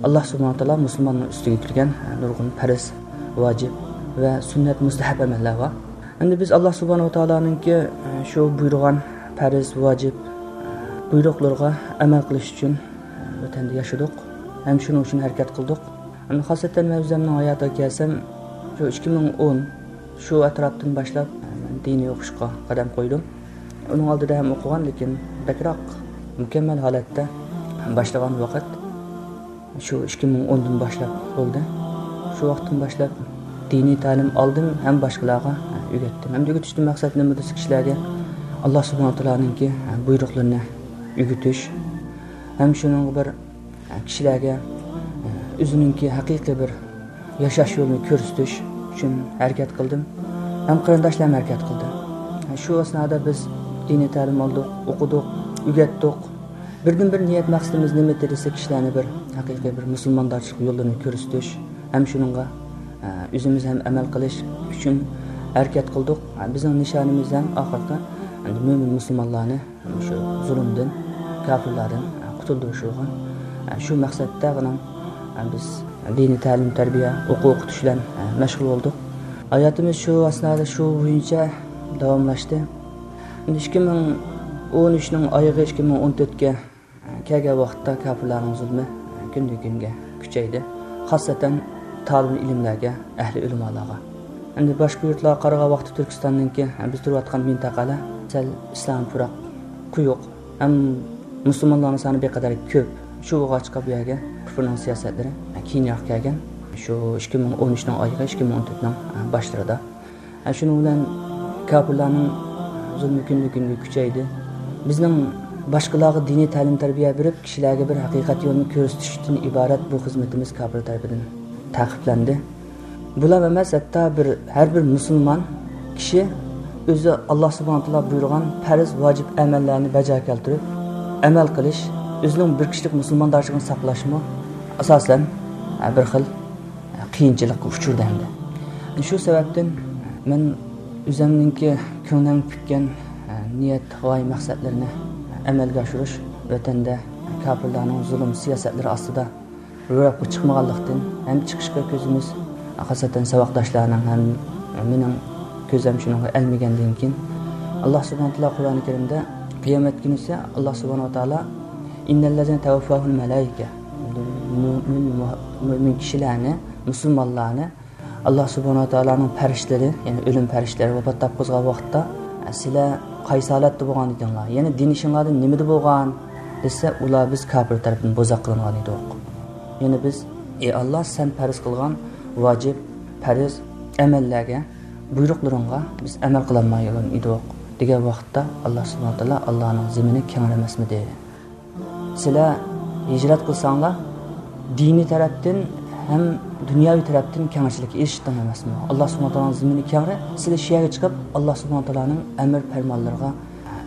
ئاللاھ سۇبھانەھۇ ۋە تائالا مۇسۇلماننىڭ ئۈستىگە يۈكلىگەن نۇرغۇن پەرز، ۋاجىپ ۋە سۈننەت، مۇستەھەب ئەمەللەر بار. ئەمدى بىز ئاللاھ سۇبھانەھۇ ۋە تائالانىڭكى شۇ بۇيرۇغان پەرز، ۋاجىپ بۇيرۇقلىرىغا ئەمەل قىلىش ئۈچۈن ۋەتەندە ياشىدۇق ھەم شۇنىڭ ئۈچۈن ھەرىكەت قىلدۇق. ئەمدى خاسسەتەن مەن ئۆزۈمنىڭ ھاياتىغا كەلسەم، شۇ ئىككى مىڭ ئون شۇ ئەتراپتىن باشلاپ مەن دىنىي ئوقۇشقا قەدەم قويدۇم. ئۇنىڭ ئالدىدا ھەم ئوقۇغان، لېكىن بەكرەك مۇكەممەل ھالەتتە باشلىغان ۋاقىت شۇ ئىككى مىڭ ئوندىن باشلاپ بولدى. شۇ ۋاقىتتىن باشلاپ دىنىي تەلىم ئالدىم ھەم باشقىلارغا ئۆگەتتىم. ھەم ئۆگىتىشتىن مەقسەت نېمە دېسە، كىشىلەرگە ئاللاھ سۇبھانەھۇ ۋە تائالانىڭكى بۇيرۇقلىرىنى ئۆگىتىش ھەم شۇنىڭغا بىر كىشىلەرگە ئۆزىنىڭكى ھەقىقىي بىر ياشاش يولىنى كۆرسىتىش ئۈچۈن ھەرىكەت قىلدىم ھەم قېرىنداشلارمۇ ھەرىكەت قىلدى. شۇ ئەسنادا بىز دىنىي تەلىم ئالدۇق، ئوقۇدۇق، ئۆگەتتۇق. بىردىن بىر نىيەت مەقسىتىمىز نېمىدى دېسە، كىشىلەرنى بىر ھەقىقىي بىر مۇسۇلماندارچىلىق يوللىرىنى كۆرسىتىش ھەم شۇنىڭغا، ئە، ئۆزىمىز ھەم ئەمەل قىلىش ئۈچۈن ھەرىكەت قىلدۇق. بىزنىڭ نىشانىمىز ھەم ئاخىرقى ئەمدى مۆمىن مۇسۇلمانلارنى شۇ زۇلۇمدىن، كاپىرلاردىن قۇتۇلدۇرۇش بولغان. شۇ مەقسەتتە بۇنىڭ بىز دىنىي تەلىم-تەربىيە، ئوقۇ-ئوقۇتۇش بىلەن مەشغۇل بولدۇق. ھاياتىمىز شۇ ئەسنادا شۇ بويىچە داۋاملاشتى. ئىككى مىڭ ئون ئۈچنىڭ ئايىغى ئىككى مىڭ ئون تۆتكە كەلگەن ۋاقىتتا كاپىرلارنىڭ زۇلمى كۈندىن-كۈنگە كۈچەيدى. خاسسەتەن تالىبىل ئىلىملەرگە، ئەھلى ئۆلىمالارغا. ئەمدى باشقا يۇرتلارغا قارىغان ۋاقىتتا تۈركىستاننىڭكى، بىز تۇرۇۋاتقان مىنتەقىلەر سەل ئىسلام پۇراق، قويۇق. ھەم مۇسۇلمانلارنىڭ سانى بىر قەدەر كۆپ. شۇ بولغاچقا بۇ يەرگە كۇفرنىڭ سىياسەتلىرى كېيىنرەك كەلگەن. شۇ ئىككى مىڭ ئون ئۈچنىڭ ئايىغى، ئىككى مىڭ ئون تۆتنىڭ باشلىرىدا. ھە، شۇنىڭ بىلەن كاپىرلارنىڭ زۇلمى كۈندىن-كۈنگە كۈچەيدى. بىزنىڭ باشقىلارغا دىنىي تەلىم-تەربىيە بېرىپ، كىشىلەرگە بىر ھەقىقەت يولىنى كۆرسىتىشتىن ئىبارەت بۇ خىزمىتىمىز كاپىر تەرىپىدىن تەقىبلەندى. بۇلا ئەمەس، ھەتتا بىر، ھەر بىر مۇسۇلمان كىشى ئۆزى ئاللا سۇبھانە تائالا بۇيرۇغان پەرز، ۋاجىپ ئەمەللەرنى بەجا كەلتۈرۈپ ئەمەل قىلىش، ئۆزىنىڭ بىر كىشىلىك مۇسۇلماندارچىلىقىنى ساقلاشمۇ ئاساسەن، ھە، بىر خىل قىيىنچىلىققا ئۇچرىدى ئەمدى. شۇ سەۋەبتىن مەن ئۆزۈمنىڭكى كۆڭلۈم پۈككەن، ئە، نىيەت، غايە، مەقسەتلىرىنى ئەمەلگە ئاشۇرۇش، ۋەتەندە كاپىرلارنىڭ زۇلۇم سىياسەتلىرى ئاستىدا روياپقا چىقمىغانلىقتىن ھەم چىقىشقا كۆزىمىز، خاسسەتەن ساۋاقداشلارنىڭ ھەم مېنىڭ كۆزۈم شۇنىڭغا ئەلمىگەندىن كېيىن، ئاللا سۇبھانەھۇ ۋە تائالا قۇرئانى كەرىمدە قىيامەت كۈنىسى ئاللا سۇبھانەھۇ ۋە تائالا، «ئىننەللەزىنە تەۋەففاھۇمۇل مەلائىكە»، مۆمىن، مۆمىن كىشىلەرنى، مۇسۇلمانلارنى ئاللا سۇبھانەھۇ ۋە تائالانىڭ پەرىشتىلىرى، يەنى ئۆلۈم پەرىشتىلىرى ۋاپات تاپقۇزغان ۋاقىتتا، «سىلەر قايسى ھالەتتە بولغان ئىدىڭلار؟ يەنى دىن ئىشىڭلاردىن نېمىدە بولغان؟» دېسە، ئۇلار، «بىز كاپىر تەرىپىدىن بوزەك قىلىنغان ئىدۇق.» يەنى بىز، «ئى ئاللا، سەن پەرز قىلغان ۋاجىپ، پەرز ئەمەللەرگە، بۇيرۇقلىرىڭغا بىز ئەمەل قىلالمايدىغان ئىدۇق» دېگەن ۋاقىتتا، ئاللا سۇبھانەھۇ ۋە تائالا، «ئاللانىڭ زېمىنى كەڭرى ئەمەسمىدى؟ سىلەر ھىجرەت قىلساڭلار، دىنىي تەرەپتىن ھەم دۇنياۋى تەرەپتىن كېڭەشلىككە ئېرىشتىڭ ئەمەسمۇ؟ ئاللا سۇبھانەھۇ ۋە تائالانىڭ زېمىنى كەڭرى، سىلەر شۇ يەرگە چىقىپ، ئاللا سۇبھانەھۇ ۋە تائالانىڭ ئەمر پەرمانلىرىغا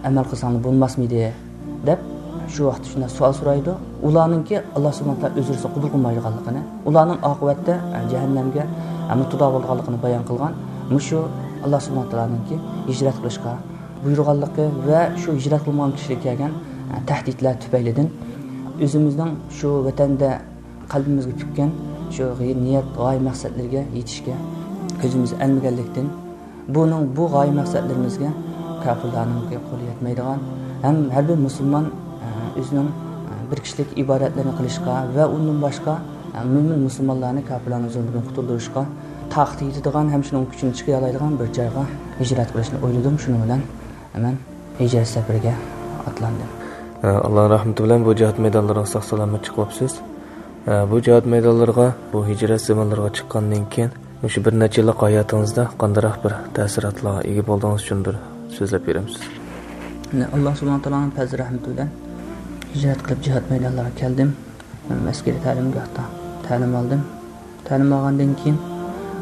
ئەمەل قىلساڭلار بولماسمىدى؟» دەپ، شۇ ۋاقىتتا شۇنداق سوئال سورايدۇ. ئۇلارنىڭكى ئاللا سۇبھانەھۇ ۋە تائالا ئۆزرىسى قوبۇل قىلمايدىغانلىقىنى، ئۇلارنىڭ ئاقىۋەتتە جەھەننەمگە مۇپتىلا بولىدىغانلىقىنى بايان قىلغان مۇشۇ ئاللا سۇبھانەھۇ ۋە تائالانىڭكى ھىجرەت قىلىشقا بۇيرۇغانلىقى ۋە شۇ ھىجرەت قىلمىغان كىشىلەرگە كەلگەن، ئە، تەھدىتلەر تۈپەيلىدىن ئۆزىمىزنىڭ شۇ ۋەتەندە قەلبىمىزگە پۈككەن شۇ غى-، نىيەت، غايە، مەقسەتلىرىگە يېتىشكە كۆزىمىز ئەلمىگەنلىكتىن، بۇنىڭ، بۇ غايە مەقسەتلىرىمىزگە كاپىرلارنىڭكى قولى يەتمەيدىغان ھەم ھەر بىر مۇسۇلمان، ئە، ئۆزىنىڭ، ئە، بىر كىشىلىك ئىبادەتلىرىنى قىلىشقا ۋە ئۇندىن باشقا، ئە، مۆمىن مۇسۇلمانلارنى كاپىرلارنىڭ زۇلمىدىن قۇتۇلدۇرۇشقا تاقىتى يېتىدىغان ھەم شۇنىڭ كۈچىنى چىقىرالايدىغان بىر جايغا ھىجرەت قىلىشنى ئويلىدىم. شۇنىڭ بىلەن مەن ھىجرەت سەپىرىگە ئاتلاندىم. ئاللا رەھمىتى بىلەن بۇ جىھاد مەيدانلىرىغا ساق-سالامەت چىقىۋاپسىز. بۇ جىھاد مەيدانلىرىغا، بۇ ھىجرەت زېمىنلىرىغا چىققاندىن كېيىن، مۇشۇ بىر نەچچە يىللىق ھاياتىڭىزدا قانداقراق بىر تەسىراتلارغا ئىگە بولدىڭىز، شۇنى بىر سۆزلەپ بېرەمسىز؟ ئاللا سۇبھانەھۇ ۋە تائالانىڭ پەزلى رەھمىتى بىلەن ھىجرەت قىلىپ جىھاد مەيدانلىرىغا كەلدىم. مەن ئەسكىرىي تەلىمگاھتا تەلىم ئالدىم. تەلىم ئالغاندىن كېيىن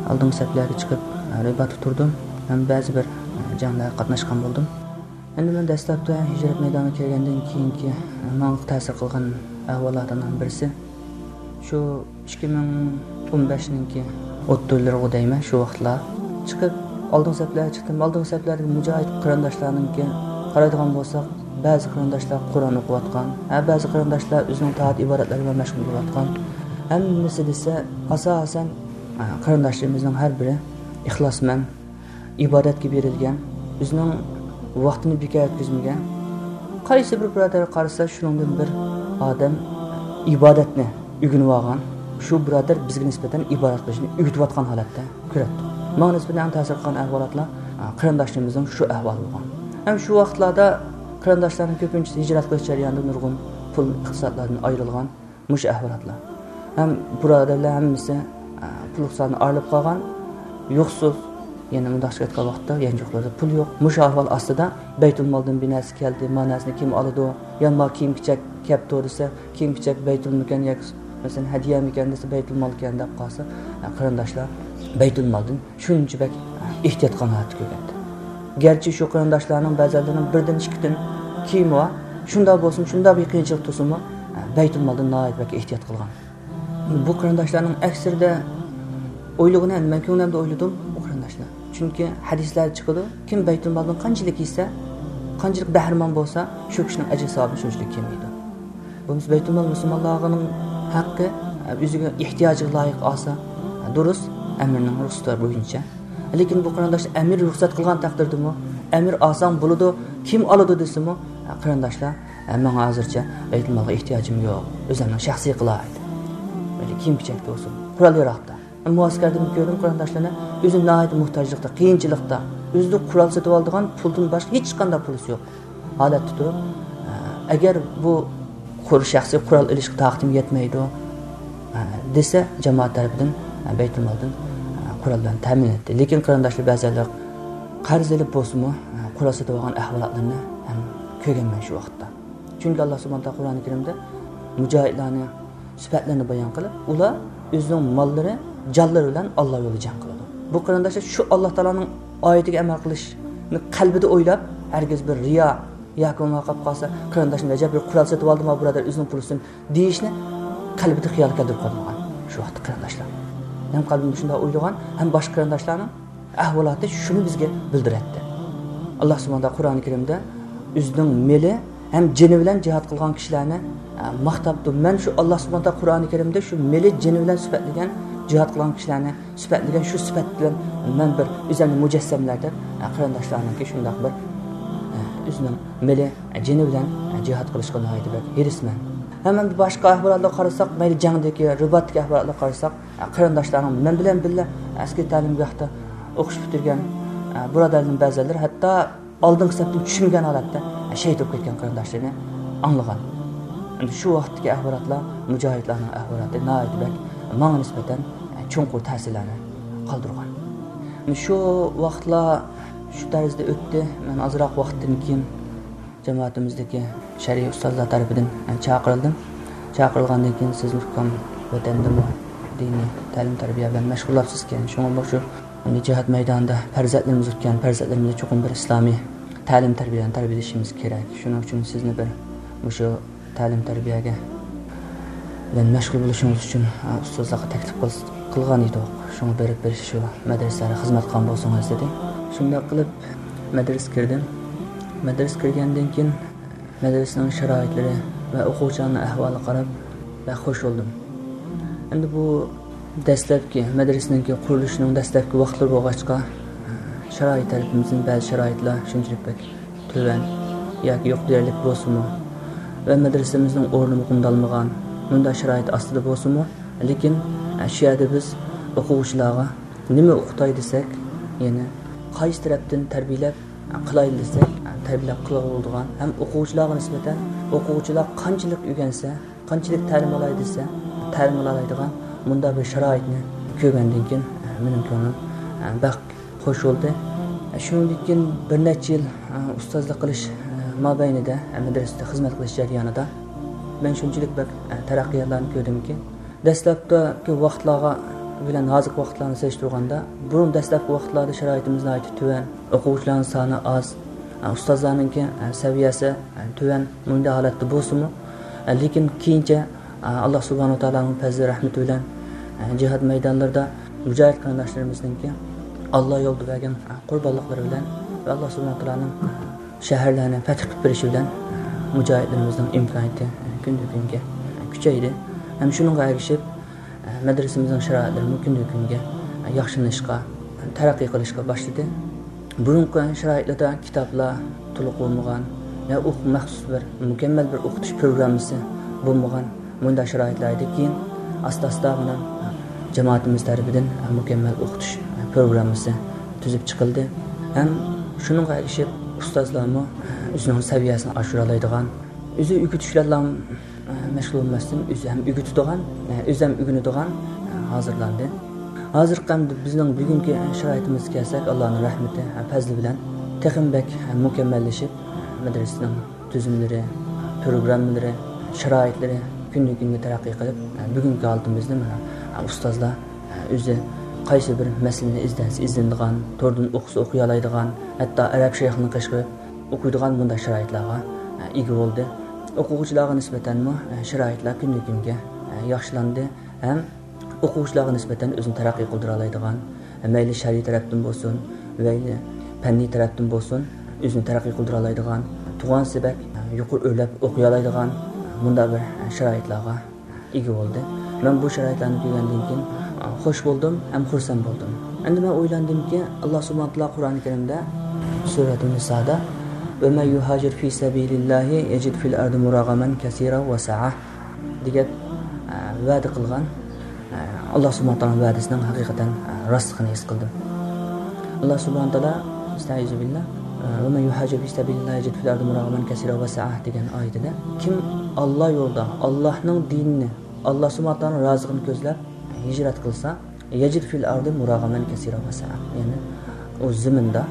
ئالدىنقى سەپلەرگە چىقىپ، رىباتتا تۇردۇم ھەم بەزى بىر جەڭلەرگە قاتناشقان بولدۇم. ئەمدى مەن دەسلەپتە ھىجرەت مەيدانىغا كەلگەندىن كېيىنكى ماڭا تەسىر قىلغان ئەھۋالاتلارنىڭ بىرسى، شۇ ئىككى مىڭ ئون بەشنىڭكى ئوتتۇرىلىرىغۇ دەيمەن، شۇ ۋاقىتلار چىقىپ، ئالدىنقى سەپلەرگە چىقتىم. ئالدىنقى سەپلەردىكى مۇجاھىد قېرىنداشلارنىڭكى قارايدىغان بولساق، بەزى قېرىنداشلار قۇرئان ئوقۇۋاتقان، ھە، بەزى قېرىنداشلار ئۆزىنىڭ تائەت ئىبادەتلىرى بىلەن مەشغۇل بولۇۋاتقان. ھەممىسى دېسە، ئاساسەن، ھە، قېرىنداشلىرىمىزنىڭ ھەر بىرى ئىخلاسمەن، ئىبادەتكە بېرىلگەن، ئۆزىنىڭ ۋاقتىنى بىكار ئۆتكۈزمىگەن. قايسى بىر بۇرادەر قارىسا، شۇنىڭدىن بىر ئادەم ئىبادەتنى ئۆگىنىۋالغان، شۇ بۇرادەر بىزگە نىسبەتەن ئىبادەت قىلىشنى ئۆگىتىۋاتقان ھالەتتە كۆرەتتۇق. ماڭا نىسبەتەن ئەڭ تەسىر قىلغان ئەھۋالاتلار، ئا، قېرىنداشلىرىمىزنىڭ شۇ ئەھۋالى بولغان. ھەم شۇ ۋاقىتلاردا قېرىنداشلارنىڭ كۆپىنچىسى ھىجرەت قىلىش جەريانىدا نۇرغۇن پۇل ئىقتىسادلاردىن ئايرىلغان. مۇشۇ ئەھۋالاتلار. ھەم بۇرادەرلەر ھەممىسى، ئە، پۇل ئىقتىسادىدىن ئايرىلىپ قالغان، يوقسۇز. يەنە مۇنداقچە ئېيتقان ۋاقىتتا، يانچۇقلىرىدا پۇل يوق. مۇشۇ ئەھۋال ئاستىدا بەيتۇلمالدىن بىر نەرسە كەلدى، ما نەرسىنى كىم ئالىدۇ؟ يا ما كىيىم-كېچەك كەپتۇ دېسە، كىيىم-كېچەك بەيتۇلمىكەن ياكى، مەسىلەن، ھەدىيەمىكەن دېسە، بەيتۇلمالكەن دەپ قالسا، ئە، قېرىنداشلار بەيتۇلمالدىن شۇنچە بەك ئېھتىيات قىلغان ھالەتتە كۆرگەنتى. گەرچە شۇ قېرىنداشلارنىڭ بەزىلىرىنىڭ بىردىن ئىككىدىن كىيىمى بار، شۇنداق بولسىمۇ، شۇنداق بىر قىيىنچىلىق تۇرسىمۇ، بەيتۇلمالدىن ناھايىتى بەك ئېھتىيات قىلغان. بۇ قېرىنداشلارنىڭ ئەكسىرىدە ئويلىغىنى، ئەمدى مەن كۆڭلۈمدە ئويلىدىم، بۇ قېرىنداشلار. چۈنكى ھەدىسلەردە چىقىدۇ، كىم بەيتۇلمالدىن قانچىلىك يېسە، قانچىلىك بەھرىمەن بولسا، شۇ كىشىنىڭ ئەجرى ساۋابى شۇنچىلىك كېمىيىدۇ. بولمىسا بەيتۇلمال مۇسۇلمانلارنىڭ ھەققى، ئۆزىگە ئېھتىياجىغا لايىق ئالسا، دۇرۇس، ئەمىرنىڭ رۇخسىتى بويىچە. لېكىن بۇ قېرىنداشلار ئەمىر رۇخسەت قىلغان تەقدىردىمۇ، ئەمىر ئالساڭ بولىدۇ، كىم ئالىدۇ دېسىمۇ، قېرىنداشلار، ماڭا ھازىرچە بەيتۇلمالغا ئېھتىياجىم يوق، ئۆزۈمنىڭ شەخسىي قىلاي دەپ. مەيلى كىيىم-كېچەكتە بولسۇن، قورال-ياراغدا. مۇئەسكەردىمۇ كۆردۈم قېرىنداشلارنى، ئۆزى ناھايىتى موھتاجلىقتا، قىيىنچىلىقتا، ئۆزىدە قورال سېتىۋالىدىغان پۇلدىن باشقا ھېچقانداق پۇلىسى يوق ھالەتتە تۇرۇپ، ئەگەر بۇ قۇر-، شەخسىي قورال ئېلىشقا تاقىتىم يەتمەيدۇ، دېسە، جامائەت تەرىپىدىن، بەيتۇلمالدىن قورال بىلەن تەمىن ئەتتى. لېكىن قېرىنداشلار بەزەنلەر قەرز ئېلىپ بولسىمۇ، قورال سېتىۋالغان ئەھۋالاتلىرىنى ھەم كۆرگەنمەن شۇ ۋاقىتتا. چۈنكى ئاللا سۇبھانەھۇ ۋە تائالا قۇرئانى كەرىمدە مۇجاھىدلارنى سۈپەتلىرىنى بايان قىلىپ، ئۇلار ئۆزىنىڭ ماللىرى، جانلىرى بىلەن ئاللا يولىدا جەڭ قىلىدۇ. بۇ قېرىنداشلار شۇ ئاللا تائالانىڭ ئايىتىگە ئەمەل قىلىشنى قەلبىدە ئويلاپ، ھەرگىز بىر رىيا ياكى بولمىغان قالسا، قېرىنداشنى ئەجەب بىر قورال سېتىۋالدىمۇ بۇرادەر ئۆزىنىڭ پۇلىسىدىن دېيىشنى قەلبىدە خىيال كەلتۈرۈپ قالمىغان شۇ ۋاقىتتا قېرىنداشلار. ھەم قەلبىمدە شۇنداق ئويلىغان، ھەم باشقا قېرىنداشلارنىڭ ئەھۋالاتى شۇنى بىزگە بىلدۈرەتتى. ئاللا سۇبھانەھۇ ۋە تائالا قۇرئانى كەرىمدە ئۆزىنىڭ مېلى ھەم جېنى بىلەن جىھاد قىلغان كىشىلەرنى، ئە، ماختاپتۇ. مەن شۇ ئاللا سۇبھانەھۇ ۋە تائالا قۇرئانى كەرىمدە شۇ مېلى جېنى بىلەن سۈپەتلىگەن، جىھاد قىلغان كىشىلەرنى سۈپەتلىگەن شۇ سۈپەت بىلەن مەن بىر ئۆزۈمنى مۇجەسسەملەر دەپ، ئە، قېرىنداشلارنىڭكى شۇنداق بىر، ئە، ئۆزىنىڭ مېلى، ئە، جېنى بىلەن، ئە، جىھاد قىلىشقا ناھايىتى بەك ھېرىسمەن. ھەم ئەمدى باشقا ئەھۋالاتلارغا قارىساق، مەيلى جەڭدىكى، رىباتتىكى ئەھۋالاتلارغا قارىساق، قېرىنداشلارنىڭ مەن بىلەن بىللە ئەسكىرىي تەلىمگاھتا ئوقۇش پۈتتۈرگەن، ئە، بۇرادەرلىرىم بەزىلىرى ھەتتا ئالدىنقى سەپتىن چۈشمىگەن ھالەتتە، ئە، شېھىت بولۇپ كەتكەن قېرىنداشلىرىنى ئاڭلىغان. ئەمدى شۇ ۋاقىتتىكى ئەھۋالاتلار، مۇجاھىدلارنىڭ ئەھۋالاتى ناھايىتى بەك ماڭا نىسبەتەن، ئە، چوڭقۇر تەسىرلەرنى قالدۇرغان. ئەمدى شۇ ۋاقىتلار شۇ تەرزدە ئۆتتى. مەن ئازراق ۋاقىتتىن كېيىن جامائىتىمىزدىكى شەرئىي ئۇستازلار تەرىپىدىن، ئە، چاقىرىلدىم. چاقىرىلغاندىن كېيىن، سىز ئۇكام ۋەتەندىمۇ دىنىي تەلىم-تەربىيە بىلەن مەشغۇللاپسىزكەن، شۇڭا مۇشۇ جىھاد مەيدانىدا پەرزەنتلىرىمىز ئۆتكەن، پەرزەنتلىرىمىزنى چوقۇم بىر ئىسلامىي تەلىم-تەربىيە بىلەن تەربىيەلىشىمىز كېرەك. شۇنىڭ ئۈچۈن سىزنى بىر مۇشۇ تەلىم-تەربىيەگە بىلەن مەشغۇل بولۇشىڭىز ئۈچۈن، ئە، ئۇستازلارغا تەكلىپ قىل-، قىلغان ئىدۇق. شۇڭا بېرىپ بىر شۇ مەدرىسىلەرگە خىزمەت قىلغان بولسىڭىز، دېدى. شۇنداق قىلىپ مەدرىسىگە كىردىم. مەدرىسىگە كىرگەندىن كېيىن مەدرىسىنىڭ شارائىتلىرى ۋە ئوقۇغۇچىلارنىڭ ئەھۋالىغا قاراپ بەك خوش بولدۇم. ئەمدى بۇ دەسلەپكى، مەدرىسىنىڭكى قۇرۇلۇشىنىڭ دەسلەپكى ۋاقىتلىرى بولغاچقا، شارائىت تەرىپىمىزدىن بەزى شارائىتلار شۇنچىلىك بەك تۆۋەن ياكى يوق دېيەرلىك بولسىمۇ ۋە مەدرىسىمىزنىڭ ئورنىمۇ قومدالمىغان مۇنداق شارائىت ئاستىدا بولسىمۇ، لېكىن شۇ يەردە بىز ئوقۇغۇچىلارغا نېمە ئوقۇتاي دېسەك، يەنى قايسى تەرەپتىن تەربىيەلەپ قىلاي دېسەك، تەربىيەلەپ قىلغىلى بولىدىغان ھەم ئوقۇغۇچىلارغا نىسبەتەن ئوقۇغۇچىلار قانچىلىك ئۆگەنسە، قانچىلىك تەلىم ئالاي دېسە، تەلىم ئالالايدىغان مۇنداق بىر شارائىتنى كۆرگەندىن كېيىن، مېنىڭ كۆڭلۈم بەك خوش بولدى. شۇنىڭدىن كېيىن بىر نەچچە يىل ئۇستازلىق قىلىش مابەينىدە، مەدرىسىدە خىزمەت قىلىش جەريانىدا مەن شۇنچىلىك بەك تەرەققىياتلارنى كۆردۈمكى، دەسلەپتىكى ۋاقىتلارغا بىلەن ھازىرقى ۋاقىتلارنى سېلىشتۇرغاندا، بۇرۇن دەسلەپكى ۋاقىتلاردا شارائىتىمىز ناھايىتى تۆۋەن، ئوقۇغۇچىلارنىڭ سانى ئاز، ئۇستازلارنىڭكى سەۋىيەسى تۆۋەن، مۇنداق ھالەتتە بولسىمۇ، لېكىن كېيىنچە ئاللا سۇبھانەھۇ ۋە تائالانىڭ پەزلى رەھمىتى بىلەن جىھاد مەيدانلىرىدا مۇجاھىد قېرىنداشلىرىمىزنىڭكى ئاللا يولىدا بەرگەن قۇربانلىقلىرى بىلەن ۋە ئاللا سۇبھانەھۇ ۋە تائالانىڭ شەھەرلەرنى پەتھ قىلىپ بېرىشى بىلەن مۇجاھىدلىرىمىزنىڭ ئىمكانىيىتى كۈندىن كۈنگە كۈچەيدى. ھەم شۇنىڭغا ئەگىشىپ، مەدرىسىمىزنىڭ شارائىتلىرىمۇ كۈندىن كۈنگە ياخشىلىنىشقا، تەرەققىي قىلىشقا باشلىدى. بۇرۇنقى شارائىتلاردا كىتابلار تولۇق بولمىغان، يا ئوق-، مەخسۇس بىر مۇكەممەل بىر ئوقۇتۇش پروگراممىسى بولمىغان مۇنداق شارائىتلار ئىدى. كېيىن ئاستا-ئاستا مانا جامائىتىمىز تەرىپىدىن مۇكەممەل ئوقۇتۇش پروگراممىسى تۈزۈپ چىقىلدى. ھەم شۇنىڭغا ئەگىشىپ ئۇستازلارمۇ ئۆزىنىڭ سەۋىيەسىنى ئاشۇرالايدىغان، ئۆزى ئۆگىتىش بىلەنلا مەشغۇل بولماستىن، ئۆزى ھەم ئۆگىتىدىغان، ئۆزى ھەم ئۆگىنىدىغان ھازىرلاندى. ھازىرقى ئەمدى بىزنىڭ بۈگۈنكى شارائىتىمىزغا كەلسەك، ئاللانىڭ رەھمىتى، پەزلى بىلەن تېخىمۇ بەك مۇكەممەللىشىپ، مەدرىسىنىڭ تۈزۈملىرى، پروگراممىلىرى، شارائىتلىرى كۈندىن كۈنگە تەرەققىي قىلىپ، بۈگۈنكى ھالىتىمىزنى مانا ئۇستازلار ئۆزى قايسى بىر مەسىلىنى ئىزدەنسە ئىزدىنىدىغان، توردىن ئوقۇسا ئوقۇيالايدىغان، ھەتتا ئەرەب شەيخىنى قېشىغا ئوقۇيدىغان مۇنداق شارائىتلارغا ئىگە بولدى. ئوقۇغۇچىلارغا نىسبەتەنمۇ شارائىتلار كۈندىن كۈنگە ياخشىلاندى ھەم ئوقۇغۇچىلارغا نىسبەتەن ئۆزىنى تەرەققىي قىلدۇرالايدىغان، مەيلى شەرئىي تەرەپتىن بولسۇن، مەيلى پەننىي تەرەپتىن بولسۇن، ئۆزىنى تەرەققىي قىلدۇرالايدىغان، تۇغانسى بەك يۇقىرى ئۆرلەپ ئوقۇيالايدىغان مۇنداق بىر شارائىتلارغا ئىگە بولدى. مەن بۇ شارائىتلارنى كۆرگەندىن كېيىن خوش بولدۇم ھەم خۇرسەن بولدۇم. ئەمدى مەن ئويلاندىمكى، ئاللا سۇبھانەھۇ ۋە تائالا قۇرئان كەرىمدە سۈرەتۇن نىسادا، وَمَنْ يُهَاجِرْ فِي سَبِيلِ اللَّهِ يَجِدْ فِي الْأَرْضِ مُرَاغَمًا كَثِيرًا وَسَعَةً دېگەن، ئە، ۋەدە قىلغان، ئە، ئاللا سۇبھانەھۇ ۋە تائالانىڭ ۋەدىسىنىڭ ھەقىقەتەن، ئە، راستلىقىنى ھېس قىلدىم. ئاللا سۇبھانەھۇ ۋە تائالا، ئەستەئىزۇ بىللا، ئە، وَمَنْ يُهَاجِرْ فِي سَبِيلِ اللَّهِ يَجِدْ فِي الْأَرْضِ مُرَاغَمًا كَثِيرًا وَسَعَةً دېگەن ئايىتىدە، كىم ئاللا يولىدا، ئاللانىڭ دىنىنى، ئاللا سۇبھانەھۇ ۋە تائالانىڭ رازىلىقىنى كۆزلەپ ھىجرەت قىلسا، يَجِدْ فِي الْأَرْضِ مُرَاغَمًا كَثِيرًا وَسَعَةً، يەنى ئۇ زېمىندا،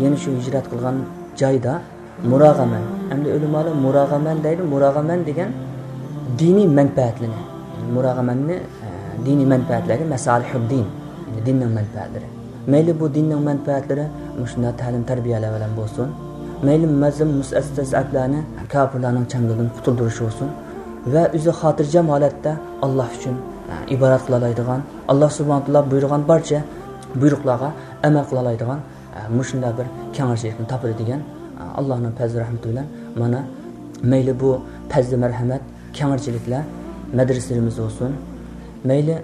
يەنى شۇ ھىجرەت قىلغان جايدا مۇراغەمەن. ئەمدى ئۆلىمالار مۇراغەمەن دەيدۇ. مۇراغەمەن دېگەن دىنىي مەنپەئەتلىرىنى. مۇراغەمەننى، ئە، دىنىي مەنپەئەتلەرگە، مەسالىھۇددىن، يەنى دىننىڭ مەنپەئەتلىرى. مەيلى بۇ دىننىڭ مەنپەئەتلىرى مۇشۇنداق تەلىم تەربىيەلەر بىلەن بولسۇن، مەيلى مەزلۇم مۇستەزئەپلەرنى كاپىرلارنىڭ چەڭگىلىدىن قۇتۇلدۇرۇش بولسۇن ۋە ئۆزى خاتىرجەم ھالەتتە ئاللا ئۈچۈن، ئە، ئىبادەت قىلالايدىغان، ئاللا سۇبھانەھۇ ۋە تائالا بۇيرۇغان بارچە بۇيرۇقلارغا ئەمەل قىلالايدىغان، ئە، مۇشۇنداق بىر كەڭرىچىلىكنى تاپىدۇ دېگەن، ئە، ئاللانىڭ پەزلى رەھمىتى بىلەن مانا مەيلى بۇ پەزلى مەرھەمەت، كەڭرىچىلىكلەر مەدرىسىلىرىمىزدە بولسۇن، مەيلى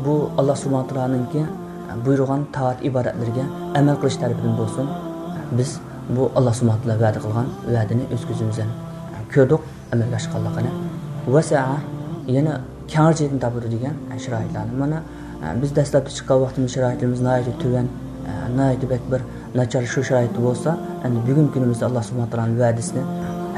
بۇ ئاللا سۇبھانەھۇ ۋە تائالانىڭكى، ئە، بۇيرۇغان تائەت ئىبادەتلىرىگە ئەمەل قىلىش تەرىپىدىن بولسۇن، بىز بۇ ئاللا سۇبھانەھۇ ۋە تائالا ۋەدە قىلغان ۋەدىنى ئۆز كۆزىمىز بىلەن، ئە، كۆردۇق. ئەمەلگە ئاشقانلىقىنى، ۋەسەئە، يەنە كەڭرىچىلىكنى تاپىدۇ دېگەن شارائىتلارنى. مانا، بىز دەسلەپتە چىققان ۋاقتىمىز شارائىتىمىز ناھايىتى تۆۋەن، ناھايىتى بەك بىر ناچار شۇ شارائىتتا بولسا، ئەمدى بۈگۈنكى كۈنىمىزدە ئاللا سۇبھانەھۇ ۋە تائالانىڭ ۋەدىسىنى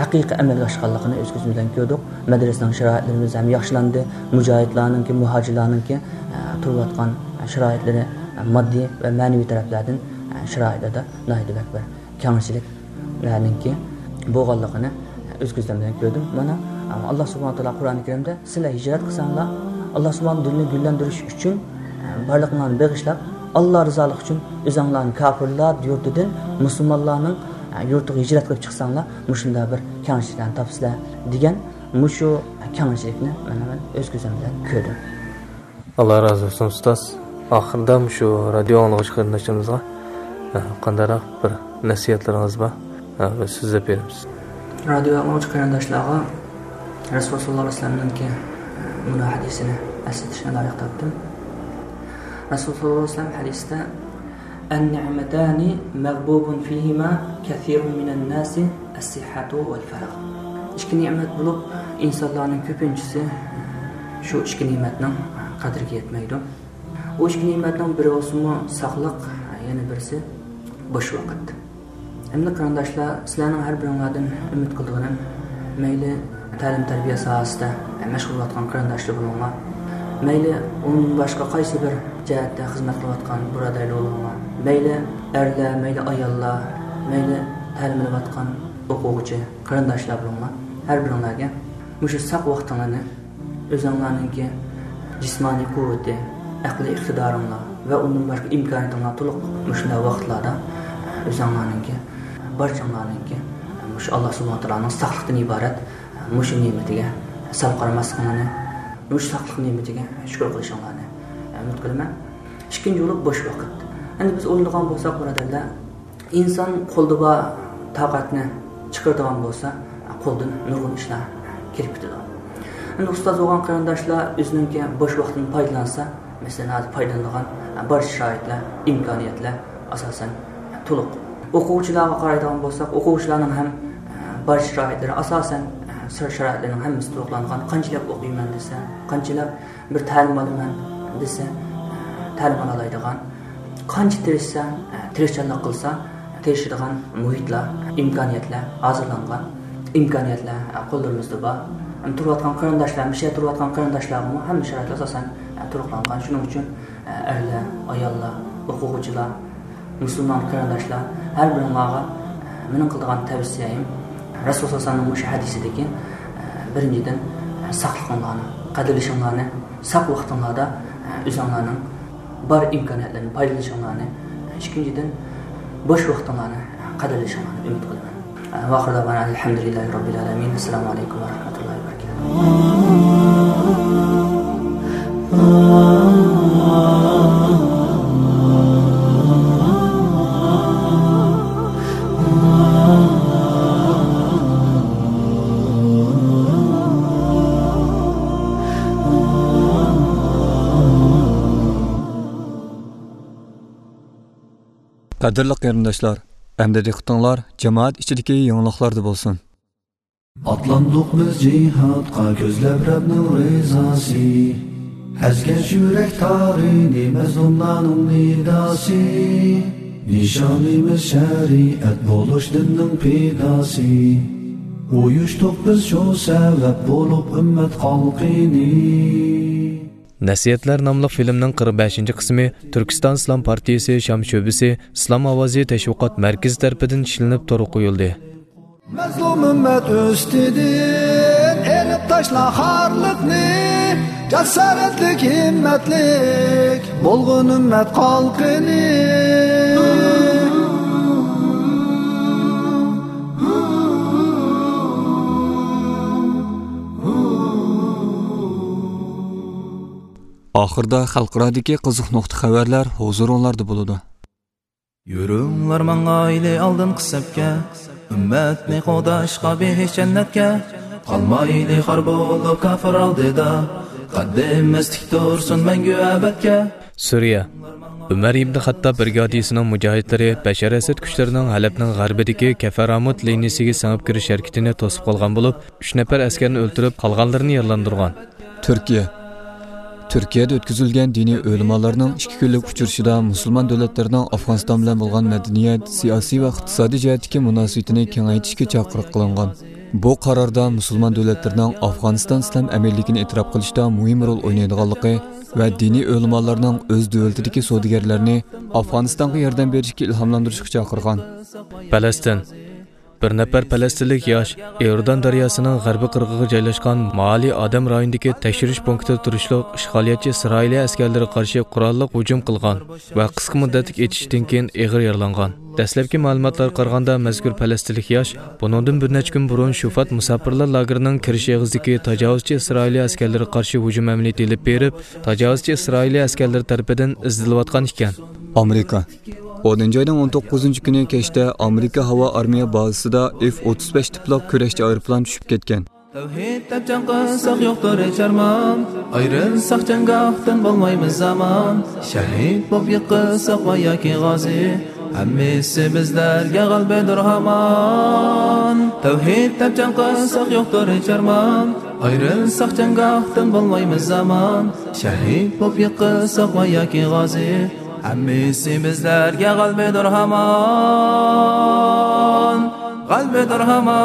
ھەقىقىي ئەمەلگە ئاشقانلىقىنى ئۆز كۆزىمىز بىلەن كۆردۇق. مەدرىسىنىڭ شارائىتلىرىمىز ھەم ياخشىلاندى. مۇجاھىدلارنىڭكى، مۇھاجىرلارنىڭكى، ئە، تۇرۇۋاتقان شارائىتلىرى، ئە، ماددىي ۋە مەنىۋى تەرەپلەردىن، ئە، شارائىتلاردا ناھايىتى بەك بىر كەڭچىلىكلەرنىڭكى بولغانلىقىنى ئۆز كۆزلىرىم بىلەن كۆردۈم. مانا، ئاللا سۇبھانەھۇ ۋە تائالا قۇرئان كەرىمدە، سىلەر ھىجرەت قىلساڭلار، ئاللا سۇبھانەھۇ دىنىنى گۈللەندۈرۈش ئۈچۈن بارلىقىڭلارنى بېغىشلاپ، ئاللا رىزالىقى ئۈچۈن ئۆزۈڭلارنى كاپىرلار يۇرتىدىن مۇسۇلمانلارنىڭ يۇرتىغا ھىجرەت قىلىپ چىقساڭلار، مۇشۇنداق بىر كەڭچىلىكلەرنى تاپىسىلەر، دېگەن مۇشۇ كەڭچىلىكنى مانا مەن ئۆز كۆزۈم بىلەن كۆردۈم. ئاللا رازى بولسۇن، ئۇستاز. ئاخىرىدا مۇشۇ رادىيو ئاڭلىغۇچى قېرىنداشلىرىمىزغا، ئە، قانداقراق بىر نەسىھەتلىرىڭىز بار، ئە، بىر سۆزلەپ بېرىمىز. رادىيو ئاڭلىغۇچى قېرىنداشلارغا رەسۇل ساللاللاھۇ ئەلەيھى ۋەسەللەمنىڭكى، ئە، مۇنۇ ھەدىسىنى ئەسلىتىشنى لايىق تاپتىم. رەسۇل ساللاللاھۇ ئەلەيھى ۋەسەللەم ھەدىستە، النعمتان مغبون فيهما كثير من الناس الصحة والفراغ. ئىككى نېمەت بولۇپ، ئىنسانلارنىڭ كۆپىنچىسى شۇ ئىككى نېمەتنىڭ قەدرىگە يەتمەيدۇ. ئۇ ئىككى نېمەتنىڭ بىرى بولسىمۇ ساقلىق، يەنە بىرسى بوش ۋاقىت. ئەمدى قېرىنداشلار، سىلەرنىڭ ھەر بىرىڭلاردىن ئۈمىد قىلىدىغىنىم، مەيلى تەلىم-تەربىيە ساھەسىدە مەشغۇل بولۇۋاتقان قېرىنداشلار بولۇڭلار، مەيلى ئۇنىڭدىن باشقا قايسى بىر جەھەتتە خىزمەت قىلىۋاتقان بۇرادەرلەر بولۇڭلار، مەيلى ئەرلەر، مەيلى ئاياللار، مەيلى تەلىم ئېلىۋاتقان ئوقۇغۇچى قېرىنداشلار بولۇڭلار، ھەر بىرىڭلارگە مۇشۇ ساق ۋاقتىڭلارنى ئۆزۈڭلارنىڭكى جىسمانىي قۇۋۋىتى، ئەقلىي ئىقتىدارىڭلار ۋە ئۇندىن باشقا ئىمكانىيىتىڭلار تولۇق مۇشۇنداق ۋاقىتلاردا ئۆزۈڭلارنىڭكى بارچىڭلارنىڭكى مۇشۇ ئاللا سۇبھانەھۇ ۋە تائالانىڭ ساقلىقتىن ئىبارەت مۇشۇ نېمىتىگە سەل قارىماسلىقىڭلارنى، مۇشۇ ساقلىق نېمىتىگە شۈكۈر قىلىشىڭلارنى ئۈمىد قىلىمەن. ئىككىنچى بولۇپ بوش ۋاقىت. ئەمدى بىز ئويلىغان بولساق، بۇرادەرلەر، ئىنسان قولدا بار تاقەتنى چىقىرىدىغان بولسا، قولدىن نۇرغۇن ئىشلار كېلىپ كېتىدۇ. ئەمدى ئۇستاز بولغان قېرىنداشلار ئۆزىنىڭكى بوش ۋاقتىدىن پايدىلانسا، مەسىلەن، ھازىر پايدىلىنىدىغان بارچە شارائىتلار، ئىمكانىيەتلەر ئاساسەن تولۇق. ئوقۇغۇچىلارغا قارايدىغان بولساق، ئوقۇغۇچىلارنىڭ ھەم بارچە شارائىتلىرى ئاساسەن، شارائىتلىرىنىڭ ھەممىسى تولۇقلانغان. قانچىلەپ ئوقۇيمەن دېسە، قانچىلەپ بىر تەلىم ئالىمەن دېسە، تەلىم ئالالايدىغان. قانچە تىرىشسا، تىرىشچانلىق قىلسا، تىرىشىدىغان مۇھىتلار، ئىمكانىيەتلەر ھازىرلانغان. ئىمكانىيەتلەر قوللىرىمىزدا بار. ھەم تۇرۇۋاتقان قېرىنداشلار، مۇشۇ يەردە تۇرۇۋاتقان قېرىنداشلارغىمۇ ھەممە شارائىتلار ئاساسەن تولۇقلانغان. شۇنىڭ ئۈچۈن ئەرلەر، ئاياللار، ئوقۇغۇچىلار، مۇسۇلمان قېرىنداشلار، ھەر بىرىڭلارغا مېنىڭ قىلىدىغان تەۋسىيەم، رەسۇل ساللاللاھۇ ئەلەيھى ۋەسەللەمنىڭ مۇشۇ ھەدىسىدىكى، بىرىنچىدىن، ساقلىقىڭلارنى، قەدىرلىشىڭلارنى، ساق ۋاقتىڭلاردا ئۆزۈڭلارنىڭ بار ئىمكانىيەتلەرنى پايدىلىنىشىڭلارنى، ئىككىنچىدىن، بوش ۋاقتىڭلارنى قەدىرلىشىڭلارنى ئۈمىد قىلىمەن. ۋە ئاخىر دەۋانا ئەلھەمدۇلىللاھى رەببىل ئالەمىن. ئەسسالامۇ ئەلەيكۇم ۋە رەھمەتۇللاھى ۋە بەرەكاتۇھۇ. قەدىرلىك قېرىنداشلار، ئەمدى دىققىتىڭلار جامائەت ئىچىدىكى يېڭىلىقلاردا بولسۇن. ئاتلاندۇق بىز جىھادقا، كۆزلەپ رەبنىڭ رىزاسى. ئەزگەش يۈرەك تارىنى، مەزلۇملارنىڭ نىداسى. نىشانىمىز شەرىئەت بولۇش دىننىڭ پىداسى. ئۇيۇشتۇق بىز شۇ سەۋەب بولۇپ ئۈممەت خەلقىنى. نەسىھەتلەر ناملىق فىلىمنىڭ قىرىق بەشىنچى قىسمى تۈركىستان ئىسلام پارتىيىسى شام شۆبىسى ئىسلام ئاۋازى تەشۋىقات مەركىزى تەرىپىدىن ئىشلىنىپ تورغا قويۇلدى. مەزلۇم ئۈممەت ئۈستىدىن ئېلىپ تاشلا خارلىقنى، جاسارەتلىك، ھىممەتلىك بولغىن ئۈممەت خەلقىنى. ئاخىردا خەلقئارادىكى قىزىق نۇقتا خەۋەرلەر ھۇزۇرۇڭلاردا بولىدۇ. يۈرۈڭلار ماڭايلى ئالدىنقى سەپكە، ئۈممەتنى قوغداشقا بېھىش جەننەتكە. قالمايلى خار بولۇپ كاپىر ئالدىدا، قەددىمىز تىك تۇرسۇن مەڭگۈ ئەبەدكە. سۈرىيە. ئۆمەر ئىبن خەتتاب بىرىگادىسىنىڭ مۇجاھىدلىرى بەشار ئەسەد كۈچلىرىنىڭ ھەلەبنىڭ غەربىدىكى كەفەرامۇت لىنىيىسىگە سىڭىپ كىرىش ھەرىكىتىنى توسۇپ قالغان بولۇپ، ئۈچ نەپەر ئەسكەرنى ئۆلتۈرۈپ، قالغانلىرىنى يارىلاندۇرغان. تۈركىيە. تۈركىيەدە ئۆتكۈزۈلگەن دىنىي ئۆلىمالارنىڭ ئىككى كۈنلۈك ئۇچرىشىدا مۇسۇلمان دۆلەتلىرىنىڭ ئافغانىستان بىلەن بولغان مەدەنىيەت، سىياسىي ۋە ئىقتىسادىي جەھەتتىكى مۇناسىۋىتىنى كېڭەيتىشكە چاقىرىق قىلىنغان. بۇ قاراردا مۇسۇلمان دۆلەتلىرىنىڭ ئافغانىستان ئىسلام ئەمىنلىكىنى ئېتىراپ قىلىشتا مۇھىم رول ئوينايدىغانلىقى ۋە دىنىي ئۆلىمالارنىڭ ئۆز دۆلىتىدىكى سودىگەرلەرنى ئافغانىستانغا ياردەم بېرىشكە ئىلھاملاندۇرۇشقا چاقىرغان. پەلەستىن. بىر نەپەر پەلەستىنلىك ياش ئىوردان دەرياسىنىڭ غەربىي قىرغىقىغا جايلاشقان مائالى ئادەم رايونىدىكى تەكشۈرۈش پونكىتىدا تۇرۇشلۇق ئىشغالىيەتچى ئىسرائىلىيە ئەسكەرلىرىغا قارشى قوراللىق ھۇجۇم قىلغان ۋە قىسقا مۇددەتلىك ئېتىشىشتىن كېيىن ئېغىر يارىلانغان. دەسلەپكى مەلۇماتلارغا قارىغاندا، مەزكۇر پەلەستىنلىك ياش بۇنىڭدىن بىر نەچچە كۈن بۇرۇن شۇفات مۇساپىرلار لاگېرىنىڭ كىرىش ئېغىزىدىكى تاجاۋۇزچى ئىسرائىلىيە ئەسكەرلىرىگە قارشى ھۇجۇم ئەمەلىيىتى ئېلىپ بېرىپ، تاجاۋۇزچى ئىسرائىلىيە ئەسكەرلىرى تەرىپىدىن ئىزدىنىۋاتقان ئىكەن. ئامېرىكا. ئونىنچى ئاينىڭ ئون توققۇزىنچى كۈنى كەچتە ئامېرىكا ھاۋا ئارمىيە بازىسىدا ئېف ئوتتۇز بەش تىپلىق كۈرەشچى ئايروپىلان چۈشۈپ كەتكەن. تەۋھىد دەپ جەڭ قىلساق يوقتۇر ھېچ ئارمان، ئايرىلساق جەڭگاھتىن بولمايمىز ئامان. شەھىد بولۇپ يىقىلساق ۋە ياكى غازى، ھەممىسى بىزلەرگە غەلىبىدۇر ھامان. تەۋھىد دەپ جەڭ قىلساق يوقتۇر ھېچ ئارمان، ئايرىلساق جەڭگاھتىن بولمايمىز ئامان. شەھىد بولۇپ يىقىلساق ۋە ياكى غازى، ھەممىسى بىزلەرگە غەلىبىدۇر ھامان، غەلىبىدۇر ھامان.